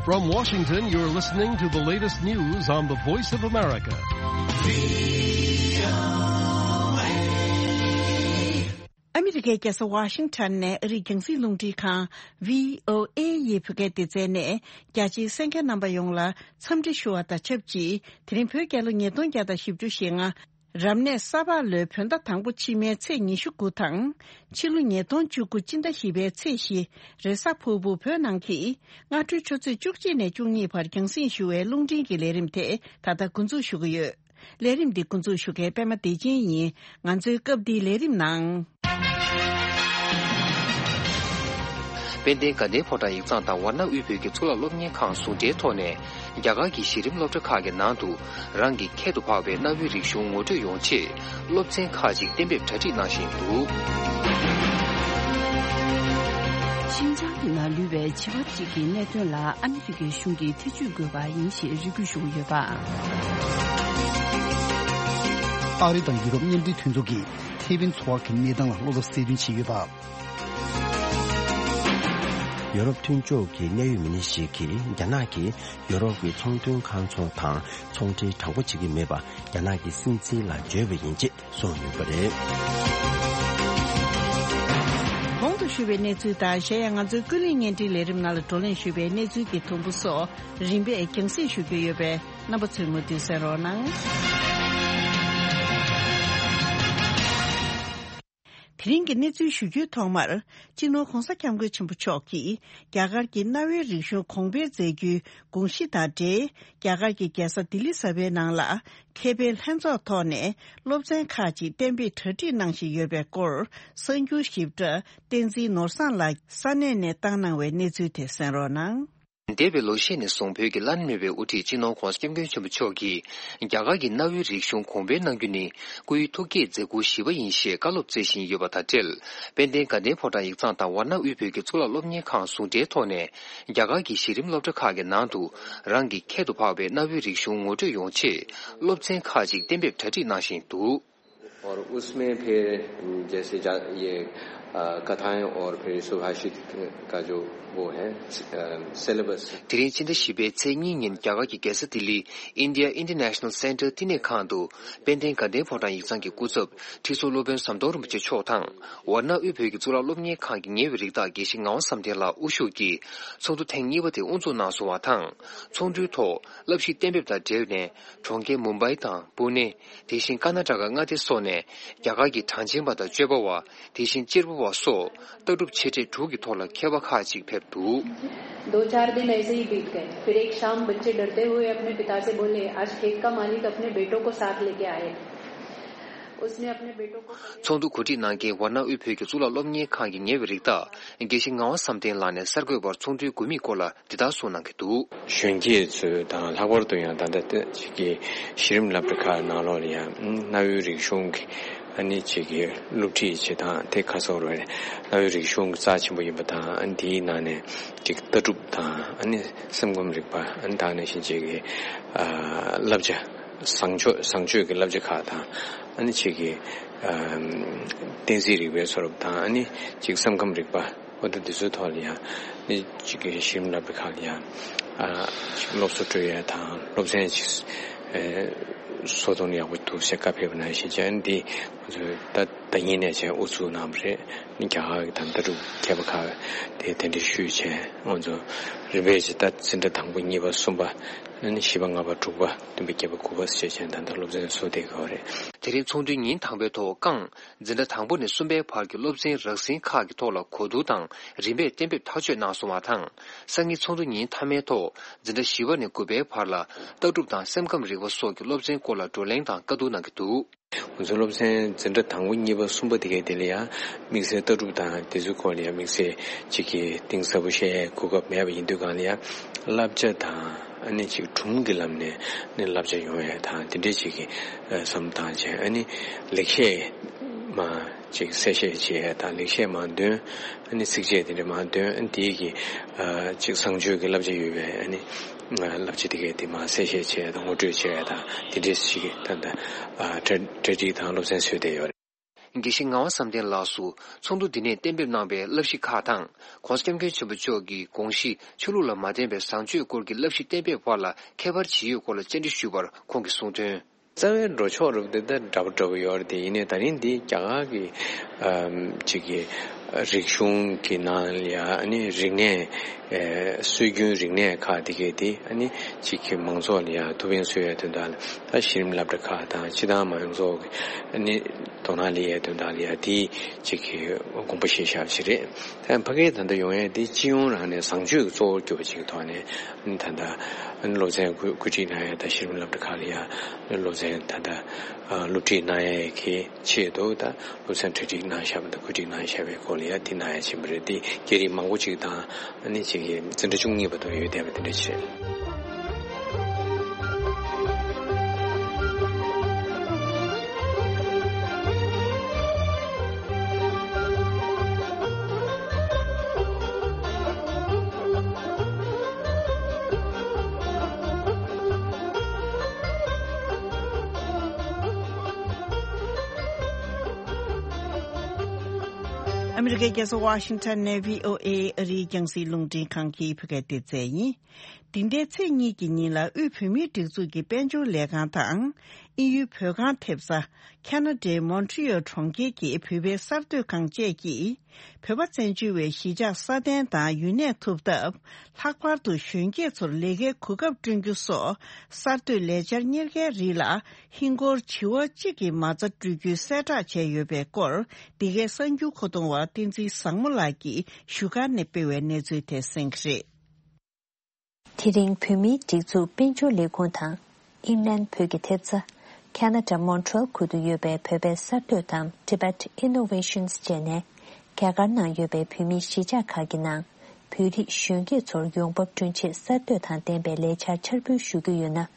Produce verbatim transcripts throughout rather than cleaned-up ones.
From Washington, you're listening to the latest news on the Voice of America. ཨ་མི་རི་ཀའི་རྒྱལ་ས་ཝ་ཤིང་ཊོན་ནས་ཨ་རིའི་རྒྱང་སྲིང་རླུང་འཕྲིན་ཁང་བྷི་ཨོ་ཨེ་ཡི་བོད་སྐད་སྡེ་ཚན་ནས་རྒྱ་ཆེའི་གསན་མཁན་རྣམ་པ་ཡོངས་ལ་འཚམས་འདྲི་ཞུ་བ་དང་ཆབས་ཅིག་དེ་རིང་བོད་རྒྱལ་ལོ་ཉིས་སྟོང་བརྒྱ་དང་བཞི་བཅུ་ཞེ་ལྔ། རབ་གནས་ས་ཕག་ལོའི་བོད་ཟླ་དང་པོ་ཕྱི་མའི་ཚེས་ཉི་ཤུ་དགུ་དང་། ཕྱི་ལོ་ཉིས་སྟོང་བཅུ་དགུ་སྤྱི་ཟླ་བཞི་པའི་ཚེས་བཞི། རེས་གཟའ་ཕུར་བུ་བོད་ནང་གི་སྔ་དྲོའི་ཆུ་ཚོད་བཅུ་གཅིག་ནས་བཅུ་གཉིས་བར་རྒྱང་སྲིང་ཞུ་བའི་རླུང་འཕྲིན་གྱི་ལས་རིམ་དེ་ད་ལྟ་འགོ་འཛུགས་ཞུ་གི་ཡོད། ལས་རིམ་འདི་འགོ་འཛུགས་ཞུ་མཁན་པད་མ་བདེ་ཆེན་ཡིན། ང་ཚོའི་སྐབས་འདིའི་ལས་རིམ་ནང་། དཔལ་ལྡན་དགའ་ལྡན་ཕོ་བྲང་ཡིག་ཚང་དང་ཝཱ་ཎ་དབུས་བོད་ཀྱི་གཙུག་ལག་སློབ་གཉེར་ཁང་ཟུང་འབྲེལ་ཐོག་ནས། རྒྱ་གར་གྱི་གཞི་རིམ་སློབ་གྲྭ་ཁག་གི་ནང་དུ་རང་གི་ཁྱད་དུ་འཕགས་པའི་གནའ་བོའི་རིག་གཞུང་ངོ་སྤྲོད་ཡོང་ཆེད་སློབ་ཚན་ཁག་ཅིག་གཏན་འབེབས་གྲ་སྒྲིག་གནང་བཞིན་འདུག། ཤིན་ཅང་གི་ནང་ལུས་པའི་བྱིས་པ་གཅིག་གི་གནད་དོན་ལ་ཨ་མི་རི་ཀའི་གཞུང་གིས་ཐེ་བྱུས་དགོས་པ་ཡིན་ཞེས་རེ་སྐུལ་ཞུ་གི་ཡོད་པ། ཨ་རི་དང་ཡུ་རོབ་མཉམ་འབྲེལ་མཐུན་ཚོགས་ཀྱིས་ཐེ་ཝན་འཚོ་བ་གི་གནས་སྟངས་ལ་བློ་འཚབ་གསལ་སྟོན་བྱས་ཡོད་པ། ཡོ་རོབ་མཐུན་ཕྱོགས་ཀྱི་གནད་ཡོད་མི་སྣ་ཞིག་གིས་རྒྱ་ནག་གིས་ཡོ་རོབ་ཀྱི་ཚོང་དོན་ཁང་ཚོ་དང་ཚོང་འབྲེལ་དྲང་པོ་བྱེད་ཀྱི་མེད་པ་རྒྱ་ནག་གི་སྲིད་འཛིན་ལ་བརྗོད་པ་ཡིན་ཅེས་གསུངས་ཡོད་པ་རེད། གོང་དུ་ཞུས་པའི་གནས་ཚུལ་དང་གཞན་ཡང་ང་ཚོའི་ཀུན་གླེང་བརྙན་འཕྲིན་ལས་རིམ་ནང་ལ་བགྲོ་གླེང་ཞུས་པའི་གནས་ཚུལ་གྱི་དུམ་བུ་སོགས་རིམ་པས་རྒྱང་སྲིང་ཞུ་རྒྱུ་ཡོད་པས་རྣམ་པ་ཚོས་མུ་མཐུད་གསན་རོགས་གནང་། དེ་རིང་གི་གནས་ཚུལ་ཞུ་རྒྱུའི་ཐོག་མར། སྤྱི་ནོར་༧གོང་ས་༧སྐྱབས་མགོན་ཆེན་པོ་མཆོག་གིས་རྒྱ་གར་གྱི་གནའ་བོའི་རིག་གཞུང་གོང་འཕེལ་མཛད་རྒྱུའི་དགོངས་གཞི་དང་འབྲེལ། རྒྱ་གར་གྱི་རྒྱལ་ས་ལྡི་ལི་གསར་པའི་ནང་ལ། མཁས་པའི་ལྷན་ཚོགས་ཐོག་ནས་སློབ་ཚན་ཁག་ཅིག་གཏན་འབེབས་གྲ་སྒྲིག་གནང་བཞིན་ཡོད་པའི་སྐོར། གསར་འགྱུར་ཞིབ་ཕྲ་བསྟན་འཛིན་ནོར་བཟང་ལགས་ས་གནས་ནས་བཏང་གནང་བའི་གནས་ཚུལ་དེ་གསན་རོགས་གནང་། འདས་པའི་ལོ་ཤས་ནས་བཟུང་བོད་ཀྱི་བླ་ན་མེད་པའི་དབུ་ཁྲིད་སྤྱི་ནོར་༧གོང་ས་༧སྐྱབས་མགོན་ཆེན་པོ་མཆོག་གིས་རྒྱ་གར་གྱི་གནའ་བོའི་རིག་གཞུང་གོང་འཕེལ་གནང་རྒྱུ་ནི་སྐུའི་ཐུགས་བསྐྱེད་མཛད་ཁུར་བཞི་པ་ཡིན་ཞེས་བཀའ་སློབ་སྩལ་བཞིན་ཡོད་པ་དང་འབྲེལ། དཔལ་ལྡན་དགའ་ལྡན་ཕོ་བྲང་ཡིག་ཚང་དང་ཝཱ་ཎ་དབུས་བོད་ཀྱི་གཙུག་ལག་སློབ་གཉེར་ཁང་ཟུང་འབྲེལ་ཐོག་ནས་རྒྱ་གར་གྱི་གཞི་རིམ་སློབ་གྲྭ་ཁག་གི་ནང་དུ་རང་གི་ཁྱད་དུ་འཕགས་པའི་གནའ་བོའི་རིག་གཞུང་ངོ་སྤྲོད་ཡོང་ཆེད་སློབ་ཚན་ཁག་ཅིག་གཏན་འབེབས་གྲ་སྒྲིག་གནང་བཞིན་འདུག། और उसमें फिर जैसे जा-, ये, अ, कथाएं और फिर सुभाषित का जो वो है, अ, सिलेबस। དེ་རིང་སྤྱི་ཟླ་བཞི་པའི་ཚེས་གཉིས་ཉིན་རྒྱ་གར་གྱི་རྒྱལ་ས་ལྡི་ལི་India International Center་བསྟི་གནས་ཁང་དུ་དཔལ་ལྡན་དགའ་ལྡན་ཕོ་བྲང་ཡིག་ཚང་གི་སྐུ་ཚབ་ཁྲི་ཟུར་སློབ་དཔོན་ཟམ་གདོང་རིན་པོ་ཆེ་མཆོག་དང་ཝཱ་ཎ་དབུས་བོད་ཀྱི་གཙུག་ལག་སློབ་གཉེར་ཁང་གི་ཉེ་བའི་རིགས་བདག་དགེ་བཤེས་ངག་དབང་བསམ་གཏན་ལགས་དབུ་བཞུགས་ཀྱིས་ཚོགས་འདུ་ཐེངས་གཉིས་པ་དེ་དབུ་འཛུགས་གནང་སོང་བ་དང་། ཚོགས་འདུའི་ཐོག་བསླབ་གཞི་གཏན་འབེབས་དང་འབྲེལ་ནས་གྲོང་ཁྱེར་མུམ་བྷའི་དང་པུ་ནེ། དེ་བཞིན་ཀར་ནཱ་ཊ་ཀ་མངའ་སྡེ་སོགས་ནས་རྒྱ་གར་གྱི་གྲངས་ཅན་པ་དང་སྤྱོད་པ་བ། དེ་བཞིན་གཅེར་བུ་བ་སོགས་ལྟ་གྲུབ་ཆེ་གྲས་དྲུག་གི་ཐོག་ལ་མཁས་པ་ཁག་ཅིག་ཕེབས་འདུག། दो चार दिन ऐसे ही बीत गए। फिर एक शाम बच्चे डरते हुए अपने पिता से बोले, आज खेत का मालिक अपने बेटों को साथ लेके आए। उसने अपने बेटों को ཚོགས་འདུ་གོ་སྒྲིག་གནང་མཁན་ཝཱ་ཎ་དབུས་བོད་ཀྱི་གཙུག་ལག་སློབ་གཉེར་ཁང་གི་ཉེ་བའི་རིགས་བདག་དགེ་བཤེས་ངག་དབང་བསམ་གཏན་ལགས་ནས་གསར་འགོད་པར་ཚོགས་འདུའི་དགོས་དམིགས་སྐོར་ལ། འདི་ལྟར་གསུངས་གནང་གི་འདུག། གཞོན་སྐྱེས་ཚོས་དང་ལྷག་པར་དུ་ཡང་ད་ལྟ་ཅིག་གི་གཞི་རིམ་སློབ་གྲྭ་ཁག་ནང་ལོགས་ལ་ཡང་གནའ་བོའི་རིག་གཞུང་གི་ཨ་ནི་ཅིག་གི་སློབ་ཁྲིད་བྱེད་སྟངས་དེ་ཁ་སོ་རུ་གནའ་བོའི་རིག་གཞུང་གི་རྩ་ཆེན་པོ་ཡིན་པ་དང་ཨ་ནི་དེའི་ནང་ནས་ཅིག་ལྟ་གྲུབ་དང་ཨ་ནི་སེམས་ཁམས་རིག་པ་ཨ་ནི་དེ་ནང་བཞིན་ཅིག་གི་ཨ་བསླབ་བྱ་བཟང་སྤྱོད་བཟང་སྤྱོད་ཀྱི་བསླབ་བྱ་ཁག་དང་ཨ་ནི་ཅིག་གི་ཨ་བསྟན་རྩིས་རིག་པའི་སོ་རབ་དང་ཨ་ནི་ཅིག་སེམས་ཁམས་རིག་པ། འོ་ད་འདི་ཚོའི་ཐོག་ལ་ཡང་ནི་གཅིག་གི་གཞི་རིམ་སློབ་གྲྭ་ཁག་ལ་ཡང་ཨ་ཅིག་སློབ་གསོ་སྤྲོད་ཡ་དང་སློབ་ཚན་ཅིག་ཨེ་བཟོ་གཏོང་ཡག་པོ་འདུག་ཟེར་བཀའ་ཕེབས་པ་ནང་བཞིན་བྱས་ཨ་ནི་འདི་ང་ཚོས་ད་ད་ཡིན་ནས་བྱས་ཨུ་ཚུགས་གནང་བ་རེད། ནི་རྒྱ་གར་གྱི་ད་ལྟ་གྲུབ་མཁས་པ་ཁག་དེ་གདན་འདྲེན་ཞུས་བྱས་ང་ཚོ་རིམ་པས་ཅིག་ད་འཛིན་གྲྭ་དང་པོ་གཉིས་པ་གསུམ་པ་ཨ་ནི་བཞི་པ་ལྔ་པ་དྲུག་པ་བདུན་པ་བརྒྱད་པ་དགུ་པ་ཟེར་བྱས་ད་ལྟ་སློབ་ཚན་བཟོ་བསྡད་ཀྱི་ཡོད་རེད། དེ་རིང་ཚོགས་འདུའི་ཉིན་དང་པོའི་ཐོག་རྐང་འཛིན་གྲྭ་དང་པོ་ནས་གསུམ་པའི་བར་གྱི་སློབ་ཚན་རགས་ཟིན་ཁག་གི་ཐོག་ལ་གོ་བསྡུར་དང་རིམ་པས་གཏན་འབེབས་ཐག་གཅོད་གནང་སོང་བ་དང་། སང་ཉིན་ཚོགས་འདུ་ཉིན་མཐའ་མའི་ཐོག་འཛིན་གྲྭ་བཞི་པ་ནས་དགུ་པའི་བར་ལ་ལྟ་གྲུབ་དང་སེམས་ཁམས་རིག་པ་སོགས་ཀྱི་སློབ་ཚན་སྐོར་ལ་བགྲོ་གླེང་དང་བཀའ་བསྡུར་གནང་གི་འདུག། ང་ཚོའི་སློབ་ཚན་འཛིན་གྲྭ་དང་པོ་གཉིས་པ་གསུམ་པ་དེ་གའི་དེ་ལ་ཡང་དམིགས་བསལ་ལྟ་གྲུབ་དང་དེ་ཚོའི་སྐོར་ལ་ཡང་དམིགས་བསལ་གཅིག་གིས་གཏིང་ཟབ་པོ་བཤད་ཡའི་གོ་སྐབས་མེད་པ་ཡིན་དུས་གང་ལ་ཡང་བསླབ་བྱ་དང་། ཨ་ནི་ཅིག་སྒྲུང་གི་ལམ་ནས་ནི་བསླབ་བྱ་ཡོང་ཡ་དང་དེ་འདྲའི་ཅིག་གི་བསམ་བློ་བཏང་བྱས་ཨ་ནི་ལེགས་བཤད་མ་ཅིག་གསལ་བཤད་བྱེད་ཡ་དང་ལེགས་བཤད་མ་འདོན་ཨ་ནི་ཚིགས་བཅད་དེ་འདྲ་མ་འདོན་ཨ་ནི་དེའི་གི་ཅིག་བཟང་སྤྱོད་ཀྱི་བསླབ་བྱ་ཡོད་པའི་ཨ་ནི་བསླབ་བྱ་དེ་གའི་དེ་མ་གསལ་བཤད་བྱེད་ཡ་དང་ངོ་སྤྲོད་བྱེད་ཡ་དང་དེ་འདྲའི་ཅིག་གི་ད་ལྟ་གྲ་སྒྲིག་དང་སློབ་ཚན་བཟོས་བསྡད་ཡོད་རེད། དགེ་བཤེས་ངག་དབང་བསམ་གཏན་ལགས་སུ་ཚོགས་འདུ་འདི་ནས་གཏན་འབེབས་གནང་བའི་བསླབ་གཞི་ཁག་དང་། ྋགོང་ས་ྋསྐྱབས་མགོན་ཆེན་པོ་མཆོག་གི་དགོངས་གཞི་ཆོས་ལུགས་ལ་མ་བརྟེན་པའི་བཟང་སྤྱོད་སྐོར་གྱི་བསླབ་གཞི་གཏན་འབེབས་བར་ལ་ཁྱད་པར་ཇི་ཡོད་སྐོར་ལ་བཅར་འདྲི་ཞུས་པར་ཁོང་གིས་གསུངས་དོན། རྩ་བའི་འགྲོ་ཕྱོགས་རུ་དེ་ད་འདྲ་པོ་འདྲ་པོ་ཡོད་རེད་དེ། ཡིན་ནའི་ད་རིང་འདི་རྒྱ་གར་གྱི་ཨམ་ཅིག་གི་རིག་གཞུང་གི་ནང་ལ་ཡ་ཨ་ནི་རིག་གནས་ཨེ་སྲོལ་རྒྱུན་རིག་གནས་ཁག་དེ་གས་དེ་ཨ་ནི་ཅིག་གི་མང་ཚོགས་ལ་ཡ་ཐུགས་ཕན་གསོས་ཡ་དོན་དག་ལ། ད་གཞི་རིམ་སློབ་གྲྭ་ཁག་དང་སྤྱི་བཏང་མང་ཚོགས་ཀྱི་ཨ་ནི་དོ་སྣང་ལེན་ཡ་དོན་དག་ལ་ཡ་དེ་ཅིག་གི་དགོངས་པ་བཞེས་བཞག་པ་ཅིག་རེད། ད་ཕ་གིའི་ད་ལྟ་ཡོང་ཡས་འདི་སྤྱི་ཡོངས་རང་ནས་བཟང་སྤྱོད་ཀྱི་གཙོ་བོར་གྱུར་པ་ཅིག་གི་ཐོག་ནས་ཨ་ནི་ད་ལྟ་ཨ་ནི་སློབ་ཚན་བཀོད་བཀོད་སྒྲིག་གནང་ཡས། ད་གཞི་རིམ་སློབ་གྲྭ་ཁག་ལ་ཡ་སློབ་ཚན་ད་ལྟ་ཨ་སློབ་ཁྲིད་གནང་ཡས་ཀྱི་ཆེད་དུ་ད་སློབ་ཚན་གྲ་སྒྲིག་གནང་བཞག་པ་དང་བཀོད་སྒྲིག་གནང་བཞག་པའི་སྐོར་ལ་ཡ་འདི་གནང་ཡས་ཕྱིན་པ་རེད། འདི་སྐད་རིགས་མང་པོ་ཅིག་དང་ཨ་ནི་ཅིག་གི་འཛིན་གྲྭ་བཅུ་གཉིས་བར་དུ་ཡོད་བསྡད་པ་དེ་འདྲ་ཅིག་རེད། ཨ་མི་རི་ཀའི་རྒྱལ་ས་ཝ་ཤིང་ཊོན་ནས་བྷི་ཨོ་ཨེ་ཨ་རིའི་རྒྱང་སྲིང་རླུང་འཕྲིན་ཁང་གི་བོད་སྐད་སྡེ་ཚན་ཡིན། འདི་ཟླའི་ཚེས་གཉིས་ཀྱི་ཉིན་ལ་དབུས་བོད་མིའི་སྒྲིག་འཛུགས་ཀྱི་དཔལ་འབྱོར་ལས་ཁང་དང་། དབྱིན་ཡུལ་བོད་ཁང་ཐེབས་རྩ། ཁ་ན་ཌའི་མོན་ཊི་ཡོལ་གྲོང་ཁྱེར་གྱི་བོད་པའི་གསར་གཏོད་ཁང་བཅས་ཀྱིས། བོད་པ་བཙན་བྱོལ་བའི་གཞིས་ཆགས་སྲ་བརྟན་དང་ཡུན་གནས་ཐུབ་ཐབས། ལྷག་པར་དུ་གཞོན་སྐྱེས་ཚོར་ལས་ཀའི་གོ་སྐབས་བསྐྲུན་རྒྱུ་སོགས་གསར་གཏོད་ལས་འཆར་གཉེར་མཁན་རིགས་ལ་ཧིན་སྒོར་བྱེ་བ་གཅིག་གི་མ་རྩ་སྤྲོད་རྒྱུའི་གསལ་བསྒྲགས་བྱས་ཡོད་པའི་སྐོར། འདི་གའི་གསར་འགྱུར་མཁོ་གཏོང་བ་བསྟན་འཛིན་བཟང་མོ་ལགས་ཀྱིས་བཞུགས་སྒར་ནས་སྤེལ་བའི་གནས་ཚུལ་དེ་གསན་གྱི་རེད། དེ་རིང་བོད་མིའི་སྒྲིག་འཛུགས་དཔལ་འབྱོར་ལས་ཁུངས་དང་། ཨིང་ལན་བོད་ཀྱི་ཐེབས་རྩ། ཁ་ན་ཌ་མོན་ཊི་རེལ་ཁུལ་དུ་ཡོད་པའི་བོད་པའི་གསར་གཏོད་དང་Tibet Innovations བཅས་ནས། རྒྱ་གར་ནང་ཡོད་པའི་བོད་མིའི་གཞིས་ཆགས་ཁག་གི་ནང་། བོད་རིགས་གཞོན་སྐྱེས་ཚོར་ཡོང་འབབ་བསྐྲུན་ཆེད་གསར་གཏོད་དང་ལྡན་པའི་ལས་འཆར་འཆར་འབུལ་ཞུ་རྒྱུ་ཡོད་ན།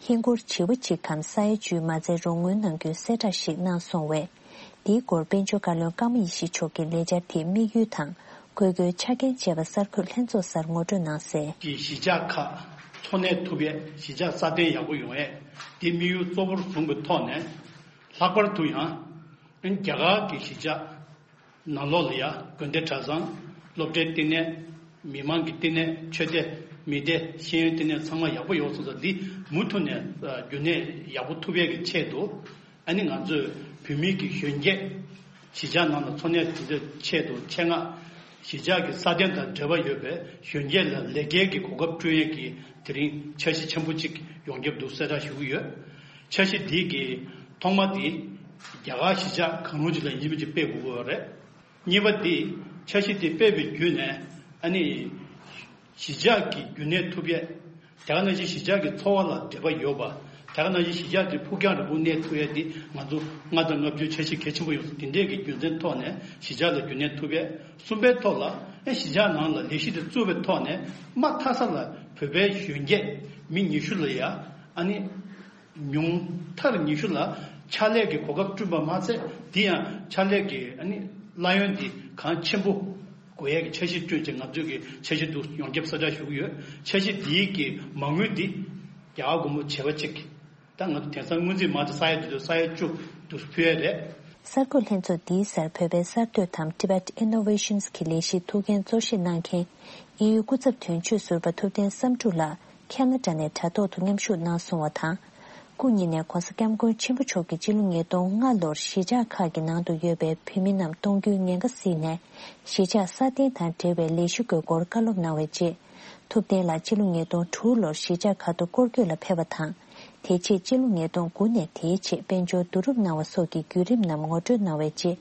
ཧིན་སྒོར་བྱེ་བ་གཅིག་གམ་ས་ཡ་བཅུའི་མ་རྩའི་རོགས་དངུལ་གནང་རྒྱུའི་གསལ་བསྒྲགས་ཤིག་གནང་སོང་བས། འདིའི་སྐོར་དཔལ་འབྱོར་བཀའ་བློན་ཀརྨ་ཡེ་ཤེས་མཆོག་གིས་ལས་འཆར་དེའི་དམིགས་ཡུལ་དང་། དགོས་མཁོའི་ཆ་རྐྱེན་བཅས་པ་གསར་འགོད་ལྷན་ཚོགས་སར་ངོ་སྤྲོད་གནང་གསལ། གི་གཞིས་ཆགས་ཁག་འཚོ་གནས་ཐུབ་ཡས། གཞིས་ཆགས་སྲ་བརྟན་ཡག་པོ་ཡོང་ཡས་དེ་དམིགས་ཡུལ་གཙོ་བོར་བཟུང་བའི་ཐོག་ནས། ལྷག་པར་དུ་ཡང་རྒྱ་གར་གྱི་གཞིས་ཆགས་ནང་ལོགས་ལ་ཡ་དགོན་སྡེ་གྲྭ་ཚང་། སློབ་གྲྭའི་བསྟི་གནས། མི་མང་གི་བསྟི་གནས། ཆོས་སྡེ། མི་སྡེ། ཤེས་ཡོན་བསྟི་གནས་ཚང་མ་ཡག་པོ་ཡོང་སོང་ཙང་འདི་མུ་མཐུད་ནས་རྒྱུན་གནས་ཡག་པོ་ཐུབ་ཡས་ཀྱི་ཆེད་དུ། ཨ་ནི་ང་ཚོས་བོད་མི་གི་གཞོན་སྐྱེས་གཞིས་ཆགས་ནང་ལ་འཚོ་གནས་དེ་ཚོའི་ཆེད་དུ་ཆེད་མངགས། གཞིས་ཆགས་ཀྱི་སྲ་བརྟན་དང་འབྲེལ་བ་ཡོད་པའི་གཞོན་སྐྱེས་ལ་ལས་ཀའི་གི་གོ་སྐབས་བསྐྲུན་ཡས་ཀྱི་དེ་རིང་འཆར་གཞི་ཆེན་པོ་གཅིག་ཡོངས་ཁྱབ་ཏུ་གསལ་བསྒྲགས་ཞུ་གི་ཡོད། འཆར་གཞི་འདི་གི་ཐོག་མ་དེ་རྒྱ་གར་གཞིས་ཆགས་གང་རུང་ཅིག་ལ་ཡིན་གཅིག་མིན་གཅིག་སྤེལ་དགོས་ཀྱི་ཡོད་རེད། གཉིས་པ་དེ་འཆར་གཞི་དེ་སྤེལ་བའི་བརྒྱུད་ནས་ཨ་ནི། གཞིས་ཆགས་ཀྱི་རྒྱུན་གནས་ཐུབ་ཡས། དེ་ག་ནང་བཞིན་གཞིས་ཆགས་ཀྱི་འཚོ་བ་ལ་འབྲེལ་བ་ཡོད་པ། དེ་ག་ནང་བཞིན་གཞིས་ཆགས་དེ་ཕུགས་རྒྱང་རིང་པོ་གནས་ཐུབ་ཡས་དེ་ང་ཚོ་ལྔ་དང་ལྔ་བཅུའི་འཆར་གཞི་གལ་ཆེན་པོ་ཡོད། དེ་འདྲས་ཀྱི་རྒྱུ་མཚན་ཐོག་ནས་གཞིས་ཆགས་ལ་རྒྱུན་གནས་ཐུབ་ཡས། གསུམ་པའི་ཐོག་ལ་ཨེ་གཞིས་ཆགས་ནང་ལ་ལས་གཞི་དེ་བཙུགས་པའི་ཐོག་ནས་མ་མཐའ་ས་ལ་བོད་པའི་གཞོན་སྐྱེས་མི་ཉི་ཤུ་ལ་ཡ་ཨ་ནི། ཉུང་མཐར་ཉི་ཤུ་ལ་ཕྱག་ལས་ཀྱི་གོ་སྐབས་བསྐྲུན་པ་མ་ཚད། དེ་ཡང་ཕྱག་ལས་ཀྱི་ཨ་ནི་གླ་ཡོན་འདི་གང་ཆེན་པོ་དགོས་ཡས་ཀྱི་འཆར་གཞི་བསྐྲུན་ཆེད་ང་ཚོས་ཀྱི་འཆར་གཞི་འདུག་ཡོངས་ཁྱབ་གསལ་བསྒྲགས་ཞུ་གི་ཡོད། འཆར་གཞི་འདིའི་གི་མ་དངུལ་འདི་རྒྱ་གར་སྒོར་མོ་བྱེ་བ་གཅིག་ད་ང་ཚོ་དེང་སང་སྔོན་རྩིས་མ་དེ་ས་ཡ་དེ་ཚོ་ས་ཡ་བཅུ་འདུག་ཕུལ་ཡས་རེད། གསར་འགོད་ལྷན་ཚོགས་འདིའི་སར་བོད་པའི་གསར་གཏོད་དམ་Tibet Innovations གི་ལས་གཞི་ཐུགས་འགན་གཙོ་བཞེས་གནང་མཁན་དབྱིན་ཡུལ་སྐུ་ཚབ་དོན་གཅོད་ཟུར་པ་ཐུབ་བསྟན་བསམ་འགྲུབ་ལགས། ཁ་ན་ཌ་ནས་དྲ་ཐོག་ཏུ་མཉམ་ཞུགས་གནང་སོང་བ་དང་། སྐུ་ཉིད་ནས་༧གོང་ས་༧སྐྱབས་མགོན་ཆེན་པོ་མཆོག་གིས་སྤྱི་ལོ་ཉིས་སྟོང་ལྔ་ལོར་གཞིས་ཆགས་ཁག་གི་ནང་དུ་ཡོད་པའི་བོད་མི་རྣམས་གཏོང་རྒྱུའི་ཉེན་ཁ་གཟིགས་ནས། གཞིས་ཆགས་སྲ་བརྟན་དང་འབྲེལ་བའི་ལས་གཞི་དགོས་སྐོར་བཀའ་སློབ་གནང་བའི་རྗེས། ཐུབ་བསྟན་ལགས་སྤྱི་ལོ་ཉིས་སྟོང་དྲུག་ལོར་གཞིས་ཆགས་ཁག་ཏུ་སྐོར་སྐྱོད་ལ་ཕེབས་པ་དང་། དེ་རྗེས་སྤྱི་ལོ་ཉིས་སྟོང་དགུ་ནས་དེའི་ཆེད་དཔལ་འབྱོར་བསྡུ་རུབ་གནང་བ་སོགས་ཀྱི་བརྒྱུད་རིམ་རྣམས་ངོ་སྤྲོད་གནང་བའི་རྗེས།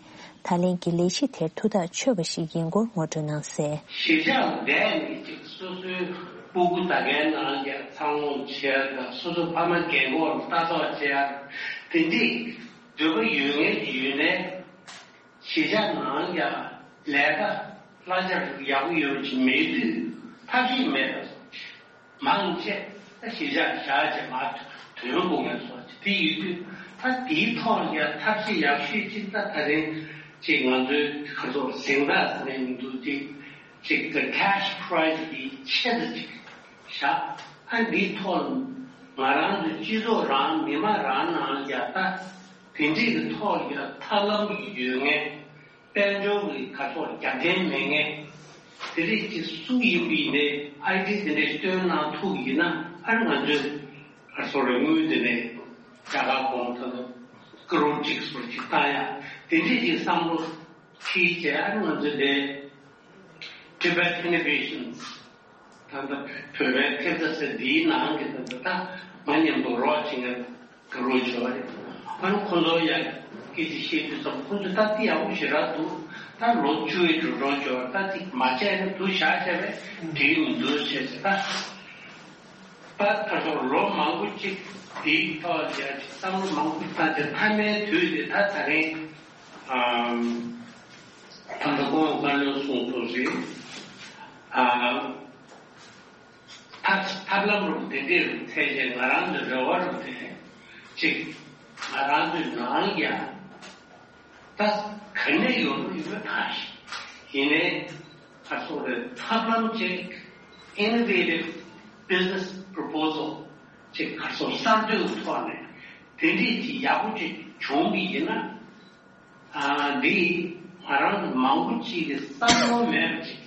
ད་ལན་གྱི་ལས་གཞི་དེར་ཐུགས་ཐག་ཆོད་པ་ཞིག་ཡིན་སྐོར་ངོ་སྤྲོད་གནང་གསལ། གཞིས་ཆགས་འདས་ནས་ཅིག་སོ་སོའི་སྤུ་གུ་ད་གའི་ནང་ལ་འཚར་ལོངས་བྱས་དང་སོ་སོ་ཕ་མ་རྒན་གོག་ལ་ལྟ་རྟོག་བྱས་དེ་འདྲའི་འདོད་པ་ཡོད་ངེས་ཡོད་ནའི། གཞིས་ཆགས་ནང་ཡང་ལས་ཀ་གླ་ཆ་ཡག་པོ་ཡོད་ཀྱི་མེད་དུས་ཐབས་ཤེས་མེད་པ་མང་ཆེ་ད་གཞིས་ཆགས་བཞག་བྱས་མར་ཐོན་དགོས་ངེས་སོགས་ཀྱི་དེ་ཡོད་དུས་ད་དེའི་ཐོག་ལ་ཡང་ཐབས་ཤེས་ཡག་ཤོས་ཅིག་ད་ད་རིང་ཅིག་ང་ཚོའི་ཁ་ཐོག་གཟེངས་རྟགས་ཟེར་ནས་མི་འདུག་ཅིག་ཅིག་the cash prize འདི་ཆེ་ཙམ་ཅིག་བཞག་ཨ་འདིའི་ཐོག་ལ་ང་རང་ཚོའི་སྤྱི་ཚོགས་རང་མི་མང་རང་ནང་ལ་ཡང་ད། དེ་འདྲས་ཀྱི་ཐོག་ལ་ཐབས་ལམ་ཡོད་མཁན། དཔལ་འབྱོར་གྱི་ག་ཚོད་རྒྱབ་རྟེན་མེད་མཁན། དེ་རིགས་ཀྱི་སུ་ཡིན་པ་ཡིན་ནའི་ཨའི་ཌི་དེ་འདྲས་སྟོན་གནང་ཐུབ་ཡིན་ན། ཨ་ནི་ང་ཚོས་ག་ཚོད་རེ་དངུལ་དེ་ནས་རྒྱ་གར་གོང་ད་ལྟ་ཀ་རོར་གཅིག་ཟུར་གཅིག་བཏང་ཡ། དེ་འདྲས་ཀྱི་བསམ་བློ་ཁྱེད་ཀྱིས་ཨ་ནི་ང་ཚོ་འདི་Tibet Innovations ད་ལྟ་བོད་པའི་ཐེབས་རྩ་ཟེར་འདིའི་ནང་གི་ད་ལྟ་ད་ང་མཉམ་དུ་རོགས་བྱེད་མཁན་དགའ་རོགས་བྱེད་པ་རེད། ཨ་ནི་ཁོ་ཚོ་ཡང་སྐད་ཆ་བཤད་དུས་ཙམ་ཁོ་ཚོ་ད་འདི་ཡག་པོ་ཞེ་དྲག་འདུག་ད་ལོ་བཅུ་ཡི་འགྲོ་གྲོན་བྱོས་པ་ད་འདི་མ་བྱས་ན་འདུག་བཞག་བྱས་པས་འགྲིག་མི་འདུག་བྱས་ཟེར། ད་ད་ད་ཚོ་ལོ་མང་པོ་ཅིག་འདིའི་ཐོག་ལ་ཡང་ཅིག་བསམ་བློ་མང་པོ་བཏང་སྟེ་མཐའ་མའི་དུས་དེ་ད་ད་རིང་ཨམ། ད་ལྟ་ཁོང་བཀའ་བློན་གསུངས་ཐུབ་རེད། ཨ། ཐབས་ཐབས་ལམ་རུ་དེ་འདྲའི་རུ་ཐལ་ཆེ་ང་རང་ཚོའི་རེ་བ་རུ་དེ་ཅིག་ང་རང་ཚོའི་ནང་ཡང་ད་ག་ནས་ཡོང་ནོ་ཡོད་མེད་གང་ཤེས། ཡིན་ནའི་ཁ་སོགས་རེ་ཐབས་ལམ་ཅིག་innovative business proposal ཅིག་ཁ་སོགས་གསར་གཏོད་ཐོག་ནས་དེ་འདྲའི་ཅིག་ཡག་པོ་ཅིག་བྱུང་གི་ཡིན་ན། ཨ། འདི་ང་རང་མང་པོ་ཅིག་གི་བསམ་བློ་མེད་པ་ཅིག་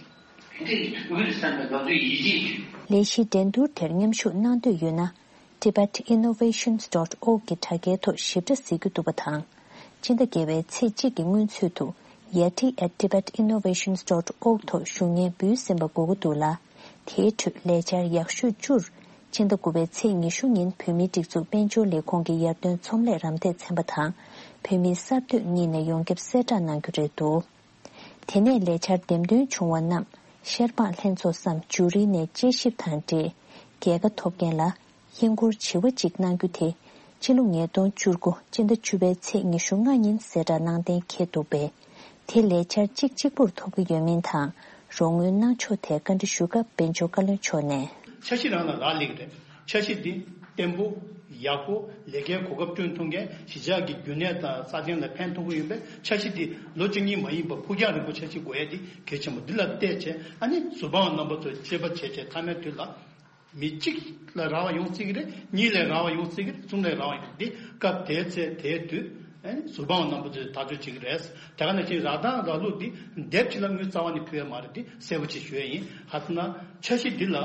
དེ་འདྲའི་དོན་གྱི་བསམ་པའི་ང་ཚོའི་ཡིད་ཆེས་ཀྱི། ལས་གཞི་འགྲན་བསྡུར་དེར་མཉམ་ཞུགས་གནང་འདོད་ཡོད་ན། tibet innovations dot org གི་དྲ་རྒྱའི་ཐོག་ཞིབ་ཕྲ་གཟིགས་རྒྱུ་འདུག་པ་དང་། སྤྱི་ཟླ་བརྒྱད་པའི་ཚེས་གཅིག་གི་སྔོན་ཚུད་དུ། yeti at tibet innovations dot org ཐོག་ཞུ་སྙན་འབུལ་ཟིན་པ་དགོས་ཀྱི་འདུག་ལ། དེའི་ཁྲོད་ལས་འཆར་ཡག་ཤོས་བཅུར། སྤྱི་ཟླ་དགུ་པའི་ཚེས་ཉི་ཤུ་ཉིན་བོད་མིའི་སྒྲིག་འཛུགས་དཔལ་འབྱོར་ལས་ཁུངས་ཀྱི་ཡར་ཐོན་ཚོང་ལས་རམ་འདེགས་ཚན་པ་དང་། བོད་མིའི་གསར་གཏོད་གཉིས་ནས་ཡོངས་ཁྱབ་གསལ་བསྒྲགས་གནང་རྒྱུ་རེད་འདུག་དེ་ནས་ལས་འཆར་འདེམས་ཐོན་བྱུང་བ་རྣམས་ཤར་པང་ལྷན་ཚོགས་སམ་ཇུ་རི་ནས་དཔྱད་ཞིབ་དང་འབྲེལ། རྒྱལ་ཁ་ཐོབ་མཁན་ལ་ཧིན་སྒོར་བྱེ་བ་གཅིག་གནང་རྒྱུ་དེ་ཕྱི་ལོ་ཉིས་སྟོང་བཅུ་དགུ་སྤྱི་ཟླ་བཅུ་པའི་ཚེས་ཉི་ཤུ་ལྔ་ཉིན་གསལ་བསྒྲགས་གནང་གཏན་འཁེལ་འདུག་པས། དེ་ལས་འཆར་གཅིག་གཅིག་པུར་ཐོབ་ཀྱི་ཡོད་མིན་དང་རོགས་དངུལ་གནང་ཕྱོགས་ཐད་བཀའ་འདྲི་ཞུ་སྐབས་དཔལ་འབྱོར་བཀའ་བློན་མཆོག་ནས། འཆར་གཞི་རང་ལ་རག་ལས་ཀྱི་རེད། འཆར་གཞི་འདི་བརྟན་པོ། ཡག་པོ། ལས་ཀའི་གོ་སྐབས་བསྐྲུན་ཐུབ་མཁན། གཞིས་ཆགས་ཀྱི་རྒྱུན་གནས་དང་སྲ་བརྟན་ལ་ཕན་ཐོགས་ཀྱི་ཡོད་པས། འཆར་གཞི་འདི་ལོ་གཅིག་གཉིས་མ་ཡིན་པར་ཕུགས་རྒྱང་རིང་པོ་འཆར་གཞི་འགོད་ཡས་འདི་གལ་ཆེན་པོ། འདི་ལ་བལྟས་བྱས་ཨ་ནི་ཟུར་དཔང་རྣམ་པ་ཚོས་དཔྱད་པ་བྱས་བྱས་མཐའ་མའི་དུས་ལ། མི་གཅིག་ལ་རག་པ་ཡོང་སྲིད་ཀྱི་རེད། གཉིས་ལ་རག་པ་ཡོང་སྲིད་ཀྱི་རེད། གསུམ་ལ་རག་པ་ཡོང་། འདི་སྐབས་དེའི་ཚེ་དེའི་དུས་ཨ་ནི་ཟུར་དཔང་རྣམ་པ་ཚོས་ཐག་གཅོད་བྱེད་ཀྱི་རེད། དེ་ག་ནང་བཞིན་རག་དང་རག་ལུགས་འདི་དེབ་ཅིག་ལ་དངུལ་རྩ་བ་ནས་ཕུལ་ཡ་མ་རེད། འདི་གསལ་པོ་ཅིག་ཞུ་ཡ་ཡིན། ག་ཟེར་ན་འཆར་གཞི་འདི་ལ།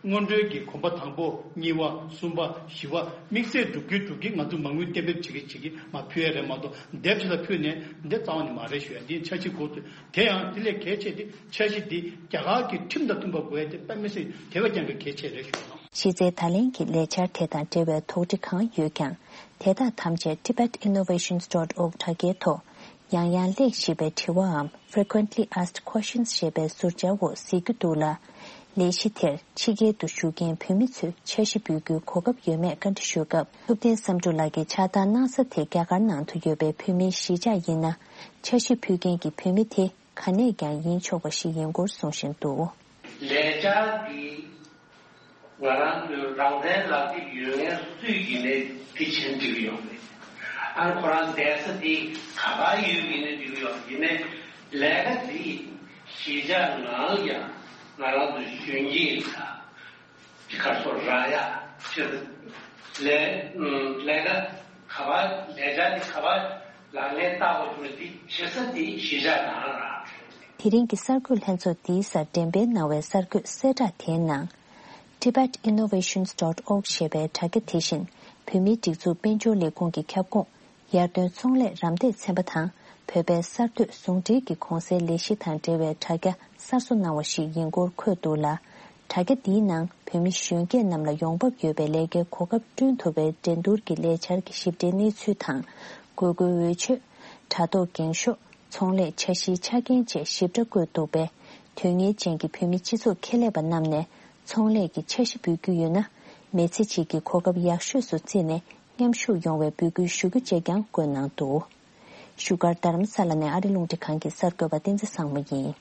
སྔོན་འགྲོའི་གི་གོམ་པ་དང་པོ། གཉིས་པ། གསུམ་པ། བཞི་པ། དམིགས་བསལ་སྒྲུབ་ཀྱི་སྒྲུབ་ཀྱི་ང་ཚོ་མ་དངུལ་གཏན་འབེབས་བྱེད་ཀྱི་བྱེད་ཀྱི་མ་ཕུལ་ཡ་རེད་མ་གཏོགས་དེབ་ཅིག་ལ་ཕུལ་ནས་འདི་རྩ་བ་ནས་མ་རེད་ཞུ་ཡ། འདི་འཆར་གཞི་འགོ་ཚུགས། དེ་ཡང་དེ་ལས་གལ་ཆེ་དེ་འཆར་གཞི་འདི་རྒྱ་གར་གྱི་ཁྲིམས་དང་མཐུན་པ་དགོས་ཡ་དེ་དཔེ་མི་སྲིད་དེ་བས་ཀྱང་གི་གལ་ཆེ་རེད་ཞུ་གནང་། གཞི་རྩའི་བརྡ་ལན་གྱི་ལས་འཆར་དེ་དང་འབྲེལ་བའི་དོགས་འདྲི་གང་ཡོད་ཀྱང་། དེ་དག་ཐམས་ཅད་tibet innovations dot org དྲ་རྒྱའི་ཐོག་ཡང་ཡང་སླེབས་བཞིན་པའི་དྲི་བའམ་Frequently Asked Questions ཞེས་པའི་ཟུར་བཅར་འོག་གཟིགས་རྒྱུ་འདུག་ལ། ལས་གཞི་དེར་ཕྱི་རྒྱལ་དུ་བཞུགས་མཁན་བོད་མི་ཚོས་འཆར་གཞི་འབུལ་རྒྱུའི་གོ་སྐབས་ཡོད་མེད་བཀའ་འདྲི་ཞུ་སྐབས། ཐུབ་བསྟན་བསམ་གྲུབ་ལགས་ཀྱིས་ཕྱག་བསྟར་གནང་ས་དེ་རྒྱ་གར་ནང་དུ་ཡོད་པའི་བོད་མིའི་གཞིས་ཆགས་ཡིན་ན། འཆར་གཞི་ཕུལ་མཁན་གྱི་བོད་མི་དེ་ག་ནས་ཀྱང་ཡིན་ཆོག་པ་ཞིག་ཡིན་སྐོར་གསུང་བཞིན་འདུག་ལས་འཆར་འདི། ང་རང་ཚོའི་རང་བཙན་ལག་དེབ་ཡོད་མཁན་སུ་ཡིན་ནའི་དེ་བྱེད་འགྲིག་གི་ཡོད་རེད། ཨ་ནི་ཁོ་རང་བསྡད་ས་དེ་ག་པར་ཡོད་ཡིན་ནའི་འགྲིག་གི་ཡོད་རེད། ཡིན་ནའི་ལས་ཀ་དེ་གཞིས་ཆགས་ནང་ཡང་ང་རང་ཚོ་གཞོན་སྐྱེས་དང་དེ་ག་ཚོ་རག་ཡ་ཆེད་དུ་ལས་ལས་ཀ་ག་པར་ལས་འཆར་དེ་ག་པར་ལག་ལེན་བསྟར་དགོས་ཀྱི་མེད་དེ་བྱེད་ས་དེ་གཞིས་ཆགས་ནང་རང་རེད། དེ་རིང་གི་གསར་འགོད་ལྷན་ཚོགས་འདིའི་སར་འགྲེམས་སྤེལ་གནང་བའི་གསར་འགོད་གསལ་བསྒྲགས་དེའི་ནང་། tibet innovations dot org ཞེས་པའི་དྲ་རྒྱ་དེ་བཞིན་བོད་མིའི་སྒྲིག་འཛུགས་དཔལ་འབྱོར་ལས་ཁུངས་ཀྱི་ཁྱབ་ཁོངས་ཡར་ཐོན་ཚོང་ལས་རམ་འདེགས་ཚན་པ་དང་བོད་པའི་གསར་གཏོད་ཟུང་འབྲེལ་གྱི་གོང་གསལ་ལས་གཞི་དང་འབྲེལ་བའི་དྲ་རྒྱ་གསར་བཟོ་གནང་བ་ཞིག་ཡིན་སྐོར་འཁོད་འདུག་ལ། དྲ་རྒྱ་འདིའི་ནང་བོད་མི་གཞོན་སྐྱེས་རྣམས་ལ་ཡོང་འབབ་ཡོད་པའི་ལས་ཀའི་གོ་སྐབས་བསྐྲུན་ཐུབ་པའི་འགྲན་བསྡུར་གྱི་ལས་འཆར་གྱི་ཞིབ་ཕྲའི་གནས་ཚུལ་དང་། དགོས་མཁོའི་འོས་ཆོས། དྲ་ཐོག་འགེངས་ཤོག་ཚོང་ལས་འཆར་གཞིའི་ཆ་རྐྱེན་བཅས་ཞིབ་ཕྲ་བཀོད་འདུག་པས། དོན་གཉེར་ཅན་གྱི་བོད་མི་སྤྱི་ཚོགས་ཁེ་ལས་པ་རྣམས་ནས་ཚོང་ལས་ཀྱི་འཆར་གཞི་འབུལ་རྒྱུ་ཡོད་ན། མི་ཚེ་གཅིག་གི་གོ་སྐབས་ཡག་ཤོས་སུ་བརྩིས་ནས་མཉམ་ཞུགས་ཡོང་བའི་འབོད་སྐུལ་ཞུ་རྒྱུ་བཅས་ཀྱང་བཀོད་གནང་འདུག་བཞུགས་སྒར་རྡ་རམ་ས་ལ་ནས་ཨ་རི་རླུང་འཕྲིན་ཁང་གི་གསར་འགོད་པ་བསྟན་འཛིན་བཟང་མོ་ཡིན།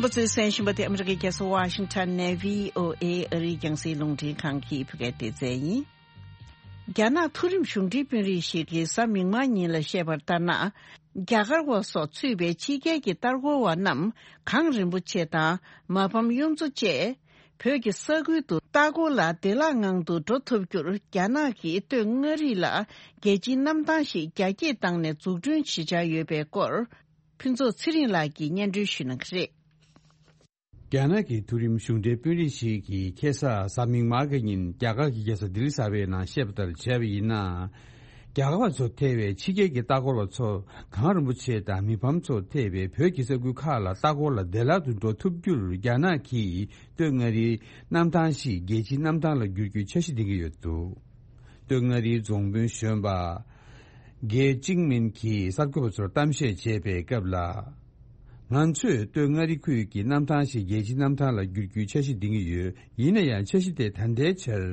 པ་ཚོས་གསན་བཞིན་པ་དེ་ཨ་མི་རི་ཀའི་རྒྱལ་ས་ཝ་ཤིང་ཊོན་ནས་བྷི་ཨོ་ཨེ་ཨ་རིའི་རྒྱང་སྲིང་རླུང་འཕྲིན་ཁང་གི་བོད་སྐད་སྡེ་ཚན་ཡིན། རྒྱ་ནག་མཐོ་རིམ་གཞུང་འབྲེལ་དཔོན་རིགས་ཤིག་གིས་གཟའ་མིག་དམར་ཉིན་ལ་བཤད་པར་ལྟར་ན། རྒྱ་གར་བ་སོགས་ཚུད་པའི་ཕྱི་རྒྱལ་གྱི་ལྟ་སྐོར་བ་རྣམས་གངས་རིན་པོ་ཆེ་དང་མ་ཕམ་གཡུ་མཚོ་བཅས། བོད་ཀྱི་ས་ཁུལ་དུ་ལྟ་སྐོར་ལ་བདེ་བླག་ངང་དུ་འགྲོ་ཐུབ་རྒྱུར་རྒྱ་ནག་གིས་སྟོད་མངའ་རིས་ལ་རྒྱལ་སྤྱིའི་གནམ་ཐང་ཞིག་རྒྱ་སྐྱེད་བཏང་ནས་འཛུགས་སྐྲུན་བྱེད་འཆར་ཡོད་པའི་སྐོར། ཕུན་ཚོགས་ཚེ་རིང་ལགས་ཀྱིས་སྙན་སྒྲོན་ཞུ་གནང་གི་རེད། རྒྱ་ནག་གི་མཐོ་རིམ་གཞུང་འབྲེལ་དཔོན་རིགས་ཤིག་གིས་ཁ་སང་གཟའ་མིག་དམར་གྱི་ཉིན་རྒྱ་གར་གྱི་རྒྱལ་ས་ལྡི་ལི་གསར་པའི་ནང་བཤད་པ་ལྟར་བྱས་པ་ཡིན་ན། རྒྱ་གར་བ་ཚོ་ཐེ་བའི་ཕྱི་རྒྱལ་གྱི་ལྟ་སྐོར་བ་ཚོ་གངས་རིན་པོ་ཆེ་དང་མི་ཕམ་ཚོ་ཐེ་བའི་བོད་ཀྱི་ས་ཁུལ་ཁག་ལ་ལྟ་སྐོར་ལ་བདེ་བླག་ཏུ་འགྲོ་ཐུབ་རྒྱུར་རྒྱ་ནག་གིས་སྟོད་མངའ་རིས་གནམ་ཐང་ཞིག་རྒྱལ་སྤྱིའི་གནམ་ཐང་ལ་བསྒྱུར་རྒྱུའི་འཆར་གཞི་འདིང་གི་ཡོད་འདུག། སྟོད་མངའ་རིས་རྫོང་དཔོན་གཞོན་པ་རྒེ་ཅིང་མིན་གྱིས་གསར་འགོད་པ་ཚོར་གཏམ་བཤད་བྱས་པའི་སྐབས་ལ། ང་ཚོས་སྟོད་མངའ་རིས་ཁུལ་གྱི་གནམ་ཐང་ཞིག་རྒྱལ་སྤྱིའི་གནམ་ཐང་ལ་བསྒྱུར་རྒྱུའི་འཆར་གཞི་འདིང་གི་ཡོད། ཡིན་ན་ཡང་འཆར་གཞི་དེ་ད་ལྟའི་ཆར་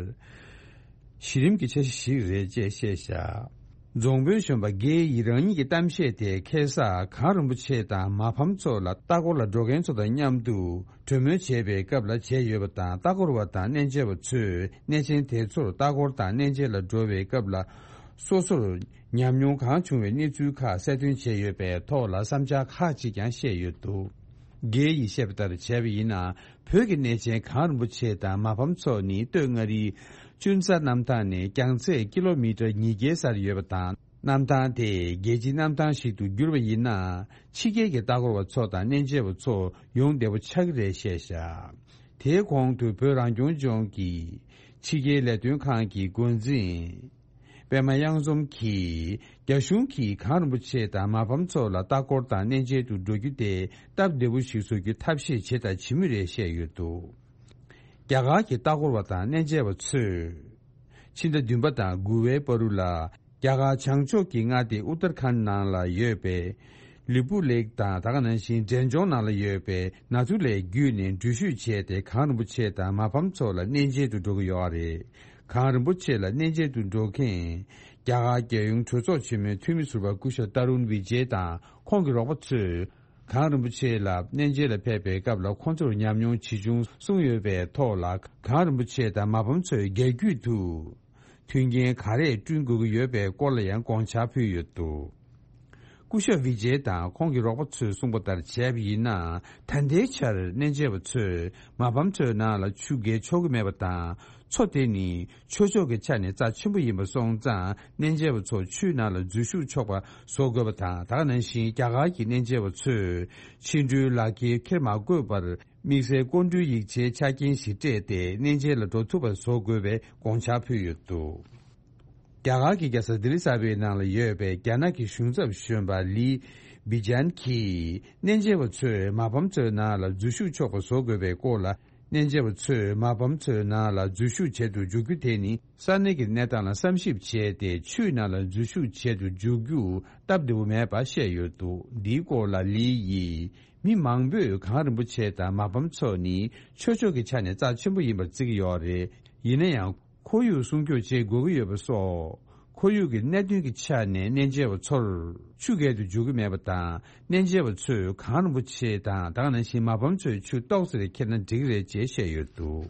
གཞི་རིམ་གྱི་འཆར་གཞི་ཞིག་རེད་ཅེས་བཤད་བཞག། རྫོང་དཔོན་གཞོན་པ་རྒེ་ཡིས་རང་ཉིད་ཀྱི་གཏམ་བཤད་དེ་ཁ་སང་གངས་རིན་པོ་ཆེ་དང་མ་ཕམ་ཚོ་ལ་ལྟ་སྐོར་ལ་འགྲོ་མཁན་ཚོ་དང་མཉམ་དུ་གྲོས་མོལ་བྱས་པའི་སྐབས་ལ་བྱས་ཡོད་པ་དང་། ལྟ་སྐོར་བ་དང་གནས་མཇལ་བ་ཚོས་གནས་ཆེན་དེ་ཚོར་ལྟ་སྐོར་དང་གནས་མཇལ་ལ་འགྲོ་བའི་སྐབས་ལ་སོ་སོར་ཉམས་མྱོང་གང་བྱུང་བའི་གནས་ཚུལ་ཁག་གསལ་སྟོན་བྱས་ཡོད་པའི་ཐོག་ལ་བསམ་འཆར་ཁག་ཅིག་ཀྱང་བཤད་ཡོད་འདུག། རྒེ་ཡིས་བཤད་པ་ལྟར་བྱས་པ་ཡིན་ན། བོད་ཀྱི་གནས་ཆེན་གངས་རིན་པོ་ཆེ་དང་མ་ཕམ་ཚོ་ནི་སྟོད་མངའ་རིས་ཅུན་ས་གནམ་ཐང་ནས་རྒྱང་ཚད་ཀི་ལོ་མི་ཊར་ཉིས་བརྒྱའི་སར་ཡོད་པ་དང་། གནམ་ཐང་དེ་རྒྱལ་སྤྱིའི་གནམ་ཐང་ཞིག་ཏུ་བསྒྱུར་བ་ཡིན་ན། ཕྱི་རྒྱལ་གྱི་ལྟ་སྐོར་བ་ཚོ་དང་གནས་མཇལ་བ་ཚོ་ཡོང་བདེ་པོ་ཆགས་ཀྱི་རེད་བཤད་བཞག། དེའི་གོང་དུ་བོད་རང་སྐྱོང་ལྗོངས་ཀྱི་ཕྱི་རྒྱལ་ལས་དོན་ཁང་གི་འགོ་འཛིན་པད་མ་གཡང་འཛོམས་ཀྱིས། རྒྱ་གཞུང་གིས་གངས་རིན་པོ་ཆེ་དང་མ་ཕམ་ཚོ་ལ་ལྟ་སྐོར་དང་གནས་མཇལ་དུ་འགྲོ་རྒྱུ་དེ་སྟབས་བདེ་པོ་ཞིག་བཟོ་རྒྱུའི་ཐབས་ཤེས་བྱས་དང་བྱེད་མུས་རེད་བཤད་ཡོད་འདུག། རྒྱ་གར་གྱི་ལྟ་སྐོར་བ་དང་གནས་མཇལ་བ་ཚོས། ཕྱི་ཟླ་བདུན་པ་དང་དགུ་པའི་བར་དུ་ལ། རྒྱ་གར་བྱང་ཕྱོགས་ཀྱི་མངའ་སྡེ་ཨུ་ཏར་ཁཱན་ནང་ལ་ཡོད་པའི་ལི་པུ་ལེག་དང་། ད་ག་ནང་བཞིན་འབྲས་ལྗོངས་ནང་ལ་ཡོད་པའི་ནཱ་ཐུ་ལའི་བརྒྱུད་ནས་འགྲུལ་བཞུད་བྱས་ཏེ། གངས་རིན་པོ་ཆེ་དང་མ་ཕམ་ཚོ་ལ་གནས་མཇལ་དུ་འགྲོ་གི་ཡོད་རེད། གངས་རིན་པོ་ཆེ་ལ་གནས་མཇལ་དུ་འགྲོ་མཁན་རྒྱ་གར་རྒྱལ་ཡོངས་གྲོས་ཚོགས་ཆེན་མོའི་འཐུས་མི་ཟུར་པ་སྐུ་ཞབས་ཏ་རུན་བི་ཇེ་དང་ཁོང་གི་རོགས་པ་ཚོས། གངས་རིན་པོ་ཆེ་ལ་གནས་མཇལ་ལ་ཕེབས་པའི་སྐབས་ལ་ཁོང་ཚོར་ཉམས་མྱོང་ཇི་བྱུང་གསུངས་ཡོད་པའི་ཐོག་ལ། གངས་རིན་པོ་ཆེ་དང་མ་ཕམ་ཚོས་རྒྱ་བརྒྱུད་དུ་མཐུན་རྐྱེན་ག་རེ་བསྐྲུན་དགོས་ཀྱི་ཡོད་པའི་སྐོར་ལ་ཡང་དགོངས་འཆར་ཕུལ་ཡོད་འདུག། སྐུ་ཞབས་བི་ཇེ་དང་ཁོང་གི་རོགས་པ་ཚོས་གསུངས་པ་ལྟར་བྱས་པ་ཡིན་ན། ད་ལྟའི་ཆར་གནས་མཇལ་བ་ཚོས་མ་ཕམ་ཚོའི་ནང་ལ་ཆུ་བརྒལ་ཆོག་གི་མེད་པ་དང་། མཚོ་དེ་ནི་ཆོས་ཕྱོགས་ཀྱི་ཆ་ནས་རྩ་ཆེན་པོ་ཡིན་པ་སོང་ཙང་། གནས་མཇལ་བ་ཚོ་ཆུའི་ནང་ལ་འཛུལ་ཞུགས་ཆོག་པ་བཟོ་དགོས་པ་དང་། ད་ག་ནང་བཞིན་རྒྱ་གར་གྱི་གནས་མཇལ་བ་ཚོས་ཕྱི་འགྲུལ་ལག་འཁྱེར་འཁྱེར་མ་དགོས་པར། དམིགས་བསལ་སྐུ་མགྲོན་ཡིག་ཆའི་ཆ་རྐྱེན་ཞིག་སྤྲད་དེ་གནས་མཇལ་ལ་འགྲོ་ཐུབ་པ་བཟོ་དགོས་པའི་དགོངས་འཆར་ཕུལ་ཡོད་འདུག། རྒྱ་གར་གྱི་རྒྱལ་ས་ལྡི་ལི་གསར་པའི་ནང་ལ་ཡོད་པའི་རྒྱ་ནག་གི་གཞུང་ཚབ་གཞོན་པ་ལི་བི་ཇན་གྱིས། གནས་མཇལ་བ་ཚོས་མ་ཕམ་ཚོའི་ནང་ལ་འཛུལ་ཞུགས་ཆོག་པ་བཟོ་དགོས་པའི་སྐོར་ལ། གནས་མཇལ་བ་ཚོས་མ་ཕམ་ཚོའི་ནང་ལ་འཛུལ་ཞུགས་བྱེད་དུ་འཇུག་རྒྱུ་དེ་ནི། ས་གནས་ཀྱི་གནས་སྟངས་ལ་བསམ་ཞིབ་བྱས་ཏེ། ཆུའི་ནང་ལ་འཛུལ་ཞུགས་བྱེད་དུ་འཇུག་རྒྱུ་སྟབས་བདེ་པོ་མེད་པ་བཤད་ཡོད་འདུག། འདིའི་སྐོར་ལ་ལི་ཡིས། མི་མང་པོས་གངས་རིན་པོ་ཆེ་དང་མ་ཕམ་ཚོ་ནི་ཆོས་ཕྱོགས་ཀྱི་ཆ་ནས་རྩ་ཆེན་པོ་ཡིན་པར་བརྩི་གི་ཡོད་རེད། ཡིན་ན་ཡང་། ཁོར་ཡུག་སྲུང་སྐྱོབ་བྱེད་དགོས་ཀྱི་ཡོད་པ་སོགས། ཁོར་ཡུག་གི་གནད་དོན་གྱི་ཆ་ནས་གནས་མཇལ་བ་ཚོར་ཆུ་བརྒལ་དུ་འཇུག་གི་མེད་པ་དང་། གནས་མཇལ་བ་ཚོས་གངས་རིན་པོ་ཆེ་དང་། ད་ག་ནང་བཞིན་མ་ཕམ་ཚོས་ཆུ་ཏོག་ཙམ་རེ་འཁྱེར་ན་འགྲིག་གི་རེད་ཅེས་བཤད་ཡོད་འདུག།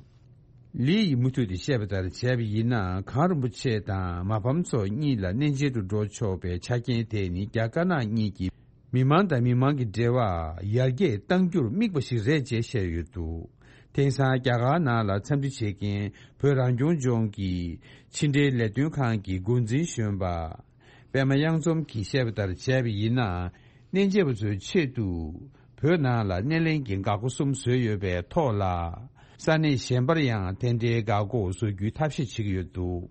ལི་ཡིས་མུ་མཐུད་དེ་བཤད་པ་ལྟར་བྱས་པ་ཡིན་ན། གངས་རིན་པོ་ཆེ་དང་མ་ཕམ་ཚོ་གཉིས་ལ་གནས་མཇལ་དུ་འགྲོ་ཆོག་པའི་ཆ་རྐྱེན་དེ་ནི། རྒྱ་དཀར་ནག་གཉིས་ཀྱི་མི་མང་དང་མི་མང་གི་འབྲེལ་བ་ཡར་རྒྱས་གཏང་རྒྱུར་དམིགས་པ་ཞིག་རེད་ཅེས་བཤད་ཡོད་འདུག། དེང་སང་རྒྱ་གར་ནང་ལ་འཚམས་འདྲི་བྱེད་མཁན་བོད་རང་སྐྱོང་ལྗོངས་ཀྱི་ཕྱི་འབྲེལ་ལས་དོན་ཁང་གི་འགོ་འཛིན་གཞོན་པ་པད་མ་གཡང་འཛོམས་ཀྱིས་བཤད་པ་ལྟར་བྱས་པ་ཡིན་ན། གནས་མཇལ་བ་ཚོའི་ཆེད་དུ་བོད་ནང་ལ་སྣེ་ལེན་གྱི་འགག་སྒོ་གསུམ་བཟོས་ཡོད་པའི་ཐོག་ལ། ས་གནས་གཞན་པར་ཡང་དེ་འདྲའི་འགག་སྒོ་བཟོ་རྒྱུའི་ཐབས་ཤེས་བྱེད་ཀྱི་ཡོད་འདུག།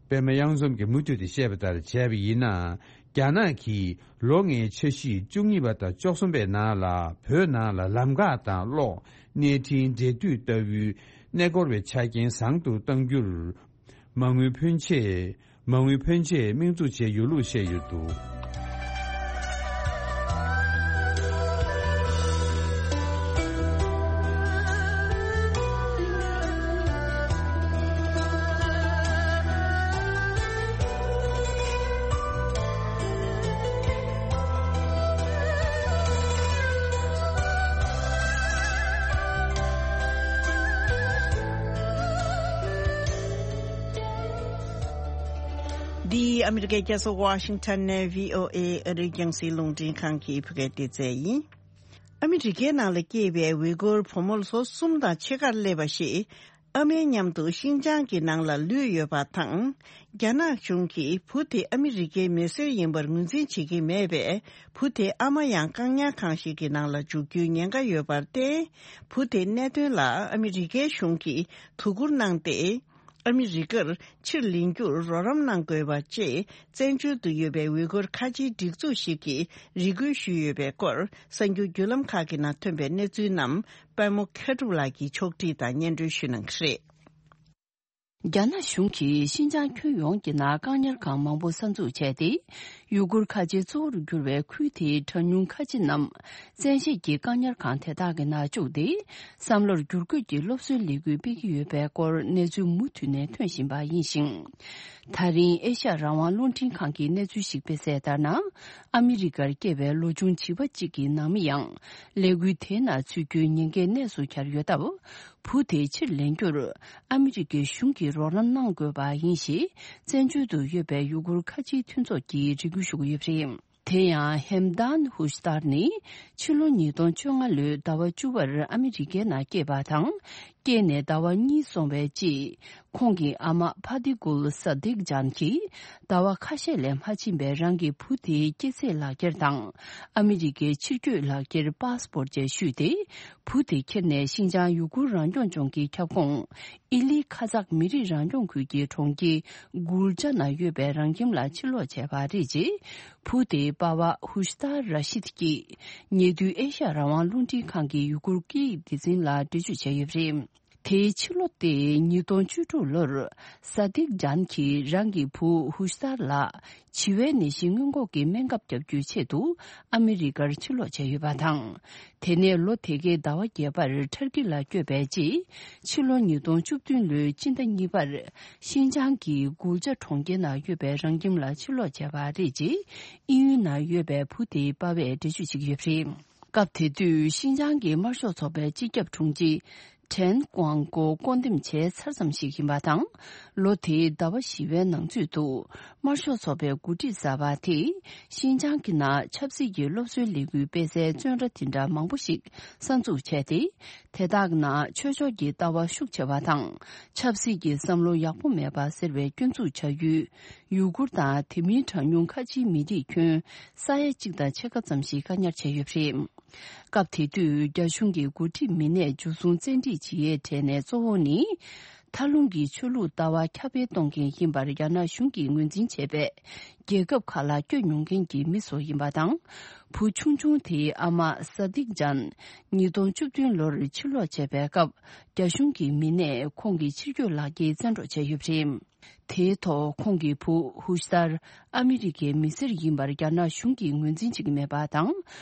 པད་མ་གཡང་འཛོམས་ཀྱིས་མུ་མཐུད་དེ་བཤད་པ་ལྟར་བྱས་པ་ཡིན་ན། རྒྱ་ནག་གིས་ལོ་ལྔའི་འཆར་གཞི་བཅུ་གཉིས་པ་དང་བཅུ་གསུམ་པའི་ནང་ལ་བོད་ནང་ལ་ལམ་ཁ་དང་གློག་གནས་འཕྲིན་འབྲེལ་མཐུད་ལྟ་བུའི་གནས་སྐོར་བའི་ཆ་རྐྱེན་བཟང་དུ་གཏང་རྒྱུར། མ་དངུལ་ཕོན་ཆེ། མ་དངུལ་ཕོན་ཆེ་དམིགས་འཛུགས་བྱས་ཡོད་ལུགས་བཤད་ཡོད་འདུག། འདི་ཨ་མི་རི་ཀའི་རྒྱལ་ས་ཝ་ཤིང་ཊོན་ནས་བྷི་ཨོ་ཨེ་ཨ་རིའི་རྒྱང་སྲིང་རླུང་འཕྲིན་ཁང་གི་བོད་སྐད་སྡེ་ཚན་ཡིན། ཨ་མི་རི་ཀའི་ནང་ལ་སྐྱེས་པའི་ཝི་གོར་བུ་མོ་ལོ་གསུམ་དང་ཕྱེད་ཀར་སླེབས་པ་ཞིག་ཨ་མའི་མཉམ་དུ་ཤིན་ཅང་གི་ནང་ལ་ལུས་ཡོད་པ་དང་། རྒྱ་ནག་གཞུང་གིས་བུ་དེ་ཨ་མི་རི་ཀའི་མི་སེར་ཡིན་པར་ངོས་འཛིན་བྱེད་ཀྱི་མེད་པས། བུ་དེའི་ཨ་མ་ཡང་བཀག་ཉར་ཁང་ཞིག་གི་ནང་ལ་འཇུག་རྒྱུའི་ཉེན་ཁ་ཡོད་པར་བརྟེན། བུ་དེའི་གནད་དོན་ལ་ཨ་མི་རི་ཀའི་གཞུང་གིས་དོ་ཁུར་གནང་སྟེ། ཨ་མི་རི་ཀར་ཕྱིར་ལེན་རྒྱུར་རོགས་རམ་གནང་དགོས་པ་བཅས། བཙན་བྱོལ་དུ་ཡོད་པའི་ཝི་གོར་ཁ་ཆེའི་སྒྲིག་འཛུགས་ཤིག་གིས་རེ་སྐུལ་ཞུས་ཡོད་པའི་སྐོར། གསར་འགྱུར་བརྒྱུད་ལམ་ཁག་གི་ནང་ཐོན་པའི་གནས་ཚུལ་རྣམས། པད་མོ་མཁས་གྲུབ་ལགས་ཀྱིས་ཕྱོགས་སྒྲིག་དང་སྙན་སྒྲོན་ཞུ་གནང་གི་རེད། རྒྱ་ནག་གཞུང་གིས་ཤིན་ཅང་ཁྱོན་ཡོངས་ཀྱི་ནང་བཀག་ཉར་ཁང་མང་པོ་གསར་འཛུགས་བྱས་ཏེ། ཡུ་གུར་ཁ་ཆེ་གཙོ་བོར་གྱུར་བའི་ཁུལ་དེའི་གྲངས་ཉུང་ཁ་ཆེ་རྣམས་བཙན་ཤེད་ཀྱིས་བཀག་ཉར་ཁང་དེ་དག་གི་ནང་བཅུག་སྟེ། བསམ་བློར་བསྒྱུར་བཀོད་ཀྱི་སློབ་གསོའི་ལས་འགུལ་སྤེལ་གྱི་ཡོད་པའི་སྐོར་གནས་ཚུལ་མུ་མཐུད་ནས་ཐོན་བཞིན་པ་ཡིན་ཞིང་། ད་རིང་ཨེ་ཤ་ཡ་རང་དབང་རླུང་འཕྲིན་ཁང་གིས་གནས་ཚུལ་ཞིག་སྤེལ་གསལ་ལྟར་ན། ཨ་མི་རི་ཀར་སྐྱེས་པའི་ལོ་ཆུང་བྱིས་པ་གཅིག་གི་ནང་མི་ཡང་ལས་འགུལ་དེའི་ནང་ཚུད་རྒྱུའི་ཉེན་ཁའི་གནས་སུ་གྱར་ཡོད་སྟབས། བུ་དེ་ཕྱིར་ལེན་རྒྱུར་ཨ་མི་རི་ཀའི་གཞུང་གིས་རོགས་རམ་གནང་དགོས་པ་ཡིན་ཞེས། བཙན་བྱོལ་དུ་ཡོད་པའི་ཡུ་གུར་ཁ་ཆེའི་མཐུན་ཚོགས་ཀྱིས་རེ་སྐུལ་ཞུ་གི་ཡོད་པ་རེད། དེ་ཡང་ཧེམ་དཱན་ཧུ་ཤི་ཏར་ནི་ཕྱི་ལོ་ཉིས་སྟོང་བཅོ་ལྔ་ལོའི་ཟླ་བ་བཅུ་པར་ཨ་མི་རི་ཀའི་ནང་སྐྱེས་པ་དང་། སྐྱེས་ནས་ཟླ་བ་གཉིས་སོང་བའི་རྗེས། ཁོང་གི་ཨ་མ་ཕ་དི་གུལ་ས་དིག་ཇཱན་གྱིས་ཟླ་བ་ཁ་ཤས་ལས་མ་ཕྱིན་པའི་རང་གི་བུ་དེའི་སྐྱེས་ཚེས་ལག་འཁྱེར་དང་། ཨ་མི་རི་ཀའི་ཕྱིར་སྐྱོད་ལག་འཁྱེར་པཱ་སི་པོར་བཅས་བཤུས་ཏེ། བུ་དེ་ཁྱེར་ནས་ཤིན་ཅང་ཡུ་གུར་རང་སྐྱོང་ལྗོངས་ཀྱི་ཁྱབ་ཁོངས་ཨི་ལི་ཁ་ཛག་མི་རིགས་རང་སྐྱོང་ཁུལ་གྱི་གྲོང་ཁྱེར་གུལ་ཅ་ན་ཡོད་པའི་རང་ཁྱིམ་ལ་ཕྱིར་ལོག་བྱས་པ་རེད། ཅེས་བུ་དེའི་པ་ཕ་ཧུ་ཤི་ཏར་ར་ཤིད་ཀྱིས་ཉེ་དུས་ཨེ་ཤ་ཡ་རང་དབང་རླུང་འཕྲིན་ཁང་གི་ཡུ་གུར་སྐད་ཡིག་སྡེ་ཚན་ལ་འགྲེལ་བརྗོད་བྱས་ཡོད་པ་རེད། དེའི་ཕྱི་ལོ་སྟེ་ཉིས་སྟོང་བཅུ་དྲུག་ལོར། ས་དིག་ཇཱན་གྱིས་རང་གི་བུ་ཧུ་ཤི་ཏར་ལགས་བྱིས་པའི་ནད་གཞི་སྔོན་འགོག་གི་སྨན་ཁབ་བརྒྱབ་རྒྱུའི་ཆེད་དུ་ཨ་མི་རི་ཀར་ཕྱིར་ལོག་བྱས་ཡོད་པ་དང་། དེ་ནས་ལོ་དེ་གའི་ཟླ་བ་བརྒྱད་པར་ཊར་ཀི་ལ་བསྐྱོད་པའི་རྗེས། ཕྱི་ལོ་ཉིས་སྟོང་བཅུ་བདུན་ལོའི་སྤྱི་ཟླ་གཉིས་པར། ཤིན་ཅང་གི་གུལ་ཅ་གྲོང་ཁྱེར་ནང་ཡོད་པའི་རང་ཁྱིམ་ལ་ཕྱིར་ལོག་བྱས་པ་རེད། ཅེས་དབྱིན་ཡུལ་ནང་ཡོད་པའི་བུ་དེའི་པ་ཕས་འགྲེལ་བརྗོད་བྱེད་ཀྱི་ཡོད་པ་རེད། སྐབས་དེ་དུས་ཤིན་ཅང་གི་དམར་ཤོག་ཚོགས་པའི་སྤྱི་ཁྱབ་དྲུང་ཆེ་ཁྲེན་ཀོང་ཀོ་སྐོང་འདེམས་བྱས་ཚར་ཙམ་ཞིག་ཡིན་པ་དང་། ལོ་དེའི་ཟླ་བ་བཞི་པའི་ནང་ཚུད་དུ། དམར་ཤོག་ཚོགས་པའི་འགོ་ཁྲིད་གསར་པ་དེས་ཤིན་ཅང་གི་ནང་ཆབ་སྲིད་ཀྱི་སློབ་གསོའི་ལས་འགུལ་སྤེལ་སའི་བཙོན་ར་དེ་འདྲ་མང་པོ་ཞིག་གསར་འཛུགས་བྱས་ཏེ། དེ་དག་ནང་ཆོས་ཕྱོགས་ཀྱི་ལྟ་བ་ཤུགས་ཆེ་བ་དང་། ཆབ་སྲིད་ཀྱི་བསམ་བློ་ཡག་པོ་མེད་པ་ཟེར་བའི་སྐྱོན་འཛུགས་བྱ་ཡུལ། ཡུ་གུར་དང་དེ་མིན་གྲངས་ཉུང་ཁ་ཆེའི་མི་རིགས་ཁྱོན་ས་ཡ་གཅིག་དང་ཕྱེད་ཀ་ཙམ་ཞིག་བཀག་ཉར་བྱས་ཡོད་པ་རེད། སྐབས་དེ་དུས་རྒྱ་གཞུང་གི་འགོ་ཁྲིད་མི་སྣས་འཇུ་བཟུང་བཙན་ཁྲིད་བྱེད་ཡས་གྲས་ནས་གཙོ་བོ་ནི། མཐའ་ལྷུང་གི་ཆོས་ལུགས་ལྟ་བ་ཁྱབ་སྤེལ་གཏོང་མཁན་ཡིན་པར་རྒྱ་ནག་གཞུང་གིས་ངོས་འཛིན་བྱས་པའི་རྒྱལ་ཁབ་ཁག་ལ་བསྐྱོད་མྱོང་མཁན་གྱི་མི་ཚོ་ཡིན་པ་དང་། བུ་ཆུང་ཆུང་དེའི་ཨ་མ་ས་དིག་ཇཱན་ཉིས་སྟོང་བཅུ་བདུན་ལོར་ཕྱིར་ལོག་བྱས་པའི་སྐབས། རྒྱ་གཞུང་གི་མི་སྣས་ཁོང་གི་ཕྱིར་སྐྱོད་ལག་འཁྱེར་བཙན་འཕྲོག་བྱས་ཡོད་པ་རེད། དེའི་ཐོག་ཁོང་གི་བུ་ཧུ་ཤི་ཏར་ཨ་མི་རི་ཀའི་མི་སེར་ཡིན་པར་རྒྱ་ནག་གཞུང་གིས་ངོས་འཛིན་བྱེད་ཀྱི་མེད་པ་དང་།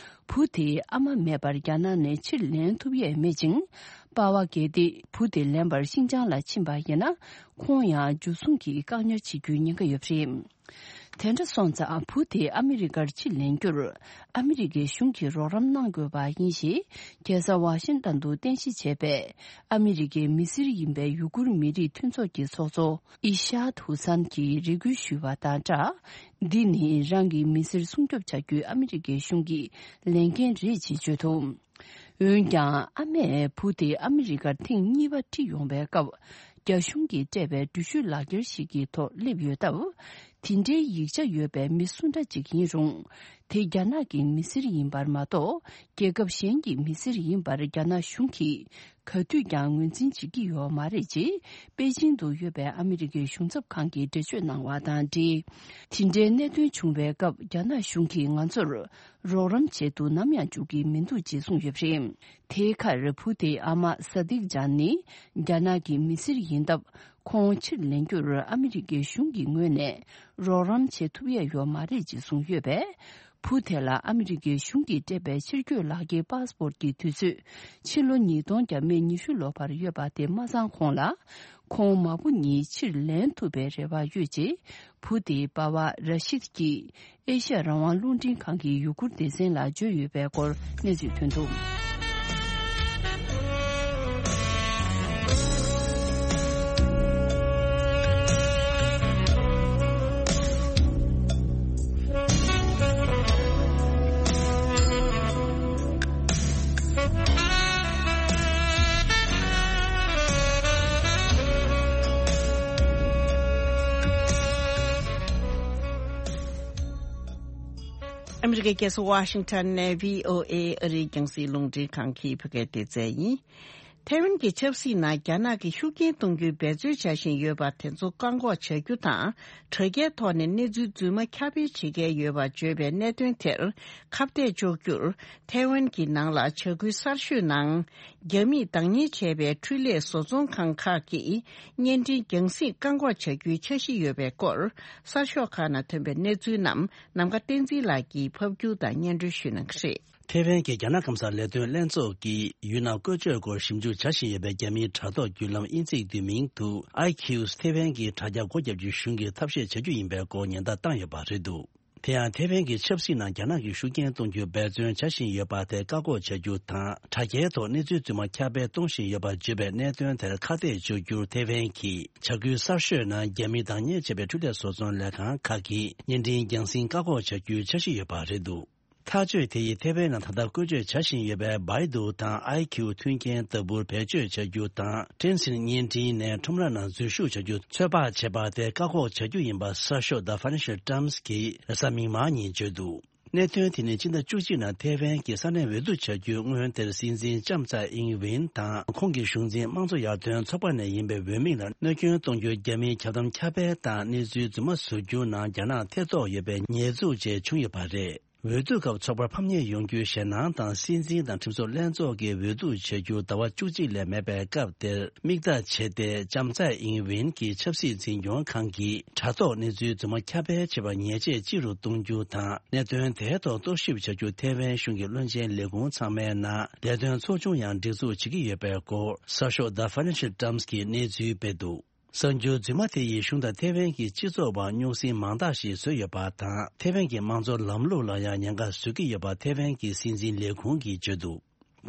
བུ་དེའི་ཨ་མ་མེད་པར་རྒྱ་ནག་ནས་ཕྱིར་ལེན་ཐུབ་ཡས་མེད་ཅིང་། པ་ཕ་གལ་ཏེ་བུ་དེ་ལེན་པར་ཤིན་ཅང་ལ་ཕྱིན་པ་ཡིན་ན། ཁོང་ཡང་འཇུ་བཟུང་གིས་བཀག་ཉར་བྱེད་རྒྱུའི་ཉེན་ཁ་ཡོད་པ་རེད། དེ་འདྲ་སོང་ཙང་བུ་དེ་ཨ་མི་རི་ཀར་ཕྱིར་ལེན་རྒྱུར་ཨ་མི་རི་ཀའི་གཞུང་གིས་རོགས་རམ་གནང་དགོས་པ་ཡིན་ཞེས་རྒྱལ་ས་ཝ་ཤིང་ཏན་དུ་རྟེན་གཞི་བྱས་པའི་ཨ་མི་རི་ཀའི་མི་སེར་ཡིན་པའི་ཡུ་གུར་མི་རིགས་མཐུན་ཚོགས་ཀྱི་ཚོགས་གཙོ་ཨི་ཤཱད་ཧུ་སན་གྱིས་རེ་སྐུལ་ཞུས་པ་དང་སྦྲགས། འདི་ནི་རང་གི་མི་སེར་སྲུང་སྐྱོབ་བྱ་རྒྱུའི་ཨ་མི་རི་ཀའི་གཞུང་གི་ལས་འགན་རེད་ཅེས་བརྗོད་འདུག་འོན་ཀྱང་ཨ་མས་བུ་དེ་ཨ་མི་རི་ཀར་ཐེངས་གཉིས་པ་ཁྲིད་ཡོང་པའི་སྐབས། རྒྱ་གཞུང་གིས་སྤྲད་པའི་འགྲུལ་བཞུད་ལག་འཁྱེར་ཞིག་གི་ཐོག་སླེབས་ཡོད་སྟབས། དེ་འདྲའི་ཡིག་ཆ་ཡོད་པའི་མི་སུ་འདྲ་ཅིག་ཡིན་རུང་། དེ་རྒྱ་ནག་གི་མི་སེར་ཡིན་པར་མ་གཏོགས། རྒྱལ་ཁབ་གཞན་གྱི་མི་སེར་ཡིན་པར་རྒྱ་ནག་གཞུང་གིས་ག་དུས་ཀྱང་ངོས་འཛིན་བྱེད་ཀྱི་ཡོད་མ་རེད་ཅེས། པེ་ཅིང་དུ་ཡོད་པའི་ཨ་མི་རི་ཀའི་གཞུང་ཚབ་ཁང་གིས་འགྲེལ་བརྗོད་གནང་བ་དང་འབྲེལ། དེ་འདྲའི་གནད་དོན་བྱུང་བའི་སྐབས། རྒྱ་ནག་གཞུང་གིས་ང་ཚོར་རོགས་རམ་བྱེད་དུ་ནམ་ཡང་འཇུག་གི་མི་འདུག་ཅེས་གསུངས་ཡོད་པ་རེད། དེའི་ཁར་བུ་དེའི་ཨ་མ་ས་དིག་ཇཱན་ནི་རྒྱ་ནག་གི་མི་སེར་ཡིན་སྟབས། ཁོང་ཕྱིར་ལེན་རྒྱུར་ཨ་མི་རི་ཀའི་གཞུང་གི་ངོས་ནས་རོགས་རམ་བྱེད་ཐུབ་ཡས་ཡོད་མ་རེད་ཅེས་གསུངས་ཡོད་པས། བུ་དེ་ལ་ཨ་མི་རི་ཀའི་གཞུང་གིས་སྤྲད་པའི་ཕྱིར་སྐྱོད་ལག་འཁྱེར་པཱ་སི་པོར་གྱི་དུས་ཚོད། ཕྱི་ལོ་ཉིས་སྟོང་བརྒྱ་མེད་ཉི་ཤུ་ལོ་བར་ཡོད་པ་དེ་མ་ཚང་གོང་ལ། ཁོང་མ་བུ་གཉིས་ཕྱིར་ལེན་ཐུབ་པའི་རེ་བ་ཡོད་ཅེས། བུ་དེའི་པ་ཕ་ར་ཤིད་ཀྱིས་ཨེ་ཤ་ཡ་རང་དབང་རླུང་འཕྲིན་ཁང་གི་ཡུ་གུར་སྡེ་ཚན་ལ་བརྗོད་ཡོད་པའི་སྐོར་གནས་ཚུལ་ཐོན་འདུག་ཨ་མི་རི་ཀའི་རྒྱལ་ས་ཝ་ཤིང་ཊོན་ནས་བྷི་ཨོ་ཨེ་ཨ་རིའི་རྒྱང་སྲིང་རླུང་འཕྲིན་ཁང་གི་བོད་སྐད་སྡེ་ཚན་ཡིན། ཐའེ་ཝན་གྱི་ཆབ་སྲིད་ནང་རྒྱ་ནག་གིས་ཤུགས་རྐྱེན་གཏོང་རྒྱུའི་འབད་རྩོལ་བྱ་བཞིན་ཡོད་པ་དེ་ཚོ་བཀག་འགོག་བྱ་རྒྱུ་དང་། དྲ་རྒྱའི་ཐོག་ནས་གནས་ཚུལ་རྫུན་མ་ཁྱབ་སྤེལ་བྱེད་མཁན་ཡོད་པར་བརྗོད་པའི་གནད་དོན་དེར་ཁ་གཏད་གཅོག་རྒྱུར། ཐའེ་ཝན་གྱི་ནང་ལ་བྱ་འགུལ་གསར་ཤོས་ནང་རྒྱ་མིས་བདག་གཉེར་བྱས་པའི་འཕྲུལ་ལས་བཟོ་ཚོང་ཁང་ཁག་གིས་བརྙན་འཕྲིན་རྒྱང་སྲིང་བཀག་འགོག་བྱ་རྒྱུའི་འཆར་གཞི་ཡོད་པའི་སྐོར། གསར་ཤོག་ཁག་ནང་ཐོན་པའི་གནས་ཚུལ་རྣམས་ནམ་མཁའ་བསྟན་འཛིན་ལགས་ཀྱིས་ཕབ་སྒྱུར་དང་སྙན་སྒྲོན་ཞུ་གནང་གི་རེད། ཐའེ་ཝན་གྱི་རྒྱ་ནག་སྐམ་ས་ལས་དོན་ལྷན་ཚོགས་ཀྱིས་ཡུལ་ནང་བཀོལ་སྤྱོད་སྐོར་ཞིབ་འཇུག་བྱ་བཞིན་ཡོད་པའི་རྒྱ་མིའི་དྲ་ཐོག་བརྒྱུད་ལམ་དབྱིན་ཚིག་བསྡུས་མིང་དུ་ཨའི་ཁིའུ་ཐའེ་ཝན་གྱི་དྲ་རྒྱ་སྒོ་བརྒྱབ་རྒྱུའི་གཞུང་གིས་ཐབས་ཤེས་བྱ་རྒྱུ་ཡིན་པའི་སྐོར་ཉེན་བརྡ་བཏང་ཡོད་པ་རེད་འདུག་དེ་ཡང་ཐའེ་ཝན་གྱི་ཆབ་སྲིད་ནང་རྒྱ་ནག་གིས་ཤུགས་རྐྱེན་གཏོང་རྒྱུའི་འབད་བརྩོན་བྱ་བཞིན་ཡོད་པ་དེ་བཀག་འགོག་བྱ་རྒྱུ་དང་། དྲ་རྒྱའི་ཐོག་གནས་ཚུལ་རྫུན་མ་ཁྱབ་སྤེལ་གཏོང་བཞིན་ཡོད་པར་བརྗོད་པའི་གནད་དོན་དེར་ཁ་གཏད་གཅོག་རྒྱུར་ཐའེ་ཝན་གྱིས་བྱ་འགུལ་གསར་ཤོས་ནང་རྒྱ་མིས་བདག་གཉེར་བྱས་པའི་འཕྲུལ་ལས་བཟོ་ཚོང་ལས་ཁང་ཁག་གིས་བརྙན་འཕྲིན་རྒྱང་སྲིང་བཀག་འགོག་བྱ་རྒྱུའི་འཆར་གཞི་ཡོད་པ་རེད་འདུག་ཐག་གཅོད་དེ་ཡིས་ཐའེ་ཝན་ནང་ད་ལྟ་བཀོལ་སྤྱོད་བྱ་བཞིན་ཡོད་པའི་བའི་ཌུའུ་དང་ཨའི་ཁིའུ་མཐུན་རྐྱེན་ལྟ་བུར་བེད་སྤྱོད་བྱ་རྒྱུ་དང་། ཊེན་སིན་བརྙན་འཕྲིན་ནས་ཁྲོམ་ར་ནང་འཛུལ་ཞུགས་བྱ་རྒྱུ་ཚོད་དཔག་བྱས་པ་དེ་བཀག་འགོག་བྱ་རྒྱུ་ཡིན་པ་གསར་ཤོག་The Financial Times་གིས་རེས་གཟའ་མིག་དམར་ཉིན་བརྗོད་འདུག་གནད་དོན་དེ་ནི་ཕྱི་ཟླ་བཅུ་གཅིག་ནང་ཐའེ་ཝན་གྱི་ས་གནས་འོས་བསྡུ་བྱ་རྒྱུའི་སྔོན་དེར་སྲིད་འཛིན་ལྕམ་ཚའེ་ཨིང་ཝིན་དང་ཁོང་གི་གཞུང་འཛིན་དམངས་གཙོ་ཡར་ཐོན་ཚོགས་པ་ནས་ཡིན་པའི་འོས་མི་ལ་གནོད་སྐྱོན་གཏོང་རྒྱུའི་རྒྱ་མིའི་ཁྱབ་གདམ་ཁྱབ་སྤེལ་དང་གནས་ཚུལ་རྫུན་མ་བཟོ་རྒྱུ་ནང་རྒྱ་ནག་ཐེ་གཏོགས་ཡོད་པའི་ཉེས་འཛུགས་བཅས་བྱུང་ཡོད་པ་རེད། འོས་བསྡུ་སྐབས་ཚོགས་པར་ཕམ་ཉེས་ཡོང་རྒྱུའི་ཞེད་སྣང་དང་། སྲིད་འཛིན་དང་ཁྲིམས་བཟོ་ལྷན་ཚོགས་ཀྱི་འོས་བསྡུ་བྱེད་རྒྱུ་ཟླ་བ་བཅུ་གཅིག་ལས་མེད་པའི་སྐབས་དེར་མིག་ལྟ་བྱས་ཏེ། ལྕམ་ཚའེ་ཨིང་ཝིན་གྱི་ཆབ་སྲིད་འཛིན་སྐྱོང་ཁང་གིས་དྲ་ཐོག་གནས་ཚུལ་རྫུན་མ་ཁྱབ་སྤེལ་བྱེད་པར་ཉེས་ཆད་ལྕི་རུ་གཏོང་རྒྱུ་དང་། གནད་དོན་དེའི་ཐོག་རྟོག་ཞིབ་བྱ་རྒྱུ་ཐའེ་ཝན་གཞུང་གི་བློན་ཆེན་ལས་ཁུངས་ཚང་མའི་ནང་ལས་དོན་ཚོགས་ཆུང་ཡང་སྒྲིག་འཛུགས་བྱེད་ཀྱི་ཡོད་པའི་སྐོར་གསར་ཤོག་The Financial Times་གིས་གནས་ཚུལ་སྤེལ་འདུག་གསར་འགྱུར་རྫུན་མ་དེ་ཡིས་གཞུང་དང་ཐའེ་ཝན་གྱི་སྤྱི་ཚོགས་བར་རྙོག་ཟིང་མང་དག་ཞིག་བཟོས་ཡོད་པ་དང་། ཐའེ་ཝན་གྱི་དམངས་གཙོ་ལམ་ལུགས་ལ་ཡང་ཉེན་ཁ་བཟོ་གི་ཡོད་པ་ཐའེ་ཝན་གྱི་སྲིད་འཛིན་ལས་ཁུངས་ཀྱིས་བརྗོད་འདུག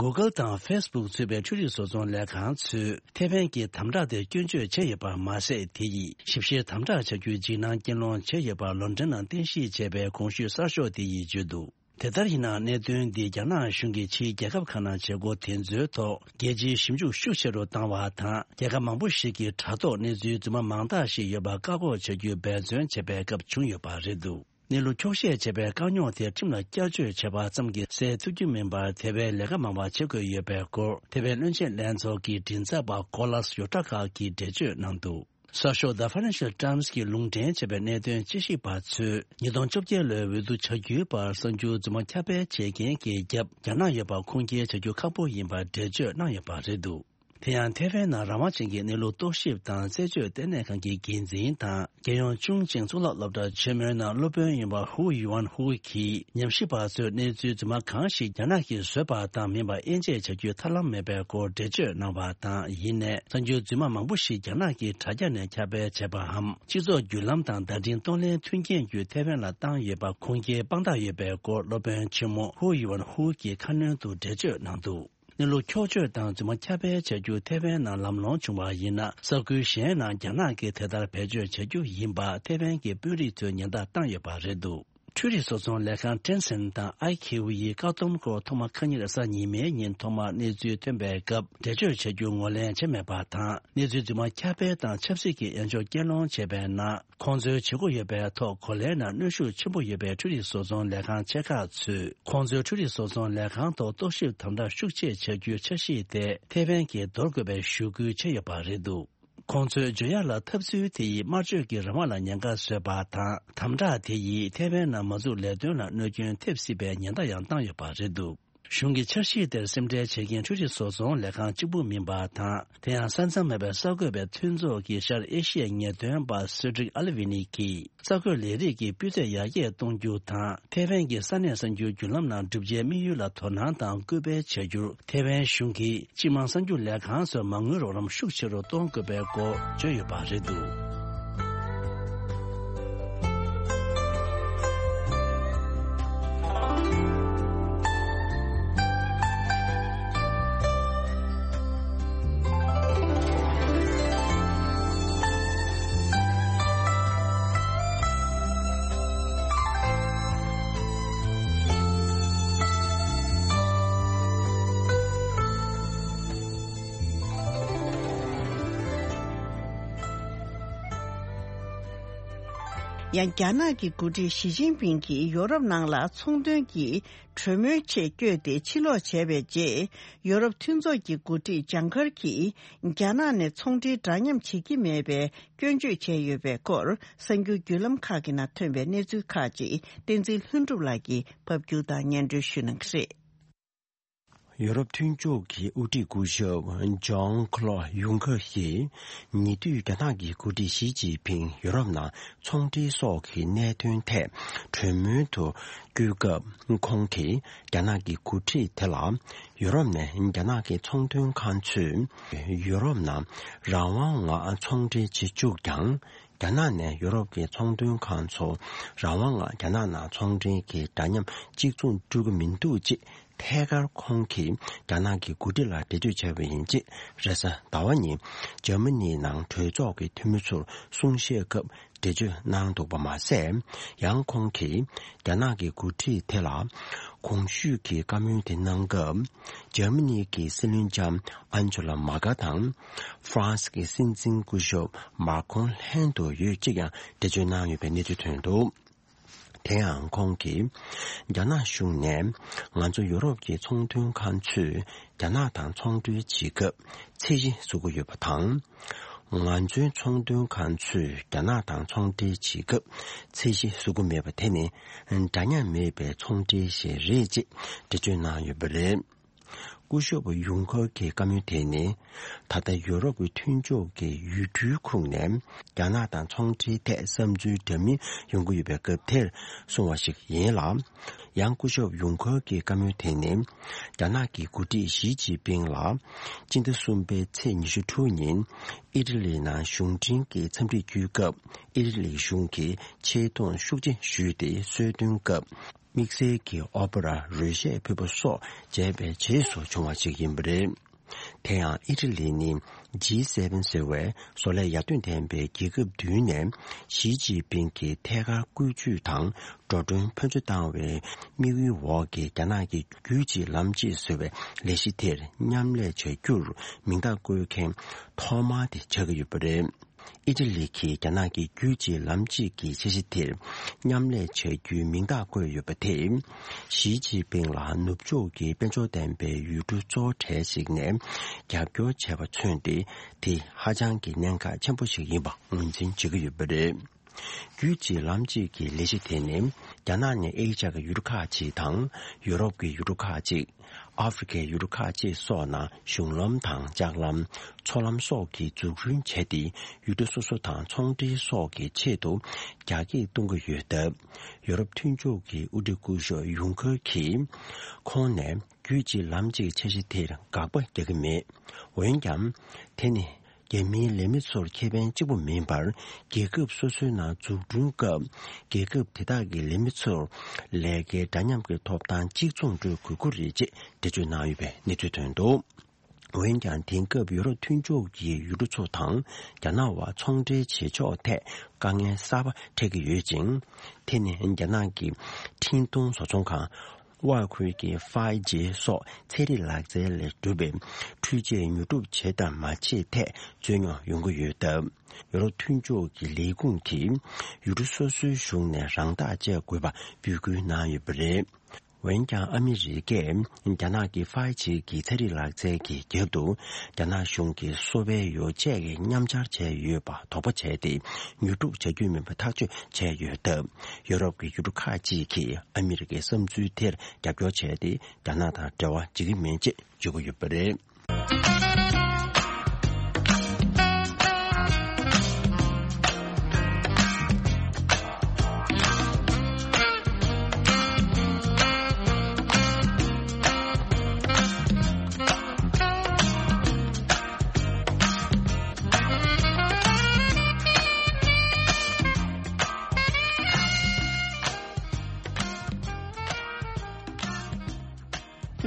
Google་དང་Facebook་ཚུད་པའི་འཕྲུལ་རིག་བཟོ་ཚོང་ལས་ཁང་ཚོས་ཐའེ་ཝན་གྱི་དམ་དྲག་དེར་སྐྱོན་བརྗོད་བྱས་ཡོད་པ་མ་ཟད། དེ་ཡིས་ཞིབ་བཤེར་དམ་དྲག་བྱ་རྒྱུའི་འཇིགས་སྣང་སྐྱེ་སློང་བྱས་ཡོད་པ་ལོན་ཌོན་ནང་རྟེན་གཞི་བྱས་པའི་གོང་ཞུས་གསར་ཤོག་དེ་ཡིས་བརྗོད་འདུག་དེ་ལྟར་ཡིན་ནའང་། གནད་དོན་འདིས་རྒྱ་ནག་གཞུང་གིས་ཕྱིའི་རྒྱལ་ཁབ་ཁག་ནང་བྱེད་སྒོ་དེ་ཚོའི་ཐོག་རྒྱལ་སྤྱིའི་ཞིབ་འཇུག་ཤུགས་ཆེ་རུ་བཏང་བ་དང་། རྒྱལ་ཁབ་མང་པོ་ཞིག་གིས་དྲ་ཐོག་གནས་ཚུལ་རྫུན་མ་མང་དག་ཞིག་ཡོད་པ་བཀག་འགོག་བྱ་རྒྱུའི་འབད་བརྩོན་བྱེད་པའི་སྐབས་བྱུང་ཡོད་པ་རེད་འདུག་གནས་ལུགས་འཁྱོག་བཤད་བྱས་པའི་དཀའ་རྙོག་དེ་ཁྲིམས་ལ་བསྐྱར་བཅོས་བྱས་པ་ཙམ་གྱིས་སེལ་ཐུབ་རྒྱུ་མིན་པར། དེ་བས་ལས་ཀ་མང་བ་བྱེད་དགོས་ཡོད་པའི་སྐོར་ཐའེ་ཝན་བློན་ཆེན་ལྷན་ཚོགས་ཀྱི་མགྲིན་ཚབ་པ་ཀོ་ལཱས་ཡོ་ཊ་ཁ་གིས་འགྲེལ་བརྗོད་གནང་འདུག་གསར་ཤོག་The Financial Times་གིས་ལུང་འདྲེན་བྱས་པའི་གནད་དོན་དཔྱད་ཞིབ་པ་ཚོས་ཉིས་སྟོང་བཅོ་བརྒྱད་ལོའི་འོས་བསྡུ་བྱ་རྒྱུའི་བར་གསར་འགྱུར་རྫུན་མ་ཁྱབ་སྤེལ་བྱེད་མཁན་གྱི་རྒྱབ་རྒྱ་ནག་ཡོད་པ་ཁུངས་སྐྱེལ་བྱ་རྒྱུ་ཁག་པོ་ཡིན་པར་འགྲེལ་བརྗོད་གནང་ཡོད་པ་རེད་འདུག་དེ་ཡང་ཐའེ་ཝན་ནང་རང་དབང་ཅན་གྱི་གནས་ལུགས་རྟོག་ཞིབ་དང་རྩད་གཅོད་ལྟེ་གནས་ཁང་གི་འགན་འཛིན་དང་། རྒྱལ་ཡོངས་ཅུང་ཅིང་གཙུག་ལག་སློབ་གྲྭ་ཆེན་མོའི་ནང་སློབ་དཔོན་ཡིན་པ་ཧུའུ་ཡུའན་ཧུའུ་གིས། ཉམས་ཞིབ་པ་ཚོས་གནས་ཚུལ་རྫུན་མ་གང་ཞིག་རྒྱ་ནག་གིས་བཟོས་པ་དང་མིན་པ་དབྱེ་འབྱེད་བྱ་རྒྱུའི་ཐབས་ལམ་མེད་པའི་སྐོར་འགྲེལ་བརྗོད་གནང་བ་དང་། ཡིན་ནའི་གསར་འགྱུར་རྫུན་མ་མང་པོ་ཞིག་རྒྱ་ནག་གི་དྲ་རྒྱ་ནས་ཁྱབ་སྤེལ་བྱས་པའམ། སྤྱི་ཚོགས་བརྒྱུད་ལམ་དང་བརྡ་འཕྲིན་གཏོང་ལེན་མཐུན་རྐྱེན་བརྒྱུད་ཐའེ་ཝན་ལ་བཏང་ཡོད་པ་ཁུངས་སྐྱེལ་དཔང་རྟགས་ཡོད་པའི་སྐོར་སློབ་དཔོན་ཆེན་མོ་ཧུའུ་ཡུའན་ཧུའུ་གིས་ཁ་སྣོན་དུ་འགྲེལ་བརྗོད་གནང་འདུག་གནས་ལུགས་འཁྱོག་བརྗོད་དང་རྫུན་མ་ཁྱབ་སྤེལ་བྱ་རྒྱུ་ཐའེ་ཝན་ནང་ལམ་ལྷོང་བྱུང་བ་ཡིན་ན། ས་ཁུལ་གཞན་ནང་རྒྱ་ནག་གིས་དེ་ལྟར་བེད་སྤྱོད་བྱ་རྒྱུ་ཡིན་པ་ཐའེ་ཝན་གྱི་དཔོན་རིགས་ཚོས་ཉེན་བརྡ་བཏང་ཡོད་པ་རེད་འདུག་འཕྲུལ་རིག་བཟོ་ཚོང་ལས་ཁང་ཊེན་སེན་དང་ཨའི་ཁེའུ་ཡི་བཀག་སྡོམ་སྐོར་ཐོག་མ་ཁ་ཉིན་རེས་གཟའ་ཉི་མའི་ཉིན་ཐོག་མར་གནས་ཚུལ་ཐོན་པའི་སྐབས་འགྲེལ་བརྗོད་བྱ་རྒྱུ་ངོས་ལེན་བྱས་མེད་པ་དང་། གནས་ཚུལ་རྫུན་མ་ཁྱབ་སྤེལ་དང་ཆབ་སྲིད་ཀྱི་དབྱེན་སྦྱོར་སྐྱེལ་སློང་བྱས་པའི་ནང་། ཁོང་ཚོའི་བྱེད་སྒོ་ཡོད་པའི་ཐོག་གོ་ལའི་ནང་གནོན་ཤུགས་ཆེན་པོ་ཡོད་པའི་འཕྲུལ་རིག་བཟོ་ཚོང་ལས་ཁང་ཆེ་ཁག་ཚོས་ཁོང་ཚོའི་འཕྲུལ་རིག་བཟོ་ཚོང་ལས་ཁང་ཐོག་རྟོག་ཞིབ་དམ་དྲག་ཤུགས་ཆེ་བྱ་རྒྱུའི་འཆར་གཞི་དེ་ཐའེ་ཝན་གྱིས་འདོར་དགོས་པའི་ཞུ་སྐུལ་བྱས་ཡོད་པ་རེད་འདུག་ཁོང་ཚོས་བརྗོད་ཡག་ལ་འཐབ་རྩོད་དེ་ཡིས་དམར་གཅོད་ཀྱི་རང་དབང་ལ་ཉེན་ཁ་བཟོས་པ་དང་། དམ་དྲག་དེ་ཡིས་ཐའེ་ཝན་ནང་མ་འཛུགས་ལས་དོན་ལ་གནོད་སྐྱོན་ཐེབས་སྲིད་པའི་ཉེན་བརྡ་ཡང་བཏང་ཡོད་པ་རེད་འདུག་གཞུང་གི་འཆར་གཞི་དེར་སེམས་ཁྲལ་བྱེད་མཁན་འཕྲུལ་རིག་བཟོ་ཚོང་ལས་ཁང་གཅིག་པུ་མིན་པ་དང་། དེ་ཡང་ས་མཚམས་མེད་པའི་གསར་འགོད་པའི་མཐུན་ཚོགས་ཀྱི་ཤར་ཨེ་ཤི་ཡའི་ངེས་སྟོན་པ་སེ་ཌྲིག་ཨ་ལི་ཝི་ནི་གིས། གསར་འགོད་ལས་རིགས་ཀྱི་སྤུས་ཚད་ཡར་རྒྱས་གཏོང་རྒྱུ་དང་། ཐའེ་ཝན་གྱི་ས་གནས་གསར་འགྱུར་བརྒྱུད་ལམ་ནང་བསྒྲུབ་བྱའི་དམིགས་ཡུལ་ལ་དོ་སྣང་དང་སྐུལ་སྤེལ་བྱ་རྒྱུར། ཐའེ་ཝན་གཞུང་གིས་སྤྱི་དམངས་གསར་འགྱུར་ལས་ཁང་ཚོར་མ་དངུལ་རོགས་རམ་ཤུགས་ཆེ་རུ་གཏོང་དགོས་པའི་སྐོར་བརྗོད་ཡོད་པ་རེད་འདུག་ཡང་རྒྱ་ནག་གི་འགོ་ཁྲིད་ཞི་ཅིན་ཕིང་གིས་ཡོ་རོབ་ནང་ལ་ཚོང་དོན་གྱི་གྲོས་མོལ་ཆེད་བསྐྱོད་དེ་ཕྱིར་ལོག་བྱས་པའི་རྗེས། ཡོ་རོབ་མཐུན་ཚོགས་ཀྱི་འགོ་ཁྲིད་ཇང་ཁར་གྱིས་རྒྱ་ནག་ནས་ཚོང་འབྲེལ་འདྲ་མཉམ་བྱེད་ཀྱི་མེད་པའི་སྐྱོན་བརྗོད་བྱས་ཡོད་པའི་སྐོར། གསར་འགྱུར་བརྒྱུད་ལམ་ཁག་གི་ནང་ཐོན་པའི་གནས་ཚུལ་ཁག་ཅིག་བསྟན་འཛིན་ལྷུན་གྲུབ་ལགས་ཀྱིས་ཕབ་སྒྱུར་དང་སྙན་སྒྲོན་ཞུ་གནང་གི་རེད། ཡོ་རོབ་མཐུན་ཕྱོགས་ཀྱི་དབུ་ཁྲིད་སྐུ་ཞབས་ཇོན་ཁ་ལོ་ཡུང་ཁར་གྱིས། ཉེ་དུས་རྒྱ་ནག་གི་འགོ་ཁྲིད་ཞི་ཅིན་ཕིང་ཡོ་རོབ་ནང་ཚོང་འབྲེལ་སོགས་ཀྱི་གནད་དོན་ཐད་གྲོས་མོལ་དུ་བསྐྱོད་སྐབས། ཁོང་གིས་རྒྱ་ནག་གི་འགོ་ཁྲིད་དེ་ལ། ཡོ་རོབ་ནས་རྒྱ་ནག་གི་ཚོང་དོན་ཁང་ཚོས་ཡོ་རོབ་ནང་རང་དབང་ངང་ཚོང་འབྲེལ་བྱེད་བཅུག་ཀྱང་། རྒྱ་ནག་ནས་ཡོ་རོབ་ཀྱི་ཚོང་དོན་ཁང་ཚོ་རང་དབང་ངང་རྒྱ་ནག་ནང་ཚོང་འབྲེལ་གྱི་འདྲ་མཉམ་གཅིག་མཚུངས་སྤྲོད་ཀྱི་མི་འདུག་ཅེས། ཐད་ཀར་ཁོང་གིས་རྒྱ་ནག་གི་འགོ་ཁྲིད་ལ་འགྲེལ་བརྗོད་བྱས་པ་ཡིན་ཅེས། རེས་གཟའ་ཟླ་བ་ཉིན་འཇར་མ་ནི་ནང་གྲོས་ཚོགས་ཀྱི་འཐུས་མི་ཚོར་གསུང་བཤད་སྐབས་འགྲེལ་བརྗོད་གནང་འདུག་པ་མ་ཟད། ཡང་ཁོང་གིས་རྒྱ་ནག་གི་འགོ་ཁྲིད་དེ་ལ་གོང་ཞུས་ཀྱི་བཀའ་མོལ་དེ་གནང་སྐབས། འཇར་མ་ནི་གི་སྲིད་བློན་ལྕམ་ཨན་ཇོ་ལ་མར་ཀལ་དང་། ཧྥ་རན་སི་གི་སྲིད་འཛིན་སྐུ་ཞབས་མཱ་ཁོང་ལྷན་དུ་ཡོད་ཅེས་ཀྱང་འགྲེལ་བརྗོད་གནང་ཡོད་པའི་གནས་ཚུལ་ཐོན་འདུག། དེ་ཡང་ཁོང་གིས། རྒྱ་ནག་གཞུང་ནས་ང་ཚོ་ཡོ་རོབ་ཀྱི་ཚོང་དོན་ཁང་ཚོས་རྒྱ་ནག་དང་ཚོང་འབྲེལ་བྱེད་སྐབས་ཚད་གཞི་བཟོ་གི་ཡོད་པ་དང་། ང་ཚོའི་ཚོང་དོན་ཁང་ཚོས་རྒྱ་ནག་དང་ཚོང་འབྲེལ་བྱེད་སྐབས་ཚད་གཞི་བཟོ་གི་མེད་པ་དེ་ནི་འདྲ་མཉམ་མེད་པའི་ཚོང་འབྲེལ་ཞིག་རེད་ཅེས་འགྲེལ་བརྗོད་གནང་ཡོད་པ་རེད། སྐུ་ཞབས་ཡུང་ཁར་གྱི་བཀའ་མོལ་དེ་ནི། ད་ལྟ་ཡོ་རོབ་ཀྱི་མཐུན་ཕྱོགས་ཀྱི་ཡུལ་གྲུའི་ཁོངས་ནས་རྒྱ་ནག་དང་ཚོང་འབྲེལ་ཐད་བསམ་ཚུལ་འདྲ་མིན་ཡོང་གི་ཡོད་པའི་སྐབས་དེར་གསུངས་པ་ཞིག་ཡིན་ལ། ཡང་སྐུ་ཞབས་ཡུང་ཁར་གྱི་བཀའ་མོལ་དེ་ནི། རྒྱ་ནག་གི་འགོ་ཁྲིད་ཞི་ཅིན་ཕིང་ལ། སྤྱི་ཟླ་གསུམ་པའི་ཚེས་ཉི་ཤུ་དྲུག་ཉིན་ཨི་ཊ་ལི་ནང་གཞུང་འབྲེལ་གྱི་འཚམས་འདྲི་བསྐྱོན་སྐབས། ཨི་ཊ་ལི་གཞུང་གིས་ཆེ་མཐོང་ཤུགས་ཆེ་ཞུས་ཏེ་གསོལ་སྟོན་སྐབས། དམིགས་བསལ་གྱི་ཨོ་པ་ར་རོལ་ཆས་ཕུད་པ་སོགས་བྱས་པའི་རྗེས་སུ་བྱུང་བ་ཞིག་ཡིན་པ་རེད། དེ་ཡང་ཨི་ཊ་ལི་ནི་ཇི་སེ་བེན་ཟེར་བའི་བཟོ་ལས་ཡར་ཐོན་ལྡན་པའི་རྒྱལ་ཁབ་བདུན་ནས་ཞི་ཅིན་ཕིང་གིས་ཐད་ཀར་བཀོལ་སྤྱོད་དང་འགྲོ་གྲོན་ཕོན་ཆེ་བཏང་བའི་དམིགས་ཡུལ་འོག་གི་རྒྱ་ནག་གི་རྒྱུད་གཅིག་ལམ་གཅིག་ཟེར་བའི་ལས་གཞི་དེར་མཉམ་ལས་བྱ་རྒྱུར་མིང་རྟགས་བཀོད་མཁན་ཐོག་མ་དེ་ཆགས་ཀྱི་ཡོད་པ་རེད། ཨི་ཊ་ལི་གིས་རྒྱ་ནག་གི་རྒྱུད་གཅིག་ལམ་གཅིག་གི་འཆར་གཞི་དེར་མཉམ་ལས་བྱ་རྒྱུའི་མིང་རྟགས་བཀོད་ཡོད་པ་དེས། ཞི་ཅིན་ཕིང་ལ་ནུབ་ཕྱོགས་ཀྱི་དཔལ་འབྱོར་ལྡན་པའི་ཡུལ་གྲུ་གཙོ་བོ་གྲས་ཤིག་ནས་རྒྱབ་སྐྱོར་བྱས་པ་མཚོན་ཏེ། དེ་ཧ་ཅང་གི་གནད་འགག་ཆེན་པོ་ཞིག་ཡིན་པ་ངོས་འཛིན་བྱེད་ཀྱི་ཡོད་པ་རེད། རྒྱུད་གཅིག་ལམ་གཅིག་གི་ལས་གཞི་དེ་ནི། རྒྱ་ནག་ནས་ཨེ་ཤ་ཡའི་ཡུལ་གྲུ་ཁག་ཅིག་དང་། ཡོ་རོབ་ཀྱི་ཡུལ་གྲུ་ཁག་ཅིག་ཨ་ཧྥེ་རི་ཁའི་ཡུལ་གྲུ་ཁག་ཅིག་སོགས་ནང་གཞུང་ལམ་དང་ལྕགས་ལམ། མཚོ་ལམ་སོགས་ཀྱི་འཛུགས་སྐྲུན་བྱས་ཏེ། ཡུལ་གྲུ་སོ་སོ་དང་ཚོང་འབྲེལ་སོགས་ཀྱི་ཆེད་དུ་རྒྱ་སྐྱེད་གཏོང་གི་ཡོད་སྟབས། ཡོ་རོབ་མཐུན་ཕྱོགས་ཀྱི་དབུ་ཁྲིད་སྐུ་ཞབས་ཡུང་ཁར་གྱིས། ཁོང་ནས་རྒྱུད་གཅིག་ལམ་གཅིག་འཆར་གཞི་དེར་དགག་པ་རྒྱག་གི་མེད། འོན་ཀྱང་། དེ་ནི། རྒྱ་མིའི་ལས་མི་ཚོར་ཁེ་ཕན་གཅིག་པུ་མིན་པར། རྒྱལ་ཁབ་སོ་སོའི་ནང་འཛུགས་སྐྲུན་སྐབས། རྒྱལ་ཁབ་དེ་དག་གི་ལས་མི་ཚོར་ལས་ཀའི་འདྲ་མཉམ་གྱི་ཐོབ་ཐང་གཅིག་མཚུངས་སྤྲོད་དགོས་ཀྱི་རེད་ཅེས་འགྲེལ་བརྗོད་གནང་ཡོད་པའི་གནས་ཚུལ་ཐོན་འདུག། འོན་ཀྱང་། དེང་སྐབས་ཡུ་རོབ་མཐུན་ཕྱོགས་ཀྱི་ཡུལ་གྲུ་ཚོ་དང་རྒྱ་ནག་བར་ཚོང་འབྲེལ་བྱེད་ཕྱོགས་ཐད་དཀའ་ངལ་གསར་པ་འཕྲད་ཀྱི་ཡོད་ཅིང་། དེ་ནི་རྒྱ་ནག་གི་འཕྲིན་གཏོང་བཟོ་ཚོང་ཁང་། དབར་ཁུལ་གྱི་ཕའི་ཇེ་སོགས་ཚན་རིག་ལག་རྩལ་ལས་གྲུབ་པའི་འཕྲུལ་ཆས་ཉོ་སྒྲུབ་བྱེད་དམ་མ་བྱེད་ཐད་རྩོད་རྙོག་ཡོང་གི་ཡོད་སྟབས། ཡུ་རོབ་མཐུན་ཕྱོགས་ཀྱི་ལས་ཁུངས་ཀྱིས་ཡུལ་གྲུ་སོ་སོའི་གཞུང་ནས་རང་ཐག་བཅད་དགོས་པ་འབོད་སྐུལ་གནང་ཡོད་པ་རེད། འོན་ཀྱང་། ཨ་མི་རི་ཀས་རྒྱ་ནག་གི་ཕའི་ཇེ་གི་ཚན་རིག་ལག་རྩལ་གྱི་རྒྱབ་ཏུ། རྒྱ་ནག་གཞུང་གིས་གསོ་བའི་ཡོ་བྱད་ཀྱི་མཉམ་སྦྱར་བྱས་ཡོད་པ་དོགས་པ་བྱས་ཏེ། ཉོ་སྒྲུབ་བྱ་རྒྱུ་མིན་པ་ཐག་གཅོད་བྱས་ཡོད་སྟབས། ཡོ་རོབ་ཀྱི་ཡུལ་གྲུ་ཁག་ཅིག་གིས་ཨ་མི་རི་ཀའི་བསམ་ཚུལ་དེར་རྒྱབ་སྐྱོར་བྱས་ཏེ། རྒྱ་ནག་དང་འབྲེལ་བ་བྱེད་ཀྱི་མིན་ཅེས་བརྗོད་ཀྱི་ཡོད་པ་རེད།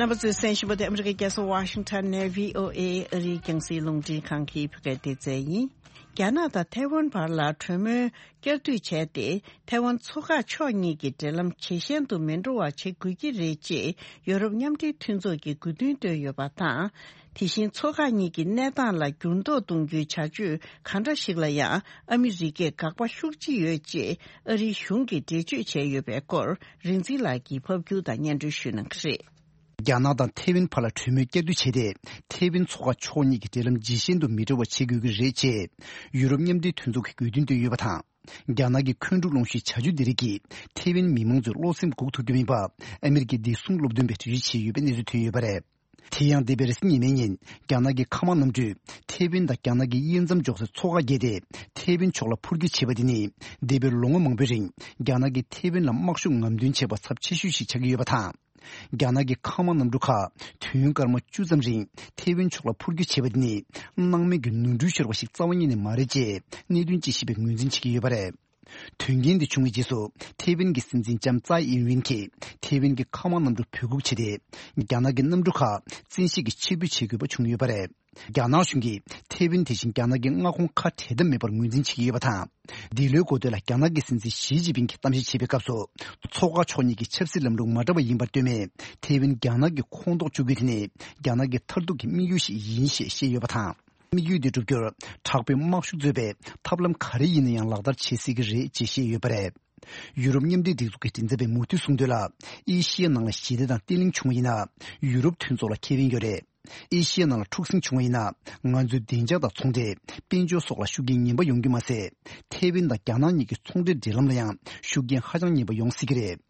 རྣམ་པ་ཚོས་གསན་བཞིན་པ་དེ་ཨ་མི་རི་ཀའི་རྒྱལ་ས་ཝ་ཤིང་ཊོན་ནས་བྷི་ཨོ་ཨེ་ཨ་རིའི་རྒྱང་སྲིང་རླུང་འཕྲིན་ཁང་གི་བོད་སྐད་སྡེ་ཚན་ཡིན། རྒྱ་ནག་དང་ཐའེ་ཝན་བར་ལ་གྲོས་མོལ་བསྐྱར་ཟློས་བྱས་ཏེ། ཐའེ་ཝན་མཚོ་འགག་ཕྱོགས་གཉིས་ཀྱི་འབྲེལ་ལམ་ཇེ་ཞན་དུ་མི་འགྲོ་བ་བྱེད་དགོས་ཀྱི་རེད་ཅེས་ཡོ་རོབ་མཉམ་འབྲེལ་མཐུན་ཚོགས་ཀྱིས་དགོས་འདུན་བཏོན་ཡོད་པ་དང་། དེ་བཞིན་མཚོ་འགག་གཉིས་ཀྱི་གནས་སྟངས་ལ་འགྱུར་ལྡོག་གཏོང་རྒྱུའི་བྱ་སྤྱོད་ག་འདྲ་ཞིག་ལ་ཡང་ཨ་མི་རི་ཀས་དགག་པ་ཤུགས་ཆེ་ཡོད་ཅེས་ཨ་རིའི་གཞུང་གིས་འགྲེལ་བརྗོད་བྱས་ཡོད་པའི་སྐོར་རིག་འཛིན་ལགས་ཀྱིས་ཕབ་སྒྱུར་དང་སྙན་སྒྲོན་ཞུ་གནང་གི་རེད། རྒྱ་ནག་དང་ཐེ་ཝན་བར་ལ་གྲོས་མོལ་བསྐྱར་ཟློས་བྱས་ཏེ། ཐེ་ཝན་མཚོ་འགག་ཕྱོགས་གཉིས་ཀྱི་འབྲེལ་ལམ་ཇེ་ཞན་དུ་མི་འགྲོ་བ་བྱེད་དགོས་ཀྱི་རེད་ཅེས་ཡུ་རོབ་མཉམ་འབྲེལ་མཐུན་ཚོགས་ཀྱི་དགོས་འདུན་བཏོན་ཡོད་པ་དང་། རྒྱ་ནག་གི་འཁོན་འཁྲུག་སློང་གཞིའི་བྱ་སྤྱོད་འདི་རིགས་ཀྱིས་ཐེ་ཝན་མི་མང་ཚོའི་བློ་སེམས་འགུག་ཐུབ་ཀྱི་མིན་པ། ཨ་མི་རི་ཀའི་བདེ་སྲུང་སློབ་སྟོན་པས་འགྲེལ་བརྗོད་བྱས་ཡོད་པའི་གནས་ཚུལ་ཐོན་ཡོད་པ་རེད། དེ་ཡང་འདས་པའི་རེས་གཟའ་ཉི་མའི་ཉིན། རྒྱ་ནག་གི་མཁའ་དམག་གནམ་གྲུས་ཐེ་ཝན་དང་རྒྱ་ནག་གི་དབྱེ་མཚམས་འཇོག་སའི་མཚོ་འགག་བརྒལ་ཏེ། ཐེ་ཝན་ཕྱོགས་ལ་འཕུར་སྐྱོད་བྱས་པ་དེ་ནི། འདས་པའི་ལོ་ངོ་མང་པོའི་རིང་རྒྱ་ནག་གིས་ཐེ་ཝན་ལ་དམག་ཤུགས་ངམ་ཐོན་བྱས་པ་ཚབས་ཆེ་ཤོས་ཤིག་ཆགས་ཀྱི་ཡོད་པ་དང་། རྒྱ་ནག་གི་མཁའ་དམག་གནམ་གྲུ་ཁག་དུས་ཡུན་སྐར་མ་བཅུ་ཙམ་རིང་ཐེ་ཝན་ཕྱོགས་ལ་འཕུར་སྐྱོད་བྱས་པ་དེ་ནི། སྣང་མེད་ཀྱི་ནོར་འཁྲུལ་ཤོར་བ་ཞིག་རྩ་བ་ཉིད་ནས་མ་རེད་ཅེས་གནད་དོན་དཔྱད་ཞིབ་པས་ངོས་འཛིན་བྱེད་ཀྱི་ཡོད་པ་རེད། དོན་རྐྱེན་འདི་བྱུང་བའི་རྗེས་སུ། ཐེ་ཝན་གྱི་སྲིད་འཛིན་ལྕམ་ཙའེ་ཨིན་ཝིན་གྱིས་ཐེ་ཝན་གྱི་མཁའ་དམག་གནམ་གྲུ་འབོད་འགུག་བྱས་ཏེ། རྒྱ་ནག་གི་གནམ་གྲུ་ཁག་བཙན་ཤེད་ཀྱིས་ཕྱིར་འབུད་བྱེད་དགོས་པ་བྱུང་ཡོད་པ་རེད། རྒྱ་ནག་གཞུང་གིས་ཐེ་ཝན་དེ་བཞིན་རྒྱ་ནག་གི་མངའ་ཁོངས་ཁ་བྲལ་ཐབས་མེད་པར་ངོས་འཛིན་བྱེད་ཀྱི་ཡོད་པ་དང་། འདི་ལོའི་འགོ་སྟོད་ལ་རྒྱ་ནག་གི་སྲིད་འཛིན་ཞི་ཅིན་ཕིང་གིས་གཏམ་བཤད་བྱེད་པའི་སྐབས་སུ། མཚོ་འགག་ཕྱོགས་གཉིས་ཀྱི་ཆབ་སྲིད་ལམ་ལུགས་མ་འདྲ་བ་ཡིན་པར་ལྟོས་མེད། ཐེ་ཝན་རྒྱ་ནག་གི་ཁོངས་གཏོགས་བཅུག་རྒྱུ་དེ་ནི། རྒྱ་ནག་གི་མཐར་ཐུག་གི་དམིགས་ཡུལ་ཞིག་ཡིན་ཞེས་བཤད་ཡོད་པ་དང་། དམིགས་ཡུལ་འདི་བསྒྲུབ་རྒྱུར་དྲག་པོའི་དམག་ཤུགས་གཙོས་པའི་ཐབས་ལམ་ག་རེ་ཡིན་ན་ཡང་ལག་བསྟར་བྱེད་སྲིད་ཀྱི་རེད་ཅེས་བཤད་ཡོད་པ་རེད། ཡུ་རོབ་མཉམ་འབྲེལ་སྒྲིག་འཛུགས་ཀྱི་མགྲིན་ཚབ་པས་མུ་མཐུད་གསུངས་དོན་ལ། ཨེ་ཤི་ཡའི་ནང་ལ་ཞི་བདེ་དང་བརྟན་ལྷིང་བྱུང་བ་ཡིན་ན། ཡུ་རོབ་མཐུན་ཚོགས་ལ་ཁེ་ཕན་ཡོད་རེད། ཨེ་ཤི་ཡའི་ནང་ལ་འཁྲུག་ཟིང་བྱུང་བ་ཡིན་ན། ང་ཚོའི་བདེ་འཇགས་དང་ཚོང་འབྲེལ། དཔལ་འབྱོར་སོགས་ལ་ཤུགས་རྐྱེན་ངན་པ་ཡོང་རྒྱུ་མ་ཟད། ཐེ་ཝན་དང་རྒྱ་ནག་གཉིས་ཀྱི་ཚོང་འབྲེལ་འབྲེལ་ལམ་ལ་ཡང་ཤུགས་རྐྱེན་ཧ་ཅང་ངན་པ་ཡོང་སྲིད་ཀྱི་རེད།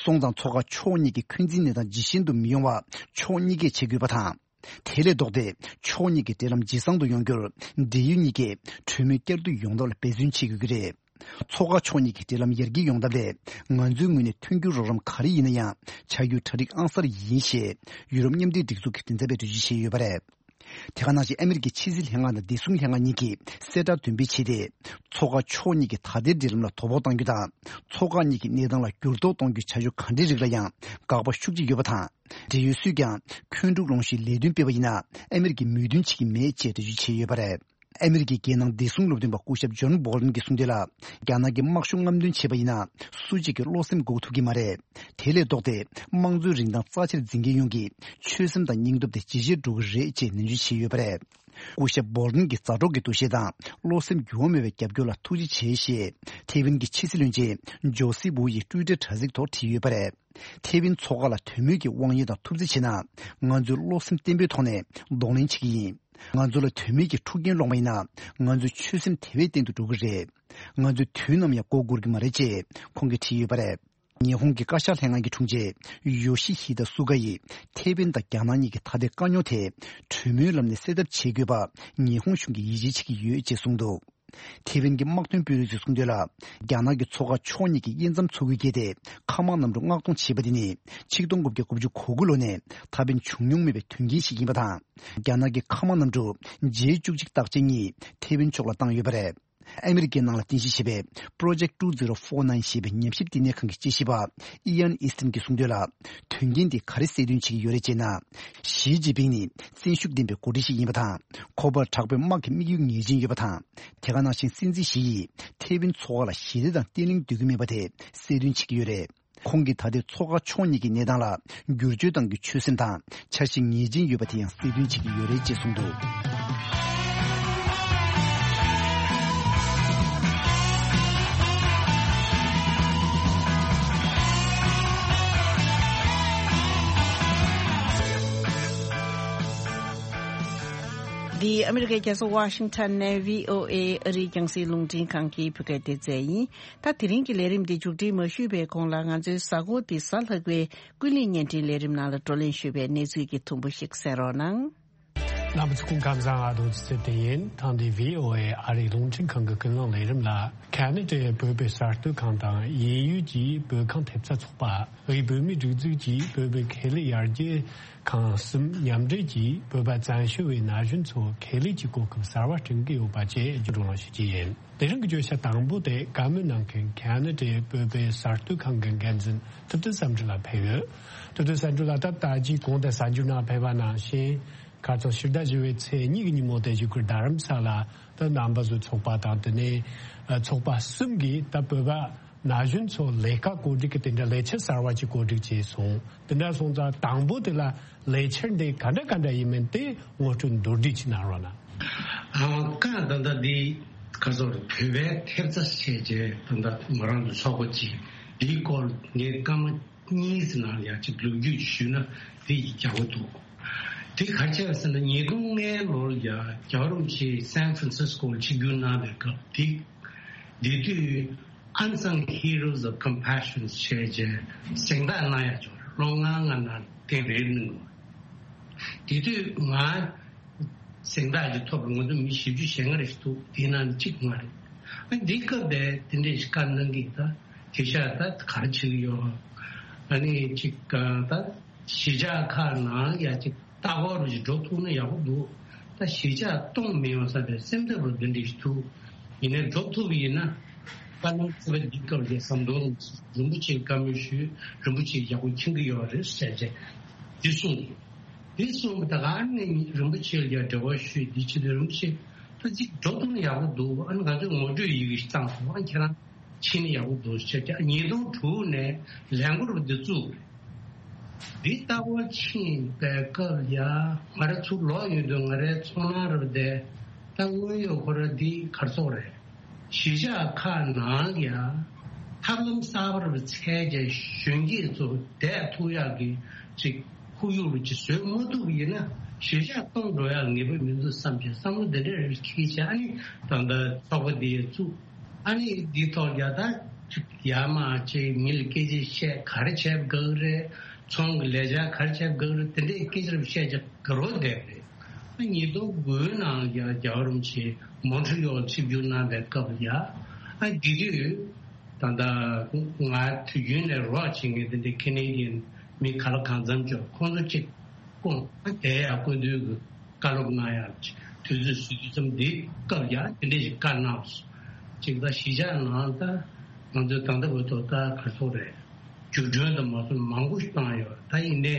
སོང་ཙང་མཚོ་འགག་ཕྱོགས་གཉིས་ཀྱི་འཁོན་འཛིན་གནས་སྟངས་ཇེ་ཞན་དུ་མི་ཡོང་བ་ཕྱོགས་གཉིས་ཀས་བྱེད་དགོས་པ་དང་། དེ་ལས་ལྡོག་སྟེ་ཕྱོགས་གཉིས་ཀྱི་འབྲེལ་ལམ་ཇེ་བཟང་དུ་ཡོང་རྒྱུར་འབྲེལ་ཡོད་གཉིས་ཀས་གྲོས་མོལ་བསྐྱར་ཟློས་ཡོང་ཐབས་ལ་འབད་བརྩོན་བྱེད་དགོས་ཀྱི་རེད། མཚོ་འགག་ཕྱོགས་གཉིས་ཀྱི་འབྲེལ་ལམ་ཡར་རྒྱས་ཡོང་ཐབས་ལ་ང་ཚོའི་ངོས་ནས་མཐུན་འགྱུར་རོགས་རམ་ག་རེ་ཡིན་ན་ཡང་བྱ་རྒྱུའི་གྲ་སྒྲིག་ཨང་གསར་ཡིན་ཞེས་ཡུ་རོབ་མཉམ་འབྲེལ་སྒྲིག་འཛུགས་ཀྱི་མགྲིན་ཚབ་པས་འགྲེལ་བརྗོད་བྱས་ཡོད་པ་རེད། དེ་ག་ནང་བཞིན་ཨ་མི་རི་ཀའི་ཕྱི་སྲིད་ལྷན་ཁང་དང་བདེ་སྲུང་ལྷན་ཁང་གཉིས་ཀྱིས་གསལ་བསྒྲགས་འདོན་སྤེལ་བྱས་ཏེ། མཚོ་འགག་ཕྱོགས་གཉིས་ཀྱི་ད་ལྟའི་འབྲེལ་ལམ་ལ་དོ་ཕོག་གཏང་རྒྱུ་དང་། མཚོ་འགག་གཉིས་ཀྱི་གནས་སྟངས་ལ་འགྱུར་ལྡོག་གཏོང་རྒྱུའི་བྱ་སྤྱོད་གང་འདྲའི་རིགས་ལ་ཡང་དགག་པ་ཤུགས་ཆེ་ཡོད་པ་དང་། འབྲེལ་ཡོད་སུས་ཀྱང་འཁོན་འཁྲུག་སློང་གཞིའི་ལས་དོན་སྤེལ་བ་ཡིན་ན་ཨ་མི་རི་ཀས་མོས་མཐུན་བྱེད་ཀྱི་མེད་ཅེས་འགྲེལ་བརྗོད་བྱས་ཡོད་པ་རེད། ཨ་མི་རི་ཀའི་རྒྱལ་ནང་བདེ་སྲུང་སློབ་སྟོན་པ་སྐུ་ཞབས་ཇོན་བྷོལ་ཏན་གྱིས་གསུངས་དོན་ལ། རྒྱ་ནག་གིས་དམག་ཤུགས་རྔམ་སྟོན་བྱས་པ་ཡིན་ན། སུ་གཅིག་གི་བློ་སེམས་འགུག་ཐུབ་ཀྱི་མ་རེད། དེ་ལས་ལྡོག་སྟེ། དམངས་གཙོའི་རིན་ཐང་རྩ་ཆེར་འཛིན་མཁན་ཡོངས་ཀྱི་ཆོད་སེམས་དང་སྙིང་སྟོབས་དེ་ཇེ་ཆེར་འགྲོ་གི་རེད་ཅེས་ནན་བརྗོད་བྱས་ཡོད་པ་རེད། སྐུ་ཞབས་བྷོལ་ཏན་གྱི་མཛའ་གྲོགས་ཀྱི་འདུ་ཤེས་དང་བློ་སེམས་འགྱུར་བ་མེད་པའི་རྒྱབ་སྐྱོར་ལ་ཐུགས་རྗེ་ཆེ་ཞེས་ཐེ་ཝན་གྱི་ཕྱི་སྲིད་བློན་ཆེན་ཇོ་སི་ཝུ་ཡིས་ཊུའི་ཊར་དྲ་ཚིགས་ཐོག་བྲིས་ཡོད་པ་རེད། ཐེ་ཝན་མཚོ་འགག་ལ་དོན་མེད་ཀྱི་དབང་ཡོད་དང་ཐུབ་རྩིས་བྱས་ན། ང་ཚོས་བློ་སེམས་བརྟན་པོའི་ཐོག་ནས་གདོང་ལེན་བྱེད་ཀྱི་ཡིན། ང་ཚོ་ལ་དོན་མེད་ཀྱི་འཁྲུག་རྐྱེན་སློང་བ་ཡིན་ན། ང་ཚོའི་ཆོད་སེམས་དེ་བས་བརྟན་དུ་འགྲོ་གི་རེད། ང་ཚོས་དུས་ནམ་ཡང་མགོ་སྒུར་གྱི་མ་རེད་ཅེས་ཁོང་གིས་བྲིས་ཡོད་པ་རེད། ཉི་ཧོང་གི་བཀའ་ཤག་ལྷན་ཁང་གི་དྲུང་ཆེ་ཡོ་ཤི་ཧི་ད་སུ་ག་ཡིས་ཐེ་ཝན་དང་རྒྱ་ནག་གཉིས་ཀྱི་ད་ལྟའི་དཀའ་རྙོག་དེ་གྲོས་མོལ་ལམ་ནས་སེལ་ཐབས་བྱེད་དགོས་པ་ཉི་ཧོང་གཞུང་གིས་ཡིད་ཆེས་བྱེད་ཀྱི་ཡོད་ཅེས་གསུངས་འདུག་ཐེ་ཝན་གྱི་དམག་དོན་དཔོན་རིགས་ཚོས་གསུངས་དོན་ལ། རྒྱ་ནག་གིས་མཚོ་འགག་ཕྱོགས་གཉིས་ཀྱི་དབྱེ་མཚམས་མཚོ་ཁུལ་བརྒལ་ཏེ་མཁའ་དམག་གནམ་གྲུ་མངགས་གཏོང་བྱས་པ་དེ་ནི་ཆིག་སྟོང་དགུ་བརྒྱ་དགུ་བཅུ་གོ་དགུ་ལོ་ནས་ད་ཕན་བྱུང་མྱོང་མེད་པའི་དོན་རྐྱེན་ཞིག་ཡིན་པ་དང་། རྒྱ་ནག་གི་མཁའ་དམག་གནམ་གྲུ་ཇེ་བཅུ་གཅིག་རྟགས་ཅན་གཉིས་ཐེ་ཝན་ཕྱོགས་ལ་བཏང་ཡོད་པ་རེད། ཨ་མི་རི་ཀའི་ནང་ལ་རྟེན་གཞི་བྱས་པའི་Project two zero four nine ཞེས་པའི་ཉམས་ཞིབ་བསྟི་གནས་ཁང་གི་དཔྱད་ཞིབ་པ་ཨི་ཡན་ཨི་སྟན་གྱིས་གསུངས་དོན་ལ། དོན་རྐྱེན་འདི་ག་རེ་གསལ་སྟོན་བྱེད་ཀྱི་ཡོད་རེད་ཅེ་ན། ཞི་ཅིན་ཕིང་ནི་བཙན་ཤུགས་ལྡན་པའི་འགོ་ཁྲིད་ཞིག་ཡིན་པ་དང་། ཁོ་པར་དྲག་པོའི་དམག་གི་དམིགས་ཡུལ་ངེས་ཅན་ཡོད་པ་དང་། དེ་ག་ནང་བཞིན་སྲིད་འཛིན་ཞི་ཡིས་ཐེ་ཝན་མཚོ་འགག་ལ་ཞི་བདེ་དང་བརྟན་ལྷིང་འདོད་ཀྱི་མེད་པ་དེ་གསལ་སྟོན་བྱེད་ཀྱི་ཡོད་རེད། ཁོང་གིས་ད་ལྟའི་མཚོ་འགག་ཕྱོགས་གཉིས་ཀྱི་གནས་སྟངས་ལ་བསྒྱུར་བཅོས་གཏང་རྒྱུའི་ཆོད་སེམས་དང་འཆར་གཞི་ངེས་ཅན་ཡོད་པ་དེ་ཡང་གསལ་སྟོན་བྱེད་ཀྱི་ཡོད་རེད་ཅེས་གསུངས་འདུག་འདི་ཨ་མི་རི་ཀའི་རྒྱལ་ས་ཝ་ཤིང་ཊོན་ནས་བྷི་ཨོ་ཨེ་ཨ་རིའི་རྒྱང་སྲིང་རླུང་འཕྲིན་ཁང་གི་བོད་སྐད་སྡེ་ཚན་ཡིན། ད་དེ་རིང་གི་ལས་རིམ་འདི་མཇུག་སྒྲིལ་མ་ཞུས་པའི་གོང་ལ་ང་ཚོའི་གཟའ་འཁོར་འདི་གཟའ་ལྷག་པའི་ཀུན་གླེང་བརྙན་འཕྲིན་ལས་རིམ་ནང་ལ་བགྲོ་གླེང་ཞུས་པའི་གནས་ཚུལ་གྱི་ཐུང་པོ་ཞིག་གསན་རོགས་གནང་། རྣམ་པ་ཚོ་སྐུ་ཁམས་བཟང་། ང་རྡོ་རྗེ་ཚེ་བརྟན་ཡིན། ཐེངས་འདིའི་བྷི་ཨོ་ཨེ་ཨ་རིའི་རླུང་འཕྲིན་ཁང་གི་ཀུན་གླེང་ལས་རིམ་ལ། ཁ་ན་ཌའི་བོད་པའི་གསར་གཏོད་ཁང་དང་དབྱིན་ཡུལ་གྱི་བོད་ཁང་ཐེབས་རྩ་ཚོགས་པ། དབུས་བོད་མིའི་སྒྲིག་འཛུགས་ཀྱི་བོད་པའི་ཁེ་ལས་ཡར་རྒྱས་ཁང་གསུམ་མཉམ་འབྲེལ་གྱིས་བོད་པ་བཙན་བྱོལ་བའི་ན་གཞོན་ཚོར་ཁེ་ལས་ཀྱི་གོ་སྐབས་གསར་བ་བསྐྲུན་གྱི་ཡོད་པ་བཅས་བརྒྱུད་བགྲོ་གླེང་ཞུ་རྒྱུ་ཡིན། དེ་རིང་གི་བརྗོད་བྱ་དང་པོ་དེ་བཀའ་མོལ་གནང་མཁན་ཁ་ན་ཌའི་བོད་པའི་གསར་གཏོད་ཁང་གི་འགན་འཛིན་ཐུབ་བསྟན་བསམ་གྲུབ་ལགས་ཕེབས་ཡོད། ཐུབ་བསྟན་བསམ་གྲུབ་ལགས་ད་ལྟ་ཅིག་གོང་དུ་གསར་འགྱུར་ནང་ཕེབས་པ་ནང་བཞིན། ཁ་རྩང་ཕྱི་ཟླ་བཞི་པའི་ཚེས་གཉིས་ཀྱི་ཉིན་མོ་དེ་བཞུགས་སྒར་རྡ་རམ་ས་ལ་དུ་རྣམ་པ་ཚོའི་ཚོགས་པ་དང་དེ་ནས་ཚོགས་པ་གསུམ་གྱིས་ད་བོད་པ་ ན་གཞོན་ཚོ་ལས་ཀ་བཀོད་སྒྲིག་གི་དེ་འདྲ་ལས་འཆར་གསར་བ་ཅིག་བཀོད་སྒྲིག་བྱས་སོང་། དེ་འདྲ་སོང་ཙང་དང་པོ་དེ་ལ་ལས་འཆར་འདི་ག་འདྲ་ག་འདྲ་ཡིན་མིན་དེ་ངོ་སྤྲོད་མདོར་བསྡུས་ཅིག་གནང་རོགས་གནང་། ཨ། ཀ་ད་ལྟ་འདི་ག་ཚོད་བོད་པའི་ཐེབས་རྩ་བྱས་རྗེས་ད་ལྟ་ང་རང་ཚོ་ཚོགས་པ་ཅིག་འདིའི་སྐོར་ངས་སྐར་མ་གཉིས་ཙམ་ནང་ཡང་ཅིག་ལོ་རྒྱུས་ཞུས་ན་འདི་ཡག་པོ་འདུག་དེ་ག་རེ་བྱས་པ་ཟེར་ན། ཉིས་སྟོང་ལྔ་ལོར་ཡ་རྒྱལ་བ་རིན་པོ་ཆེ་སན་ཧྥ་རན་སིས་ཀོ་ལ་ཆིབས་བསྒྱུར་གནང་བའི་སྐབས་དེ། དེ་དུས་Unsung Heroes of Compassion ཞེས་བྱས་གཟེངས་རྟགས་གནང་ཡ་བྱུང་། ལོ་ལྔ་ལྔ་ནང་དེ་རེ་གནང་བ། དེ་དུས་ང་གཟེངས་རྟགས་ཅིག་ཐོབ་པར་ང་ཚོ་མི་བཞི་བཅུ་ཞེ་ལྔ་རེ་ཞིག་འདུག་དེའི་ནང་ནས་གཅིག་ང་རེད། ཨ། འདི་སྐབས་དེ་དེ་འདྲས་ཤིག་བཀའ་གནང་གི། ད་དེང་སང་ད་ག་རེ་བྱེད་ཀྱི་ཡོད། ཨ་ནི་ཅིག་ད་གཞིས་ཆགས་ཁག་ནང་ཡ་ཅིག་ལྟ་སྐོར་རུ་ཞིག་འགྲོ་ཐུབ་ན་ཡག་པོ་འདུག་ད་གཞིས་ཆགས་སྟོངས་མི་ཡོང་བསམ་པའི་སེམས་འཚབ་རུ་འདི་འདྲས་ཞིག་འདུག་ཡིན་ནའི་འགྲོ་ཐུབ་ཡིན་ན། ད་ནང་ཚེ་བ་འདི་སྐབས་ཀྱི་ཟམ་གདོང་རིན་པོ་ཆེའི་བཀའ་མོལ་ཞུས། རིན་པོ་ཆེས་ཡག་པོ་མཁྱེན་གྱི་ཡོད་རེད་ཟེར་བྱས་འདི་གསུངས། འདི་གསུངས་པ་ད་ག་ནས་རིན་པོ་ཆེ་ལ་ཡང་འབྲེལ་བ་ཞུས། འདི་བྱེད་དུས་རིན་པོ་ཆེ་ད་ཅིག་འགྲོ་ཐུབ་ན་ཡག་པོ་འདུག་ཨ་ནི་ང་ཚོས་ངོ་སྤྲོད་ཡི་གེ་ཞིག་བཏང་སོང་། ཨ། ཁྱེད་རང་ཕྱིན་ན་ཡག་པོ་འདུག་ཟེར་བྱས། ཉིས་སྟོང་དྲུག་ནས་ལས་འགུལ་འདི་བཙུགས། འདི་ལྟ་བུ་ཕྱིན་པའི་སྐབས་ཡ་ང་རང་ཚུར་ལོག་ཡོང་དུས་ང་རའི་ཚོར་སྣང་རབ་བསྡད། ད་དངོས་ཡོད་ཁོ་ར་འདི་ག་རེ་ཟེར་དགོས་རེད། གཞིས་ཆགས་ཁག་ནང་ཡ་ཐབས་ལམ་གསར་པ་རུ་འཚོལ་བྱས་གཞོན་སྐྱེས་ཚོ་བསྡད་ཐུབ་ཡག་གི་ཅིག་ཁོར་ཡུག་རུ་ཅིག་བཟོས་མ་ཐུབ་པ་ཡིན་ན་གཞིས་ཆགས་སྟོངས་འགྲོ་ཡག་ངེས་པ་མི་འདུག་བསམ་བྱས་བསམ་བློ་འདི་འདྲ་རུ་འཁྱེར་བྱས། ཨ་ནི་ད་ལྟ་ཚོགས་པ་འདི་བཙུགས། ཨ་ནི་འདི་ཐོག་ཡ་ད་ཅིག་ཡར་མར་ཅིག་མི་ལ་སྐད་ཆ་བཤད། ག་རེ་བྱས་པ་དགའ་གི་རེད། ཚོང་གི་ལས་འཆར་ག་རེ་བྱས་པ་དགའ་གི་རེད། དེ་འདྲའི་སྐད་ཆ་རུ་བཤད་བྱས་དགའ་རོགས་བསྡད་པ་རེད། ཉིས་སྟོང་དགུའི་ནང་ཡང་རྒྱལ་བ་རིན་པོ་ཆེ་མོན་ཊི་ཡོལ་ཆིབས་བསྒྱུར་གནང་བའི་སྐབས་ལ་ཡ། ཨ། དེ་དུས་ད་ལྟ་ང་དུས་རྒྱུན་ནས་རོགས་བྱེད་མཁན་དེ་འདྲའི་ཁེ་ནེ་ཌི་ཡན་མི་ག་ལ་གང་འཚམ་ཅིག་ཁོང་ཚོ་གཅིག་སྐུ་ངོ་དེ་ཡང་སྐུ་མདུན་གྱི་བཀའ་སློབ་གནང་ཡག་དུས་ཚོད་བཟོས་དུས་ཙམ་འདི་སྐབས་ཡ་དེ་འདྲ་ཞིག་བཀའ་གནང་སོང་། གཅིག་ད་གཞིས་ཆགས་ནང་ད་ང་ཚོའི་ད་ལྟ་བར་དུ་ད་ག་ཚོད་རེད། བརྒྱུད་སྒྲོན་དུ་མ་སོང་མང་པོ་ཞིག་བཏང་ཡོད། ད་ཡིན་ནའི་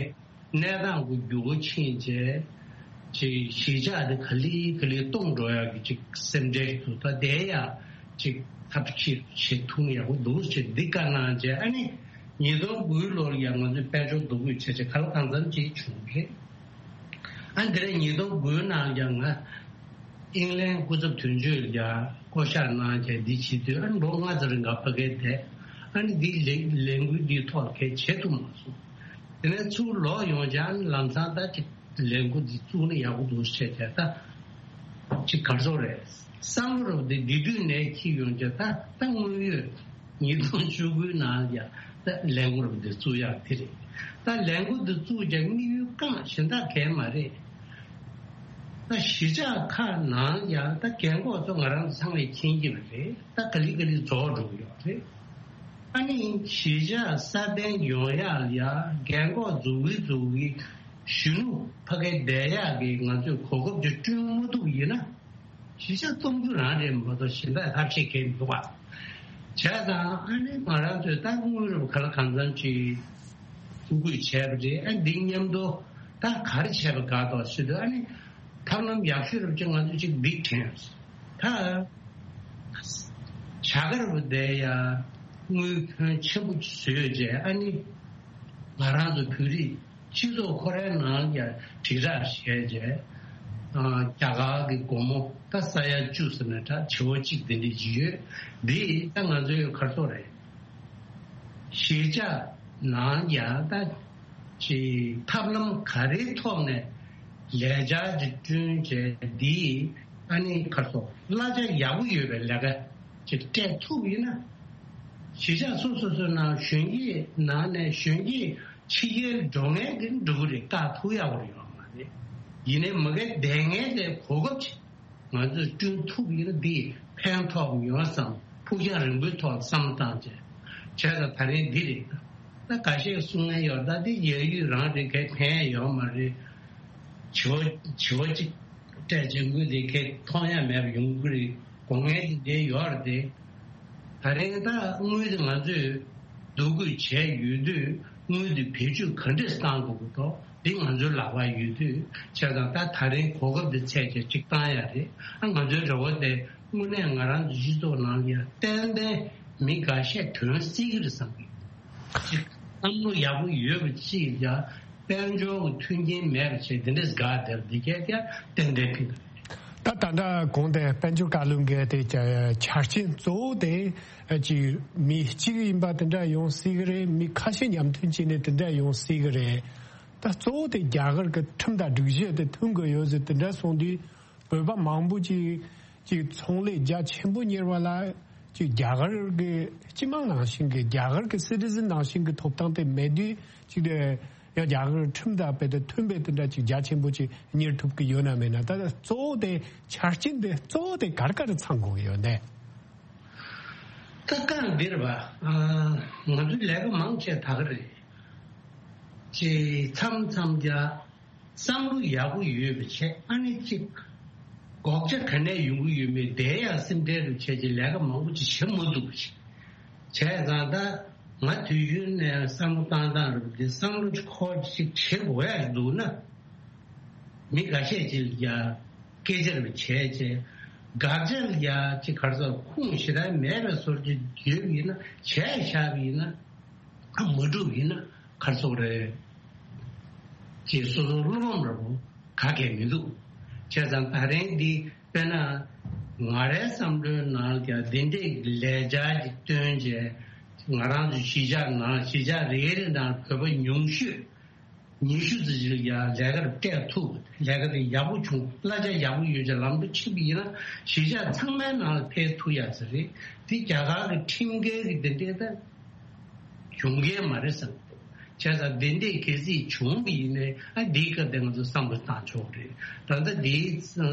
གནས་སྟངས་ཀྱི་འགྱུར་བ་ཕྱིན་རྗེས་ཅིག་གཞིས་ཆགས་དེ་ག་ལེ་ག་ལེ་སྟོངས་འགྲོ་ཡག་གི་ཅིག་སེམས་ཁྲལ་འདུག་ད་དེ་ཡང་ཅིག་ཐབས་ཤེས་བྱེད་ཐུབ་ན་ཡག་པོ་འདུག་ཅེས་འདི་བཀའ་གནང་རྗེས། ཨ་ནི་ཉིས་སྟོང་དགུའི་ལོར་ཡང་ང་ཚོས་དཔལ་འབྱོར་འདུ་འགོད་བྱས་རྗེས་ག་ལ་གང་འཚམ་ཅིག་བྱུང་རེད། ཨ། འདི་རེད། ཉིས་སྟོང་དགུའི་ནང་ཡང་ང་ཨིང་ལན་སྐུ་ཚབ་དོན་གཅོད་ལ་ཡང་བསྐོ་བཞག་གནང་རྗེས་འདི་བྱེད་དུས། ཨ་ནི་ལོ་ལྔ་ཙམ་རིང་ག་ཕ་གིར་བསྡད། ཨ་ནི་འདི་ལས་ལས་འགུལ་འདིའི་ཐོག་གལ་བྱེད་ཐུབ་མ་སོང་། དེ་ནས་ཚུར་ལོག་ཡོང་རྗེས་ཨ་ནི་ལམ་སང་ད་ཅིག་ལས་འགུལ་འདི་བཙུགས་ན་ཡག་པོ་འདུག་ཟེར་བྱས། ད་ཅིག་ག་རེ་ཟེར་དགོས་རེད། བསམ་བློ་རབ་དེ་འདི་དུས་ནས་འཁྱེར་ཡོང་རྗེས་ད་ད་དངོས་ཡོད་ཉིས་སྟོང་བཅུ་དགུའི་ནང་ཡང་ད་ལས་འགུལ་རབ་དེ་བཙུགས་ཡག་དེ་རེད། ད་ལས་འགུལ་འདི་བཙུགས་རྗེས་དམིགས་ཡུལ་རྐང་གཞན་དག་གང་ཡང་མ་རེད། ད་གཞིས་ཆགས་ཁག་ནང་ཡང་ད་རྒན་གོག་ཚོ་ང་རང་ཚོ་ཚང་མས་མཁྱེན་གྱི་རེད། ད་ག་ལེ་ག་ལེ་རྫོགས་འགྲོ་གི་ཡོད་རེད། ཨ་ནི་གཞིས་ཆགས་སྲ་བརྟན་ཡོང་ཡག་ལ་ཡ་རྒན་གོག་འཛུགས་གི་འཛུགས་གི་གཞོན་ནུ་ཕ་གིར་བསྡད་ཡག་གི་ང་ཚོས་གོ་སྐབས་ཅིག་བསྐྲུན་མ་ཐུབ་ཡིན་ན། གཞིས་ཆགས་སྟོངས་རྒྱུ་རང་རེད་མ་གཏོགས་གཞན་དག་ཐབས་ཤེས་གང་ཡང་མི་འདུག་པ། བྱས་ཙང་ཨ་ནི་ང་རང་ཚོས་ད་དངུལ་རབས་ག་ལ་གང་འཚམ་ཅིག་ཐུགས་ཁུར་བྱས་པ་རེད། ཨ། འདི་མཉམ་དུ་ད་ག་རེ་བྱས་པ་དགའ་འདུག་ཟེར་དུས། ཨ་ནི་ཐབས་ལམ་ཡག་ཤོས་རབ་ཅིག་ང་ཚོས་ཅིག་འདི་དྲན། ད་བྱ་དགའ་རབ་དེ་ཡ་དངུལ་ཕོན་ཆེན་པོ་ཅིག་བཟོས་རྗེས། ཨ་ནི་ང་རང་ཚོ་བོད་རིགས་སྤྱི་ཚོགས་ཁོ་རའི་ནང་ཡང་དྲིལ་བསྒྲགས་བྱས་རྗེས། ཨ། རྒྱ་གར་གྱི་སྒོར་མོ་ད་ས་ཡ་བཅུ་ཟེར་ན་འདྲ། བྱེ་བ་གཅིག་དེ་འདྲ་ཅིག་ཡོད། འདི་ད་ང་ཚོའི་ག་རེ་ཟེར་དགོས་རེད། གཞིས་ཆགས་ནང་ཡང་ད་ཅིག་ཐབས་ལམ་ག་རེའི་ཐོག་ནས་ལས་འཆར་ཅིག་བསྐྲུན་བྱས། འདི་ཨ་ནི་ག་རེ་ཟེར་དགོས། གླ་ཆ་ཡག་པོ་ཡོད་པའི་ལས་ཀ་ཅིག་སྤྲད་ཐུབ་ཡིན་ན། གཞིས་ཆགས་སོ་སོ་སོའི་ནང་གཞོན་སྐྱེས་ནང་ནས་གཞོན་སྐྱེས་ཕྱི་རྒྱལ་འགྲོ་མཁན་གྱི་འགྲོ་གི་རེད། བཀག་ཐུབ་ཡག་པོ་ཡོད་མ་རེད། ཡིན་ནའི་མ་གི་བསྡད་མཁན་དེ་གོ་སྐབས་ཅིག་ང་ཚོས་བསྐྲུན་ཐུབ་ཡིན་ན་འདི་ཕན་ཐོགས་ཡོང་བསམ། ཕུགས་རྒྱང་རིང་པོའི་ཐོག་བསམ་བཏང་བྱས། བྱས་ཙང་ད་རིང་འདི་རེད། ད་ཁ་ཤས་གསུང་མཁན་ཡོད། ད་འདི་ཡ་ཡུལ་རང་རེད། གའི་ཕན་ཡོད་མ་རེད། བྱེ་བ་བྱེ་བ་གཅིག་སྤྲད་བྱས་དངུལ་དེ་གའི་མཐོང་ཡ་མེད་པ་ཡོང་གི་རེད། དགོས་མཁན་དེ་འདྲ་ཡོད་རེད་དེ། ད་རིང་ད་དངུལ་དེ་ང་ཚོས་འདུ་འགོད་བྱས་ཡོད་དུས། དངུལ་དེ་བེད་སྤྱོད་ག་འདྲས་གཏང་དགོས་ཀྱི་འདུག་འདི་ང་ཚོའི་ལག་པར་ཡོད་དུས། བྱས་ཙང་ད་ད་རིང་གོ་སྐབས་འདི་འཚོལ་བྱས་ཅིག་བཏང་ཡ་རེད། ཨ། ང་ཚོའི་རེ་བ་དེ་དངོས་གནས་ང་རང་ཚོའི་སྤྱི་ཚོགས་ནང་ལ་ཡ་ཏན་ཏན་ མི་འགའ་ཤས་ཐོན་སྲིད་ཀྱི་རེད་བསམ་གི། ཅིག་བསམ་བློ་ཡག་པོ་ཡོད་པ་ཅིག་ཡ། དཔལ་འབྱོར་གྱི་མཐུན་རྐྱེན་མེད་པ་བྱས་དེ་འདྲས་དགའ་བསྡད་པ་འདི་གས་ཀྱང་ཏན་ཏན་ཕན་གི་རེད། ད་ད་ལྟ་གོང་དེ་དཔལ་འབྱོར་བཀའ་བློན་གྱིས་དེ་ཆ་རྐྱེན་གཙོ་བོ་དེ་ཅིག་མི་གཅིག་ཡིན་པ་དེ་འདྲ་ཡོང་སྲིད་ཀྱི་རེད། མི་ཁ་ཤས་མཉམ་མཐུན་བྱས་ནས་དེ་འདྲ་ཡོང་སྲིད་ཀྱི་རེད། ད་གཙོ་བོ་དེ་རྒྱ་གར་གྱི་ཁྲིམས་དང་སྒྲིག་གཞི་དེ་མཐུན་དགོས་ཡོད་ཟེར་དེ་འདྲ་གསུངས་དུས། བོད་པ་མང་པོ་ཅིག་ཅིག་ཚོང་ལས་རྒྱ་ཆེན་པོ་གཉེར་བ་ལ་ཅིག་རྒྱ་གར་གྱི་སྤྱི་དམངས་ནང་བཞིན་གྱི་རྒྱ་གར་གྱི་སི་ཊི་ཟན་ནང་བཞིན་གྱི་ཐོབ་ཐང་དེ་མེད་དུས་ཅིག་དེ་ཡང་རྒྱ་གར་ཁྲིམས་དང་རྦད་དེ་མཐུན་པའི་དེ་འདྲ་ཅིག་རྒྱ་ཆེན་པོ་ཅིག་གཉེར་ཐུབ་ཀྱི་ཡོད་ན་མེད་ན། ད་ལྟ་གཙོ་བོ་དེ་ཆ་རྐྱེན་དེ་གཙོ་བོ་དེ་ག་རེ་ག་རེ་ཚང་དགོས་ཀྱི་ཡོད་ནས། ད་གང་འདིར་བ་ང་ཚོའི་ལས་ཀ་མང་ཆེ་ད་ག་རེད། ཅེས་མཚམས་མཚམས་ཀྱང་བསམ་བློ་ཡག་པོ་ཡོད་པ་བྱས། ཨ་ནི་གཅིག་སྒོག་ཆ་ག་ནས་ཡོང་གི་ཡོད་མེད་དེ་ཡང་སེམས་ཁྲལ་རུ་བྱས་ཀྱི་ལས་ཀ་མང་པོ་ཅིག་བྱེད་མ་ཐུབ་པ་ཅིག་བྱས་ཙང་། ད་ང་དུས་རྒྱུན་ནས་བསམ་བློ་བཏང་སྟངས་རུ་དེ་བསམ་བློ་ཅིག་ཁོ་ཅིག་བྱེད་དགོས་ཡག་འདུག་ན། མི་འགའ་ཤས་ཅིག་ལ་ཡང་སྐད་ཆ་རུ་བྱས་བྱས། དགག་བྱ་ལ་ཡང་ཅིག་ག་རེ་ཟེར། ཁུངས་ཞེ་དྲག་མེད་པའི་བཟོ་ཅིག་ཡོད་པ་ཡིན་ན། བྱས་བཞག་པ་ཡིན་ན། ཨ་མ་འགྲུབ་ཡིན་ན་ག་རེ་ཟེར་དགོས་རེད། ཅེས་སོ་སོ་བློ་ཕམ་འདྲ་པོ་ག་གེ་མི་འདུག་བྱས་ཙང་ད་རིང་འདི་དཔེར་ན་ང་རའི་བསམ་བློའི་ནང་ཀྱང་འདི་འདྲའི་ལས་འཆར་ཅིག་བཏོན་བྱས། ང་རང་ཚོའི་གཞིས་ཆགས་ནང་། གཞིས་ཆགས་རེ་རེ་ནང་བོད་པ་ཉུང་ཤོས་ཉི་ཤུ་ཙམ་ཞིག་ལ་ཡང་ལས་ཀར་སྤྲད་ཐུབ། ལས་ཀ་དེ་ཡག་པོ་བྱུང་། གླ་ཆ་ཡག་པོ་ཡོད་ཅེས་ལམ་འགྲོ་ཕྱིན་པ་ཡིན་ན། གཞིས་ཆགས་ཚང་མའི་ནང་ལ་ཕེབས་ཐུབ་ཡག་ཅིག་རེད། དེ་རྒྱ་གར་གྱི་ཁྲིམས་འགལ་གྱི་དེ་འདྲའི་ད་བྱུང་མཁན་མ་རེད་བསམ་གྱི་འདུག་བྱས་ཙང་དེ་འདྲའི་གལ་སྲིད་བྱུང་བ་ཡིན་ནའི། ཨ་འདིའི་སྐབས་དེ་ང་ཚོ་བསམ་བློ་བཏང་ཆོག་གི་རེད། ད་ལྟ་འདིའི་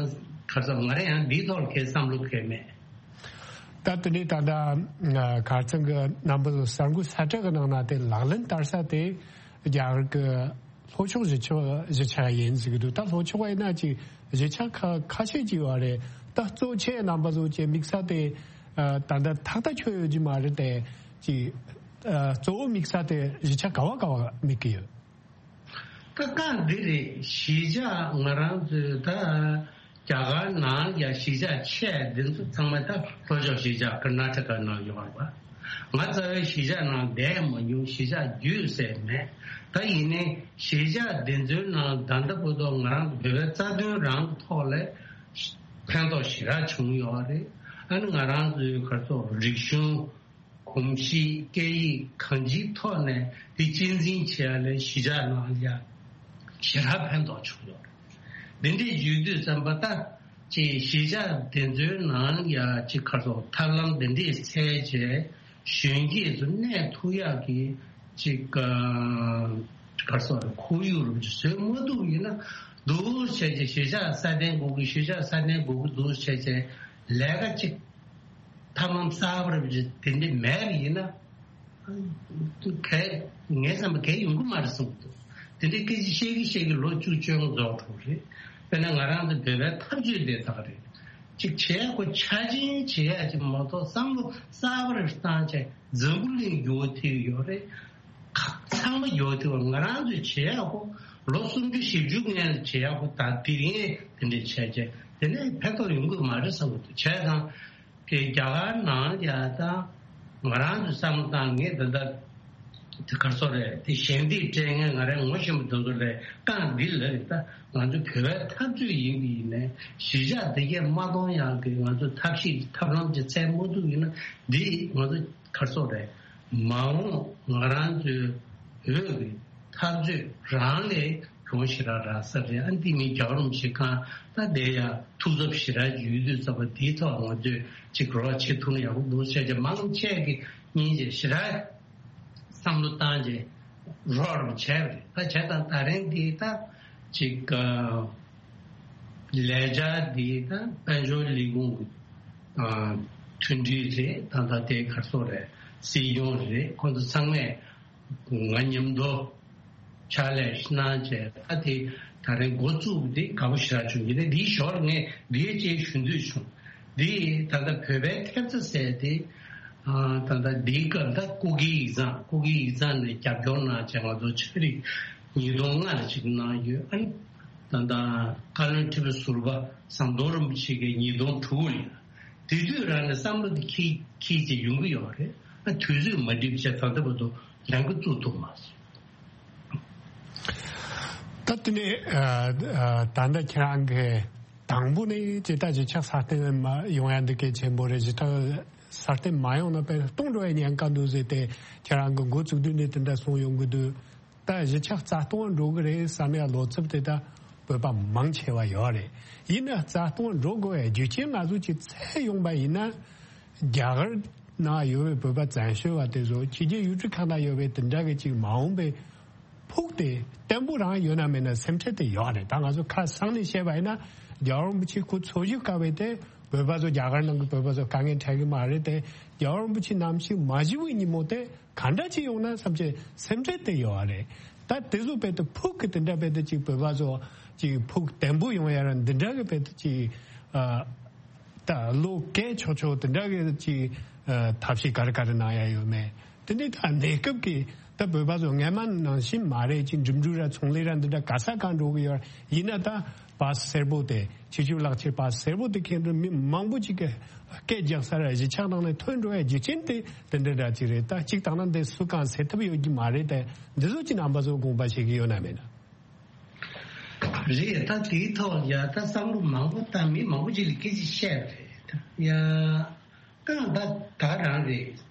ག་རེ་ཟེར། ང་རང་ཡང་འདིའི་ཐོག་ལ་གའི་བསམ་བློ་གའི་མེད། ད་དེ་ནས་ད་ལྟ་གར་ཚང་གི་རྣམ་པ་ཚོ་གསར་འགོད་གསལ་བསྒྲགས་ཀྱི་ནང་ན་དེ་ལག་ལེན་བསྟར་ས་དེ་རྒྱ་གར་གྱི་ལྷོ་ཕྱོགས་གཞིས་ཆགས་གཞིས་ཆགས་ཡིན་ཟེར་གྱི་འདུག་ད་ལྷོ་ཕྱོགས་པ་ཡིན་ན་ཅིག་གཞིས་ཆགས་ཁ་ཁ་ཤས་ཅིག་ཡོད་རེད། ད་གཙོ་ཆེ་རྣམ་པ་ཚོ་ཅིག་དམིགས་ས་དེ་ད་ལྟ་ཐག་ཐག་ཆོད་ཡོད་ཀྱི་མ་རེད་དེ། ཅིག་གཙོ་བོ་དམིགས་ས་དེ་གཞིས་ཆགས་ག་བ་ག་བ་དམིགས་ཀྱི་ཡོད། ད་གང་འདི་རེད། གཞིས་ཆགས་ང་རང་ཚོའི་ད་རྒྱ་གར་ནང་ཡ་གཞིས་ཆགས་ཆེ་འདི་ཚོ་ཚང་མ་ད་ལྷོ་ཕྱོགས་གཞིས་ཆགས་ཀར་ན་ཊ་ཀ་ནང་ཡོད་རེད་པ། ང་རྩ་བའི་གཞིས་ཆགས་ནང་བསྡད་མ་མྱོང་། གཞིས་ཆགས་བརྒྱུད་ཟེར་མེད། ད་ཡིན་ནའི་གཞིས་ཆགས་འདི་ཚོའི་ནང་ད་ལྟ་བར་དུ་ང་རང་ཚོ་བོད་པའི་རྩ་དོན་རང་གི་ཐོག་ལ་ཕན་ཐོགས་ཞེ་དྲག་བྱུང་ཡོད་རེད། ཨ་ནི་ང་རང་ཚོའི་ག་རེ་ཟེར། རིག་གཞུང་། གོམས་གཤིས། སྐད་ཡིག་གང་ཅིའི་ཐོག་ནས་དེ་གཅེས་འཛིན་བྱེད་ཡ་ལ་གཞིས་ཆགས་ནང་ལ་ཡ་ཞེ་དྲག་ཕན་ཐོགས་བྱུང་ཡོད་རེད། འདི་འདྲས་བརྗོད་དུས་ཙམ་པ་ད་ཅིག་གཞིས་ཆགས་དེ་ཚོའི་ནང་ཡ་ཅིག་ག་རེ་ཟེར། ཐབས་ལམ་འདི་འདྲས་འཚོལ་བྱས་གཞོན་སྐྱེས་ཚོ་གནས་ཐུབ་ཡག་གི་ཅིག་ག་རེ་ཟེར། ཁོར་ཡུག་རུ་ཅིག་བཟོས་མ་ཐུབ་ཡིན་ན། འདུག་བྱས་ཀྱི་གཞིས་ཆགས་སྲ་བརྟན་དགོས་ཀྱི། གཞིས་ཆགས་སྲ་བརྟན་དགོས་ཀྱི་འདུག་བྱས་ཀྱི་ལས་ཀ་ཅིག་ཐབས་ལམ་གསར་པ་རེ་དེ་འདྲ་མེད་པ་ཡིན་ན། གལ་ངའི་བསམ་པ་གལ་ཡོང་གི་མ་རེད་བསམ་གྱི་འདུག་དེ་འདྲའི་སྐད་ཆ་བཤད་ཀྱི་བཤད་ཀྱི་ལོ་བཅུ་བཅོ་ལྔ་རྫོགས་འགྲོ་གི་རེད། དཔེར་ན་ང་རང་ཚོ་བོད་པའི་འཐབ་རྩོད་དེ་དག་རེད། ཅིག་བྱས་ཁོ་ཆ་ཆེན་བྱེད་ཡ་ཅིག་མ་གཏོགས་བསམ་བློ་གསར་པ་རེ་བཏང་བྱས་འཛམ་བུ་གླིང་འགྱུར་བ་ཐེབས་ཡོད་རེད། ཁ་ཚང་མ་འགྱུར་བ་ཐེབས་པ། ང་རང་ཚོས་བྱེད་ཡ་ཁོ་ལོ་སུམ་ཅུ་བཞི་བཅུ་སྔོན་ལ་བྱེད་ཡ་ཁོ་ད་དེ་རིང་དེ་འདྲ་བྱས་བྱས་དེ་ནས་ཕན་ཐོགས་ཡོང་གི་མ་རེད་བསམ་གྱི་འདུག་བྱས་ཙང་། དེ་རྒྱ་གར་ནང་ཡ་ད་ང་རང་ཚོས་བསམ་བློ་བཏང་། ངས་ད་ལྟ་དེ་ག་རེ་ཟེར་རེད། དེ་ཞལ་འདེབས་སྤྲད་མཁན་ང་རའི་ངོ་ཤེས་པ་དེ་ཚོ་ལ་རྐང་འདི་ལ་རེད། ད་ང་ཚོ་བོད་པའི་འཐབ་རྩོད་ཡིན་པ་ཡིན་ནའི་གཞིས་ཆགས་འདི་གས་མ་གཏོང་ཡག་གི་ང་ཚོ་ཐབས་ཤེས་ཐབས་ལམ་ཅིག་འཚོལ་མ་ཐུབ་ཡིན་ན། འདི་ང་ཚོ་ག་རེ་ཟེར་རེད། མ་འོངས་ང་རང་ཚོའི་བོད་ཀྱི་འཐབ་རྩོད་རང་ལས་གྱོང་ཞེ་དྲག་རག་ས་རེད། ཨ་འདི་མིན་རྒྱལ་བ་རིན་པོ་ཆེ་གང་ད་བསྡད་ཡ་ཐུགས་འཚབ་ཞེ་དྲག་ཡོད་དུས་ཙམ་པ་འདིའི་ཐོག་ང་ཚོས་ཅིག་རོགས་བྱེད་ཐུབ་ན་ཡག་པོ་འདུག་བྱས་བྱས་མང་ཆེ་གི་སྙིང་རྗེ་ཞེ་དྲག་བསམ་བློ་བཏང་རྗེས་རོགས་རམ་བྱས་པ་རེད། ད་བྱས་ཙང་ད་རིང་འདི་ད་ཅིག་ལས་འཆར་འདི་ད་དཔལ་འབྱོར་ལས་ཁུངས་ཀྱི་མཐུན་སྒྲིལ་རེད། ད་ད་དེ་ག་རེ་ཟེར་རེད། སྲིད་སྐྱོང་རེད། ཁོང་ཚོ་ཚང་མས་ང་མཉམ་དུ་ཕྱག་ལས་གནང་བྱས། ད་དེ་ད་རིང་འགོ་བཙུགས་དེ་དགའ་པོ་ཞེ་དྲག་བྱུང་། ཡིན་ནའི་འདིའི་ཞོར་ངས་འདིའི་རྗེས་ཞུ་འདོད་བྱུང་། འདི་ད་ལྟ་བོད་པའི་ཐེབས་རྩ་ཟེར་དེ། ཨ་ད་ལྟ་འདིའི་སྐབས་ད་སྐུ་སྒེར་ཡིག་ཚང་། སྐུ་སྒེར་ཡིག་ཚང་ནས་རྒྱབ་སྐྱོར་གནང་བྱས་ང་ཚོ་ཕྱག་རིས་ཉིས་སྟོང་ལྔ་ལ་ཅིག་གནང་ཡོད། ཨ་ནི་ད་ལྟ་བཀའ་བློན་ཁྲི་པ་ཟུར་པ་ཟམ་གདོང་རིན་པོ་ཆེ་གིས་ཉིས་སྟོང་དྲུག་ལ། དེ་དུས་རང་ནས་བསམ་བློ་དེ་འཁྱེར་འཁྱེར་བྱས་ཡོང་གི་ཡོད་རེད། ཨ་དུས་ཚོད་མ་འགྲིག་པ་བྱས་ད་ལྟ་བར་དུ་ལས་འགུལ་བཙུགས་ཐུབ་མ་སོང་། ད་དེ་ནས་ཨ་ཨ་ད་ལྟ་ཁྱེད་རང་གི་དང་པོ་ནས་ཇི་ལྟར་གཞིས་ཆགས་སྲ་བརྟན་མ་ཡོང་ཡ་འདི་གལ་ཆེན་པོ་རེད། གཞིས་ཆགས་སྲ་བརྟན་མ་ཡོང་ན་དཔེ་སྟོང་འགྲོ་བའི་ཉེན་ཁ་འདུག་ཟེར་ཏེ་ཁྱེད་རང་གི་འགོ་བཙུགས་དུས་ནས་དེ་འདྲ་གསུངས་ཡོང་གི་འདུག་ད་གཞིས་ཆགས་རྩ་སྟོང་འགྲོ་གི་རེད་བསམ་ཡ་ལོ་ཚབ་དེ་ད་བོད་པ་མང་ཆེ་བ་ཡོད་རེད། ཡིན་ན་རྩ་སྟོང་འགྲོ་དགོས་པའི་རྒྱུ་རྐྱེན་ང་ཚོ་ཅིག་འཚོལ་ཡོང་པ་ཡིན་ན། རྒྱ་གར་ནང་ཡོད་པའི་བོད་པ་བཙན་བྱོལ་བ་དེ་ཚོ་ཕྱི་རྒྱལ་ཡུལ་གྲུ་ཁག་ནང་ཡོད་པའི་དེ་འདྲ་གི་ཅིག་མ་འོངས་པའི་ཕུགས་དེ་བརྟན་པོ་རང་ཡོད་ན་མེད་ན་སེམས་ཁྲལ་དེ་ཡོད་རེད། ད་ང་ཚོ་ཁ་སང་ནས་བཤད་པ་ཡིན་ན་རྒྱལ་བ་རིན་པོ་ཆེ་སྐུ་འཚོ་བཞུགས་སྐབས་བས་དེ་བོད་པ་ཚོ་རྒྱ་གར་ནང་གི་བོད་པ་ཚོ་དཀའ་ངལ་འཕྲད་གི་མ་རེད་དེ། རྒྱལ་བ་རིན་པོ་ཆེ་ནམ་ཞིག་མ་བཞུགས་པའི་ཉིན་མོ་དེ་ག་འདྲ་ཅིག་ཡོང་ན་བསམ་བྱས་སེམས་ཁྲལ་དེ་ཡོད་རེད། ད་དེ་ཚོ་བས་དེ་ཕུགས་ཀྱི་དེ་འདྲ་བས་དེ་ཅིག་བོད་པ་ཚོ་ཅིག་ཕུགས་བརྟན་པོ་ཡོང་ཡ་ར་འདི་འདྲ་གི་བས་དེ་ཅིག་ཨ། ད་བློ་སྐྱེད་ཆོག་ཆོག་དེ་འདྲ་གི་ཅིག་ཨ་ཐབས་ཤེས་ག་རེ་ག་རེ་གནང་ཡ་ཡོད་མེད། དེ་འདྲའི་ད་གནས་སྐབས་ཀྱི་ད་བོད་པ་ཚོ་སྔན་མ་ནང་བཞིན་མ་རེད། ཅིག་འགྲིམ་འགྲུལ་ར་ཚོང་ལས་ར་འདི་འདྲ་ག་ས་གང་འགྲོ་གི་ཡོད། ཡིན་ན་ད་པཱ་སི་སེར་པོ་དེ་ཕྱི་ཕྱོགས་ལག་ཁྱེར་པཱ་སི་སེར་པོ་དེ་མཁན་དུ་མི་མང་པོ་ཅིག་གི་སྐད་རྒྱག་ས་ར་གཞིས་ཆགས་ནང་ནས་ཐོན་འགྲོ་ཡ་རྒྱུ་རྐྱེན་དེ་དེ་འདྲ་འདྲ་ཅིག་རེད། ད་གཅིག་དང་ན་འདི་སུ་གང་སེལ་ཐབས་ཡོད་ཀྱི་མ་རེད། དེ་འདི་ཚོ་ཅིག་རྣམ་པ་ཚོ་དགོངས་པ་བཞེས་ཀྱི་ཡོད་ན་མེད་ན། རེད། ད་དེའི་ཐོག་ལ་ཡ་ད་བསམ་བློ་མང་པོ་བཏང་མི་མང་པོ་ཅིག་ལ་སྐད་ཆ་བཤད་པ་རེད། ད་ཡ་ད་ད་ད་རང་རེད།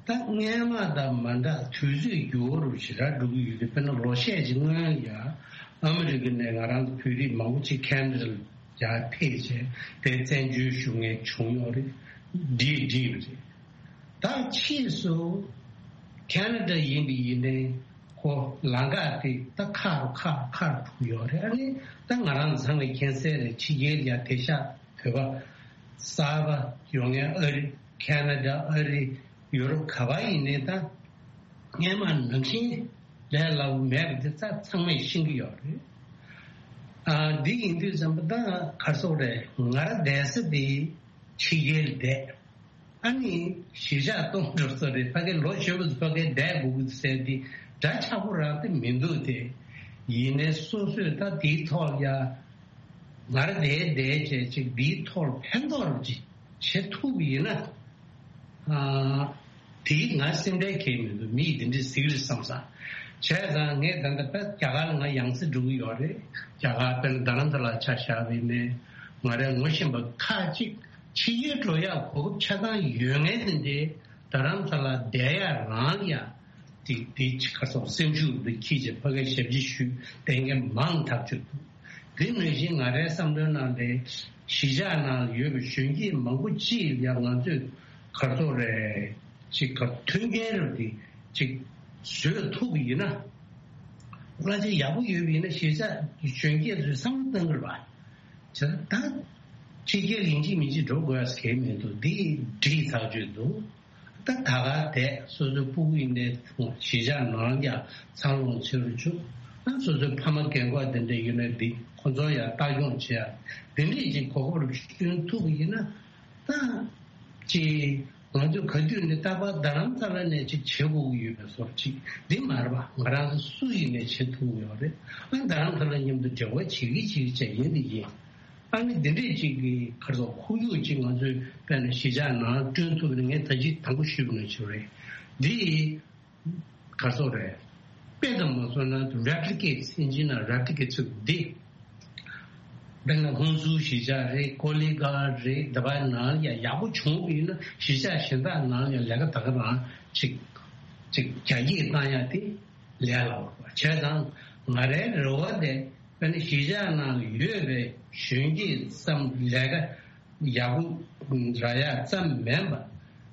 ད་སྔན་མ་དང་མ་འདྲ་དུས་ཚོད་འགྱུར་བ་རུ་ཞེ་དྲག་འགྲོ་གི་ཡོད་དུས། དཔེར་ན་ལོ་ཤས་ཅིག་སྔོན་ཡ་ཨ་མི་རི་ཀ་ནས་ང་རང་ཚོ་བོད་རིགས་མང་པོ་ཅིག་ཁེ་ན་ཌ་ལ་ཡར་ཕེབས་བྱས་དེ་བཙན་བྱོལ་བཞུགས་མཁན་བྱུང་ཡོད་རེད། འགྲིག་འགྲིག་པ་རེད། ད་ཕྱིས་སུ་ཁེ་ན་ཌ་ཡིན་པ་ཡིན་ནའི་ཁོ་ལམ་ཁ་དེ་ད་ཁག་རུ་ཁག་ཁག་རུ་འཁྲུག་ཡོད་རེད། ཨ་ནི་ད་ང་རང་ཚང་མས་མཁྱེན་གསལ་རེད། ཕྱི་རྒྱལ་ལ་ཡ་དེང་སང་བོད་པ་གསར་པ་ཡོང་མཁན་ཨ་རི། ཁེ་ན་ཌ། ཨ་རི། ཡུ་རོབ་ག་པར་ཡིན་ནའི་ད་སྔན་མ་ནང་བཞིན་ལས་སླ་པོ་མེད་པ་དེ་ཚ་ཚང་མས་ཤེས་ཀྱི་ཡོད་རེད། ཨ་འདི་ཡིན་དུས་ཙམ་པ་ད་ག་རེ་ཟེར་དགོས་རེད། ང་རང་བསྡད་ས་དེ་ཕྱི་རྒྱལ་ལ་བསྡད། ཨ་ནི་གཞིས་ཆགས་སྟོང་འགྲོ་ས་རེད། ཕ་གི་ལོ་གཞོན་པ་ཚོ་ཕ་གིར་བསྡད་དགོས་ཀྱི་ཟེར་འདི་འདྲ་ཆགས་པོ་རང་དེ་མི་འདུག་སྟེ། ཡིན་ནའི་སོ་སོས་ད་དེའི་ཐོག་ལ་ཡ་ང་རང་བསྡད་བསྡད་བྱས་ཅིག་འདིའི་ཐོག་ལ་ཕན་ཐོགས་རུ་ཅིག་བྱེད་ཐུབ་པ་ཡིན་ན། ཨ་དེའི་ང་སེམས་ཁྲལ་གང་ཡང་མི་འདུག་མི་ཡིས་འདི་འདྲ་ཟེར་གི་རེད་བསམ་ས། བྱས་ཙང་ངས་ད་ལྟ་ད་རྒྱ་གར་ལ་ང་ཡང་སེ་འགྲོ་གི་ཡོད་རེད། རྒྱ་གར་དཔེར་ན་རྡ་རམ་ས་ལ་ཆ་བཞག་པ་ཡིན་ནའི་ང་རའི་ངོ་ཤེས་པ་ཁག་ཅིག་ཕྱི་རྒྱལ་འགྲོ་ཡག་གོ་སྐབས་ཆ་ཚང་ཡོད་མཁན་དེ་འདྲའི་རྡ་རམ་ས་ལ་བསྡད་ཡག་རང་ལ་ཡ་དེ་དེ་ཅིག་ག་སོགས་སེམས་ཤུགས་འདི་འཁྱེར་བྱས་ཕ་གིར་ཞབས་ཕྱི་ཞུས་བསྡད་མཁན་མང་ཐག་ཆོད་འདུག་དེ་ནང་བཞིན་ང་རའི་བསམ་བློའི་ནང་ལ་གཞིས་ཆགས་ནང་ལ་ཡོད་པའི་གཞོན་སྐྱེས་མང་པོ་ཅིག་ལ་ཡ་ང་ཚོས་ག་སོགས་རེད་ཅིག་ག་མཐུན་རྐྱེན་རབ་དེ་ཅིག་བཟོས་ཐུབ་པ་ཡིན་ན། གླ་ཆ་ཡག་པོ་ཡོད་པ་ཡིན་ན་གཞིས་ཆགས་གཞོན་སྐྱེས་ཚོས་བསམ་བློ་གཏང་གི་རེད་པ། བྱས་ཙང་ད་ཕྱི་རྒྱལ་ཡིན་གཅིག་མིན་གཅིག་འགྲོ་དགོས་ཡ་གང་ཡང་མི་འདུག་འདི་འགྲིག་ཐག་ཆོད་འདུག་ད་ད་ག་དེ་སོ་སོའི་སྤུ་གུ་ཡིན་ནའི་གཞིས་ཆགས་ནང་ཡ་འཚར་ལོངས་བྱེད་རུ་ཆུག་ད་སོ་སོའི་ཕ་མ་རྒན་གོག་དེ་འདྲ་ཡོད་ན་འདི་ཁོ་ཚོ་ཡ་ལྟ་སྐྱོང་བྱེད་ཡ་དེ་འདྲས་ཅིག་གོ་སྐབས་བསྐྲུན་ཐུབ་པ་ཡིན་ན། ད་ཅིག་ང་ཚོས་ག་དུས་ནས་རྟག་པར་རྡ་རམ་ས་ལ་ནས་ཅིག་བྱེད་དགོས་ཀྱི་ཡོད་པའི་བཟོ་ཅིག་འདི་མ་རེད་པ། ང་རང་ཚོ་སུ་ཡིན་ནས་བྱེད་ཐུབ་ཀྱི་ཡོད་རེད། ཨ་རྡ་རམ་ས་ལ་མཉམ་དུ་འབྲེལ་བ་བྱེད་ཀྱི་བྱེད་ཀྱི་བྱས་ཡིན་འདི་ཡིན། ཨ་ནི་འདི་འདྲས་ཅིག་གི་ག་རེ་ཟེར་ཁོར་ཡུག་ཅིག་ང་ཚོས་དཔེར་ན་གཞིས་ཆགས་ནང་བསྐྲུན་ཐུབ་ན་ངས་ད་ཅི་དང་པོ་ཞུས་པ་ནང་བཞིན་རེད། འདི་ག་རེ་ཟེར་རེད། དཔེ་ཙམ་མ་སོང་ན་replicate ཨིན་ཇི་ནང་replicate ཟེར་འདི། དཔེར་ན་ཧུན་སུར་གཞིས་ཆགས་རེད། ཀོ་ལི་གྷལ་རེད། འདི་པ་ནང་ཡ་ཡག་པོ་བྱུང་བ་ཡིན་ན་གཞིས་ཆགས་གཞན་དག་ནང་ཡ་ལས་ཀ་ད་ག་རང་ཅིག་ཅིག་རྒྱ་སྐྱེད་བཏང་ཡ་དེ་ལས་སླ་བོ་རེད་པ། བྱས་ཙང་ང་རའི་རེ་བ་དེ་དཔེར་ན་གཞིས་ཆགས་ནང་ཡོད་པའི་གཞོན་སྐྱེས་ཙམ་ལས་ཀ་ཡག་པོ་རག་ཡག་ཙམ་མིན་པ།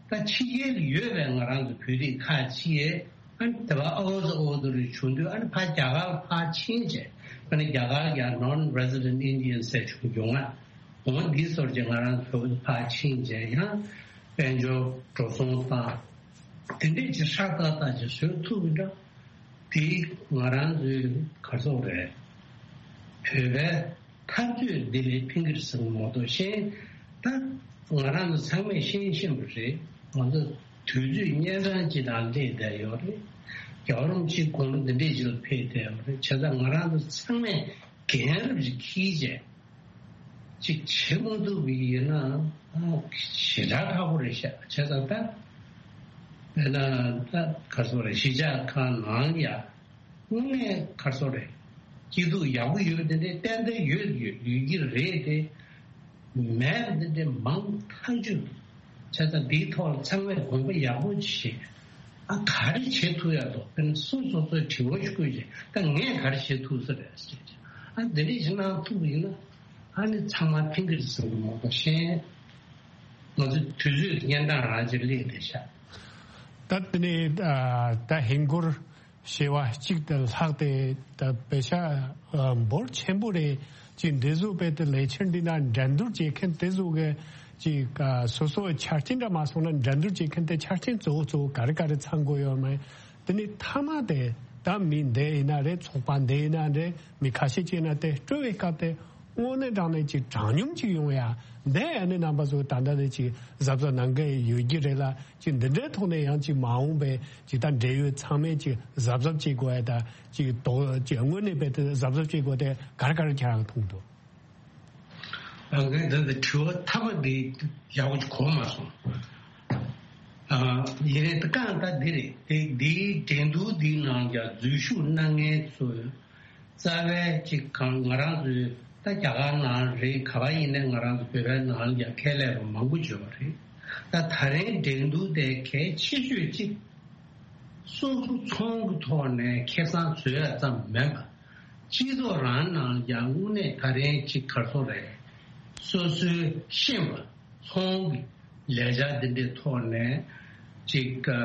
ད་ཕྱི་རྒྱལ་ཡོད་པའི་ང་རང་ཚོ་བོད་རིགས་ཁག་ཅིག་ཨ་ནི་དེ་བ་ཨོ་ཟོ་ཨོ་དོ་རི་བྱུང་དུས་ཨ་ནི་ཕ་རྒྱ་གར་ཕར་ཕྱིན་བྱས། ཨ་ནི་རྒྱ་གར་ཡ་non-resident Indian ཟེར་བྱུང་ཡོང་ང་འོ་འདི་ཚོར་གྱི་ང་རང་ཚོ་ཕར་ཕྱིན་བྱས་ཡང་དཔལ་འབྱོར་འགྲོ་སོང་དང་དེ་འདྲས་ཀྱི་ཧྲག་ཏག་ཏག་ཅིག་བཟོ་ཐུབ་ཀྱི་འདྲ། དེ་ང་རང་ཚོའི་ག་རེ་ཟེར་དགོས་རེད། བོད་པའི་འཐབ་རྩོད་འདི་ལས་ཕན་གྱི་རེད་བསམ་གྱི་མ་གཏོགས་གཞན་ད་ང་རང་ཚོ་ཚང་མས་ཤེས་ཤེས་པ་རེད། ང་ཚོ་དུས་ཚོད་གཉན་འཕྲང་ཅིག་ནང་སླེབས་བསྡད་ཡོད་རེད། རྒྱལ་བ་རིན་པོ་ཆེ་དགུང་ལོ་འདི་འདྲས་ཅིག་ལ་ཕེབས་བསྡད་ཡོད་རེད། བྱས་ཙང་ང་རང་ཚོ་ཚང་མས་འགན་རབ་ཅིག་འཁྱེར་བྱས། ཅིག་བྱེད་མ་ཐུབ་པ་ཡིན་ན་ཨ་ཞེ་དྲག་ཁག་པོ་རེད་ཤག་བྱས་ཙང་ད་དཔེར་ན་ད་ག་རེ་ཟེར་དགོས་རེད། གཞིས་ཆགས་ཁག་ནང་ཡ་དངོས་གནས་ག་རེ་ཟེར་དགོས་རེད། སྐྱིད་སྡུག་ཡག་པོ་ཡོད་པ་དེ་འདྲའི་ཏན་ཏན་ཡོད་ཡོད་ཡོད་ཀྱི་རེད་དེ། མེད་པ་འདི་འདྲའི་མང་ཐག་ཆོད། བྱས་ཙང་འདིའི་ཐོག་ལ་ཚང་མས་དགོངས་པ་ཡག་པོ་བཞེས། ཨ་ག་རེ་བྱེད་ཐུབ་ཡག་འདུག་དཔེར་ན་སོ་སོ་སོའི་དྲི་བ་ཞིག་བཀོད་བྱས་ད་ངས་ག་རེ་བྱེད་ཐུབ་ས་རེད་ཟེར་བྱས། ཨ་འདི་འདྲ་ཞིག་གནང་ཐུབ་པ་ཡིན་ན་ཨ་ནི་ཚང་མ་ཕན་གྱི་རེད་བསམ་གྱི་མ་གཏོགས་གཞན་ང་ཚོ་དུས་ཚོད་ཀྱི་གཉན་འཕྲང་རང་ཅིག་སླེབས་བསྡད་ཤག་ད་དེ་ནས་ཨ་ད་ཧིན་སྒོར་བྱེ་བ་གཅིག་དང་ལྷག་སྟེ་ད་པེ་ཤ་ཨ་འབོར་ཆེན་པོ་རེད། ཅིག་འདི་ཚོ་དཔེ་དེ་ལས་འཆར་འདི་ན་འགྲན་བསྡུར་བྱེད་མཁན་དེ་ཚོ་གི་ཅིག་ཨ་སོ་སོའི་ཆ་རྐྱེན་འདྲ་མ་སོང་ན་འགྲན་བསྡུར་བྱེད་མཁན་དེ་ཆ་རྐྱེན་གཙོ་བོ་གཙོ་བོ་ག་རེ་ག་རེ་ཚང་དགོས་ཡོད་མེད། དེ་ནས་མཐའ་མ་དེ་ད་མི་འདི་ཡིན་ན་རེད། ཚོགས་པ་འདི་ཡིན་ན་རེད། མི་ཁ་ཤས་ཅིག་ཡིན་ན་དེ་སྤྲོད་པའི་སྐབས་དེ་དངོས་གནས་དྲང་གནས་ཅིག་དྲང་སྙོམས་ཅིག་ཡོང་ཡ་འདི་ཨ་ནི་རྣམ་པ་ཚོ་ད་ལྟ་ནས་ཅིག་གཟབ་གཟབ་གནང་གི་ཡོད་ཀྱི་རེད་ལ། ཅིག་འདི་འདྲའི་ཐོག་ནས་ཡང་ཅིག་མ་འོངས་པའི་ཅིག་ད་འབྲེལ་ཡོད་ཚང་མས་ཅིག་གཟབ་གཟབ་བྱེད་དགོས་ཡ་ད་ཅིག་དོགས་ཅིག་དངོས་གནས་དཔེ་དེ་གཟབ་གཟབ་བྱེད་དགོས་དེ་ག་རེ་ག་རེ་ཁྱེད་རང་མཐོང་འདུག་ཨ་ངས་འདི་འདི་དྲི་བ་མཐའ་མ་འདི་ཡག་པོ་ཅིག་གོ་མ་སོང་། ཨ་ཡིན་ནའི་ད་གང་ལྟར་འདི་རེད། དེ་འདིའི་འགྲན་བསྡུར་འདིའི་ནང་ཀྱང་འཛུལ་ཞུགས་གནང་མཁན་ཚོས་རྩ་བའི་ཅིག་གང་ང་རང་ཚོའི་ད་རྒྱ་གར་ནང་རེད། ག་པར་ཡིན་ནའི་ང་རང་ཚོ་བོད་པའི་ནང་ལ་ཀྱང་ཁས་ལེན་པ་མང་པོ་ཡོད་པ་རེད། ད་ད་རིང་འགྲན་བསྡུར་དེ་གལ་ཆེ་ཤོས་ཅིག་སོ་སོ་ཚོང་གི་ཐོག་ནས་ཁེ་བཟང་བཟོ་ཡ་ཙམ་མིན་པ། སྤྱི་ཚོགས་རང་ནང་ཀྱང་དངོས་གནས་ད་རིང་ཅིག་ག་རེ་ཟེར་དགོས་རེད། སོ་སོའི་ཤེས་པ་ཚོང་གི་ལས་འཆར་འདི་འདྲའི་ཐོག་ནས་ཅིག་ཨ་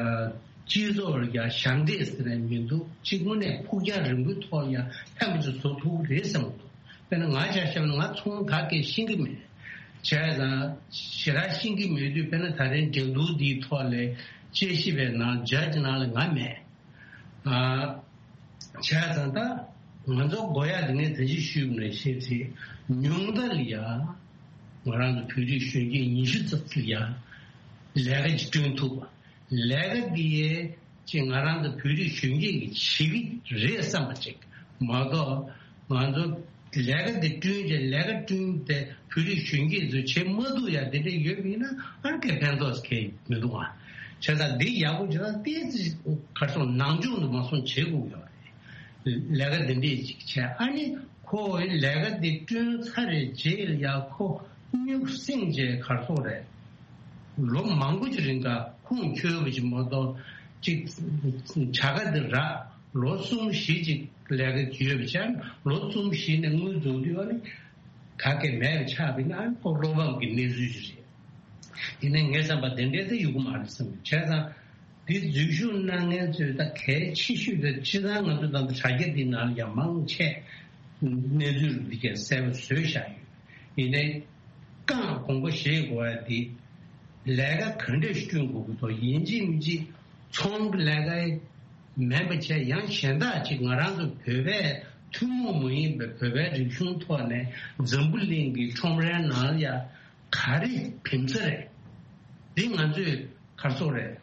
སྤྱི་ཚོགས་ལ་ཡང་ཞབས་འདེགས་ཟེར་ནས་མི་འདུག་ཅིག་དངོས་གནས་ཕུགས་རྒྱང་རིང་པོའི་ཐོག་ཡང་ཕན་པ་ཅིག་བཟོ་ཐུབ་ཀྱི་རེད་བསམ་གྱི་འདུག་དཔེར་ན་ང་ཆ་བཞག་ན་ང་ཚོང་ག་གེ་ཤེས་ཀྱི་མེད། བྱས་ཙང་ཞེ་དྲག་ཤེས་ཀྱི་མེད་དུས་དཔེར་ན་ད་རིང་འགྲན་བསྡུར་འདིའི་ཐོག་ལ་དཔྱད་ཞིབ་པའི་ནང་ཇ་ཇི་ནང་ལ་ང་མེད། ཨ། བྱས་ཙང་ད་ང་ཚོ་དགོས་ཡག་དེ་ངས་ད་ཅི་ཞུས་པ་ནང་བཞིན་རེད། ཉུང་མཐའ་ལ་ཡ་ང་རང་ཚོ་བོད་རིགས་གཞོན་སྐྱེས་ཉི་ཤུ་ཙམ་ལ་ཡ་ལས་ཀ་ཅིག་བསྐྲུན་ཐུབ་པ། ལས་ཀ་འདི་ཡས་ཅིག་ང་རང་ཚོ་བོད་རིགས་གཞོན་སྐྱེས་ཀྱིས་བྱེད་ཀྱི་རེད་བསམ་པ་ཅིག་མ་གཏོགས་ང་ཚོ་ལས་ཀ་འདི་བསྐྲུན་བྱས་ལས་ཀ་བསྐྲུན་ཏེ་བོད་རིགས་གཞོན་སྐྱེས་ཚོས་བྱེད་མ་ཐུབ་ཡ་དེ་འདྲ་ཡོད་པ་ཡིན་ན་ཨ་ནི་གའི་ཕན་ཐོགས་གའི་མི་འདུག་ཨ། བྱས་ཙང་འདི་ཡག་པོ་བྱས་ན་ཏོག་ཙམ་གར་སོང་ནང་སྦྱོང་དུ་མ་སོང་བྱེད་དགོས་ཡོད་རེད། ལས་ཀ་འདི་འདྲས་ཅིག་བྱས་ཨ་ནི་ཁོ་ལས་ཀ་འདི་བསྐྲུན་ཚར་རེད་རྗེས་ལ་ཡ་ཁོ་སྨྱུག་སེང་བྱས་གར་སོང་རེད། ལོ་མང་པོ་ཅིག་རིང་ག་ཁུངས་འཁྱོལ་བ་ཅིག་མ་གཏོགས་ཅིག་བྱ་དགའ་འདི་རག་ལོ་གསུམ་བཞི་ཅིག་ལས་ཀ་ཡོད་པ་བྱས་ལོ་གསུམ་བཞི་ནས་དངུལ་རྫོགས་དུས་ཨ་ནི་ག་གེ་མེད་པ་ཆགས་པ་ཡིན་ན་ཨ་ནི་ཁོ་བློ་ཕམ་གྱི་གནས་ཚུལ་ཅིག་རེད། ཡིན་ནའི་ངའི་བསམ་པ་དེ་འདྲའི་ཚེ་ཡོང་གི་མ་རེད་བསམ་གྱི། བྱས་ཙང་འདི་འཛུལ་ཞུགས་གནང་མཁན་ཚོས་ད་གལ་ཆེ་ཤོས་དེ་སྤྱིར་བཏང་ང་ཚོ་ད་ལྟ་དྲ་རྒྱ་འདི་ནང་ལ་ཡང་མང་ཆེ་གནས་ཚུལ་འདི་གས་གསལ་པོ་བཟོས་བཞག་ཡོད། ཡིན་ནའི་རྐང་དགོངས་པ་བཞེས་དགོས་ཡ་འདི་ལས་ཀ་ག་འདྲས་བསྐྲུན་དགོས་ཀྱི་འདུག་ཡིན་གཅིག་མིན་གཅིག་ཚོང་གི་ལས་ཀ་མིན་པ་བྱས་ཡང་གཞན་དག་ཅིག་ང་རང་ཚོ་བོད་པའི་ཐུན་མོང་མ་ཡིན་པའི་བོད་པའི་རིག་གཞུང་ཐོག་ནས་འཛམ་བུ་གླིང་གི་ཁྲོམ་རའི་ནང་ལ་ཡ་ག་རེ་ཕན་ས་རེད། འདི་ང་ཚོས་གར་སོང་རེད།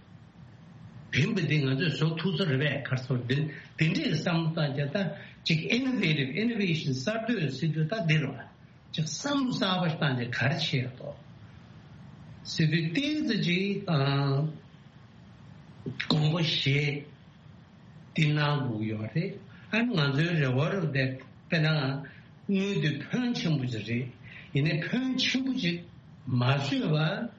ཕན་པ་འདི་ང་ཚོས་བཟོ་ཐུབ་ས་རེད་པས་གར་སོང་འདི་འདི་འདྲའི་བསམ་བློ་བཏང་རྒྱ་ད་ཅིག་innovative innovation གསར་གཏོད་ཟེར་དུས་ད་འདི་རེད་བ། ཅིག་བསམ་བློ་གསར་པ་ཞིག་བཏང་རྒྱ་ག་རེ་བྱེད་ཡ་དོ་ཟེར་དུས་ཏོག་ཙམ་ཅིག་ཨང་དགོངས་པ་བཞེས། འདི་གནང་དགོས་ཡོད་རེད། ཨ་ནི་ང་ཚོའི་རེ་བ་རུ་དེ་དཔེར་ན་དངུལ་དེ་ཕོན་ཆེན་པོ་ཅིག་རེད། ཡིན་ནའི་ཕོན་ཆེན་པོ་ཅིག་མ་བཟོས་པར་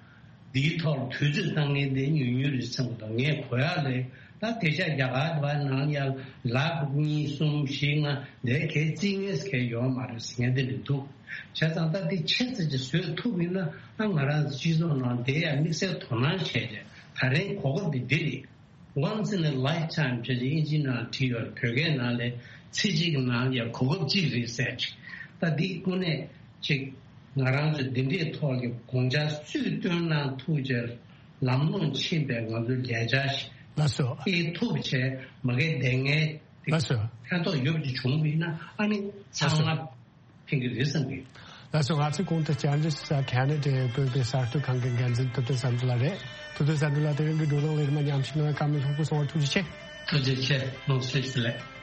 འདིའི་ཐོག་ལ་དུས་ཚོད་བཏང་མཁན་དེ་ཉུང་ཉུང་རེད་བསམ་གྱི་འདུག་ངས་གོ་ཡག་ལས་ད་དེ་ཆ་རྒྱ་གར་བ་ནང་ཡང་ལག་གཉིས་གསུམ་བཞི་ལྔ་དེ་གས་རྩིས་ངེས་གས་ཡོད་མ་རེད་ཟེར་མཁན་དེ་རེད་འདུག་བྱས་ཙང་ད་འདི་ཆེ་ཙམ་ཅིག་བཟོས་ཐུབ་ཡིན་ན་ཨ་ང་རང་སྤྱི་ཚོགས་ནང་དེ་ཡང་དམིགས་བསལ་དོ་སྣང་བྱས་ཏེ་ད་རེས་གོ་སྐབས་འདི་འདི་རེད། Once in a lifetime བྱས་ཏེ་ཨིན་ཇིའི་ནང་བྲིས་ཡོད། བོད་སྐད་ནང་ལས་ཚེ་གཅིག་གི་ནང་ལ་གོ་སྐབས་གཅིག་རེད་ཟེར་ཅིག་ད་འདི་དངོས་གནས་ཅིག་ང་རང་ཚོས་འདི་འདྲའི་ཐོག་གི་དགོངས་འཆར་སུས་བཏོན་གནང་ཐུབ་ཅེར་ལམ་ལྷོང་ཕྱིན་པའི་ང་ཚོའི་ལས་འཆར་ཞིག་ལགས་སོ། སྤེལ་ཐུབ་བྱས་མ་གི་བདེ་ངན་དེ་ལགས་སོ། ཕན་ཐོགས་ཡོད་པ་ཅིག་བྱུང་བ་ཡིན་ན་ཨ་ནི་ཚང་མ་ཕན་གྱི་རེད་བསམ་གི། ལགས་སོ། ང་ཚོའི་གོང་དུ་བཅར་འདྲི་ཞུ་ས་ཁེ་ན་ཌའི་བོད་པའི་གསར་གཏོད་ཁང་གི་འགན་འཛིན་ཐུབ་བསྟན་བསམ་གྲུབ་ལགས་རེད། ཐུབ་བསྟན་བསམ་གྲུབ་ལགས་དེ་རིང་གི་བགྲོ་གླེང་ལ་རིམ་པ་མཉམ་ཞུགས་གནང་བའི་བཀའ་མོལ་ལྷུག་པོ་གསུང་བར་ཐུགས་རྗེ་ཆེ། ཐུགས་རྗེ་ཆེ། ལོངས་སྤྱོད་བདེ་ལེགས།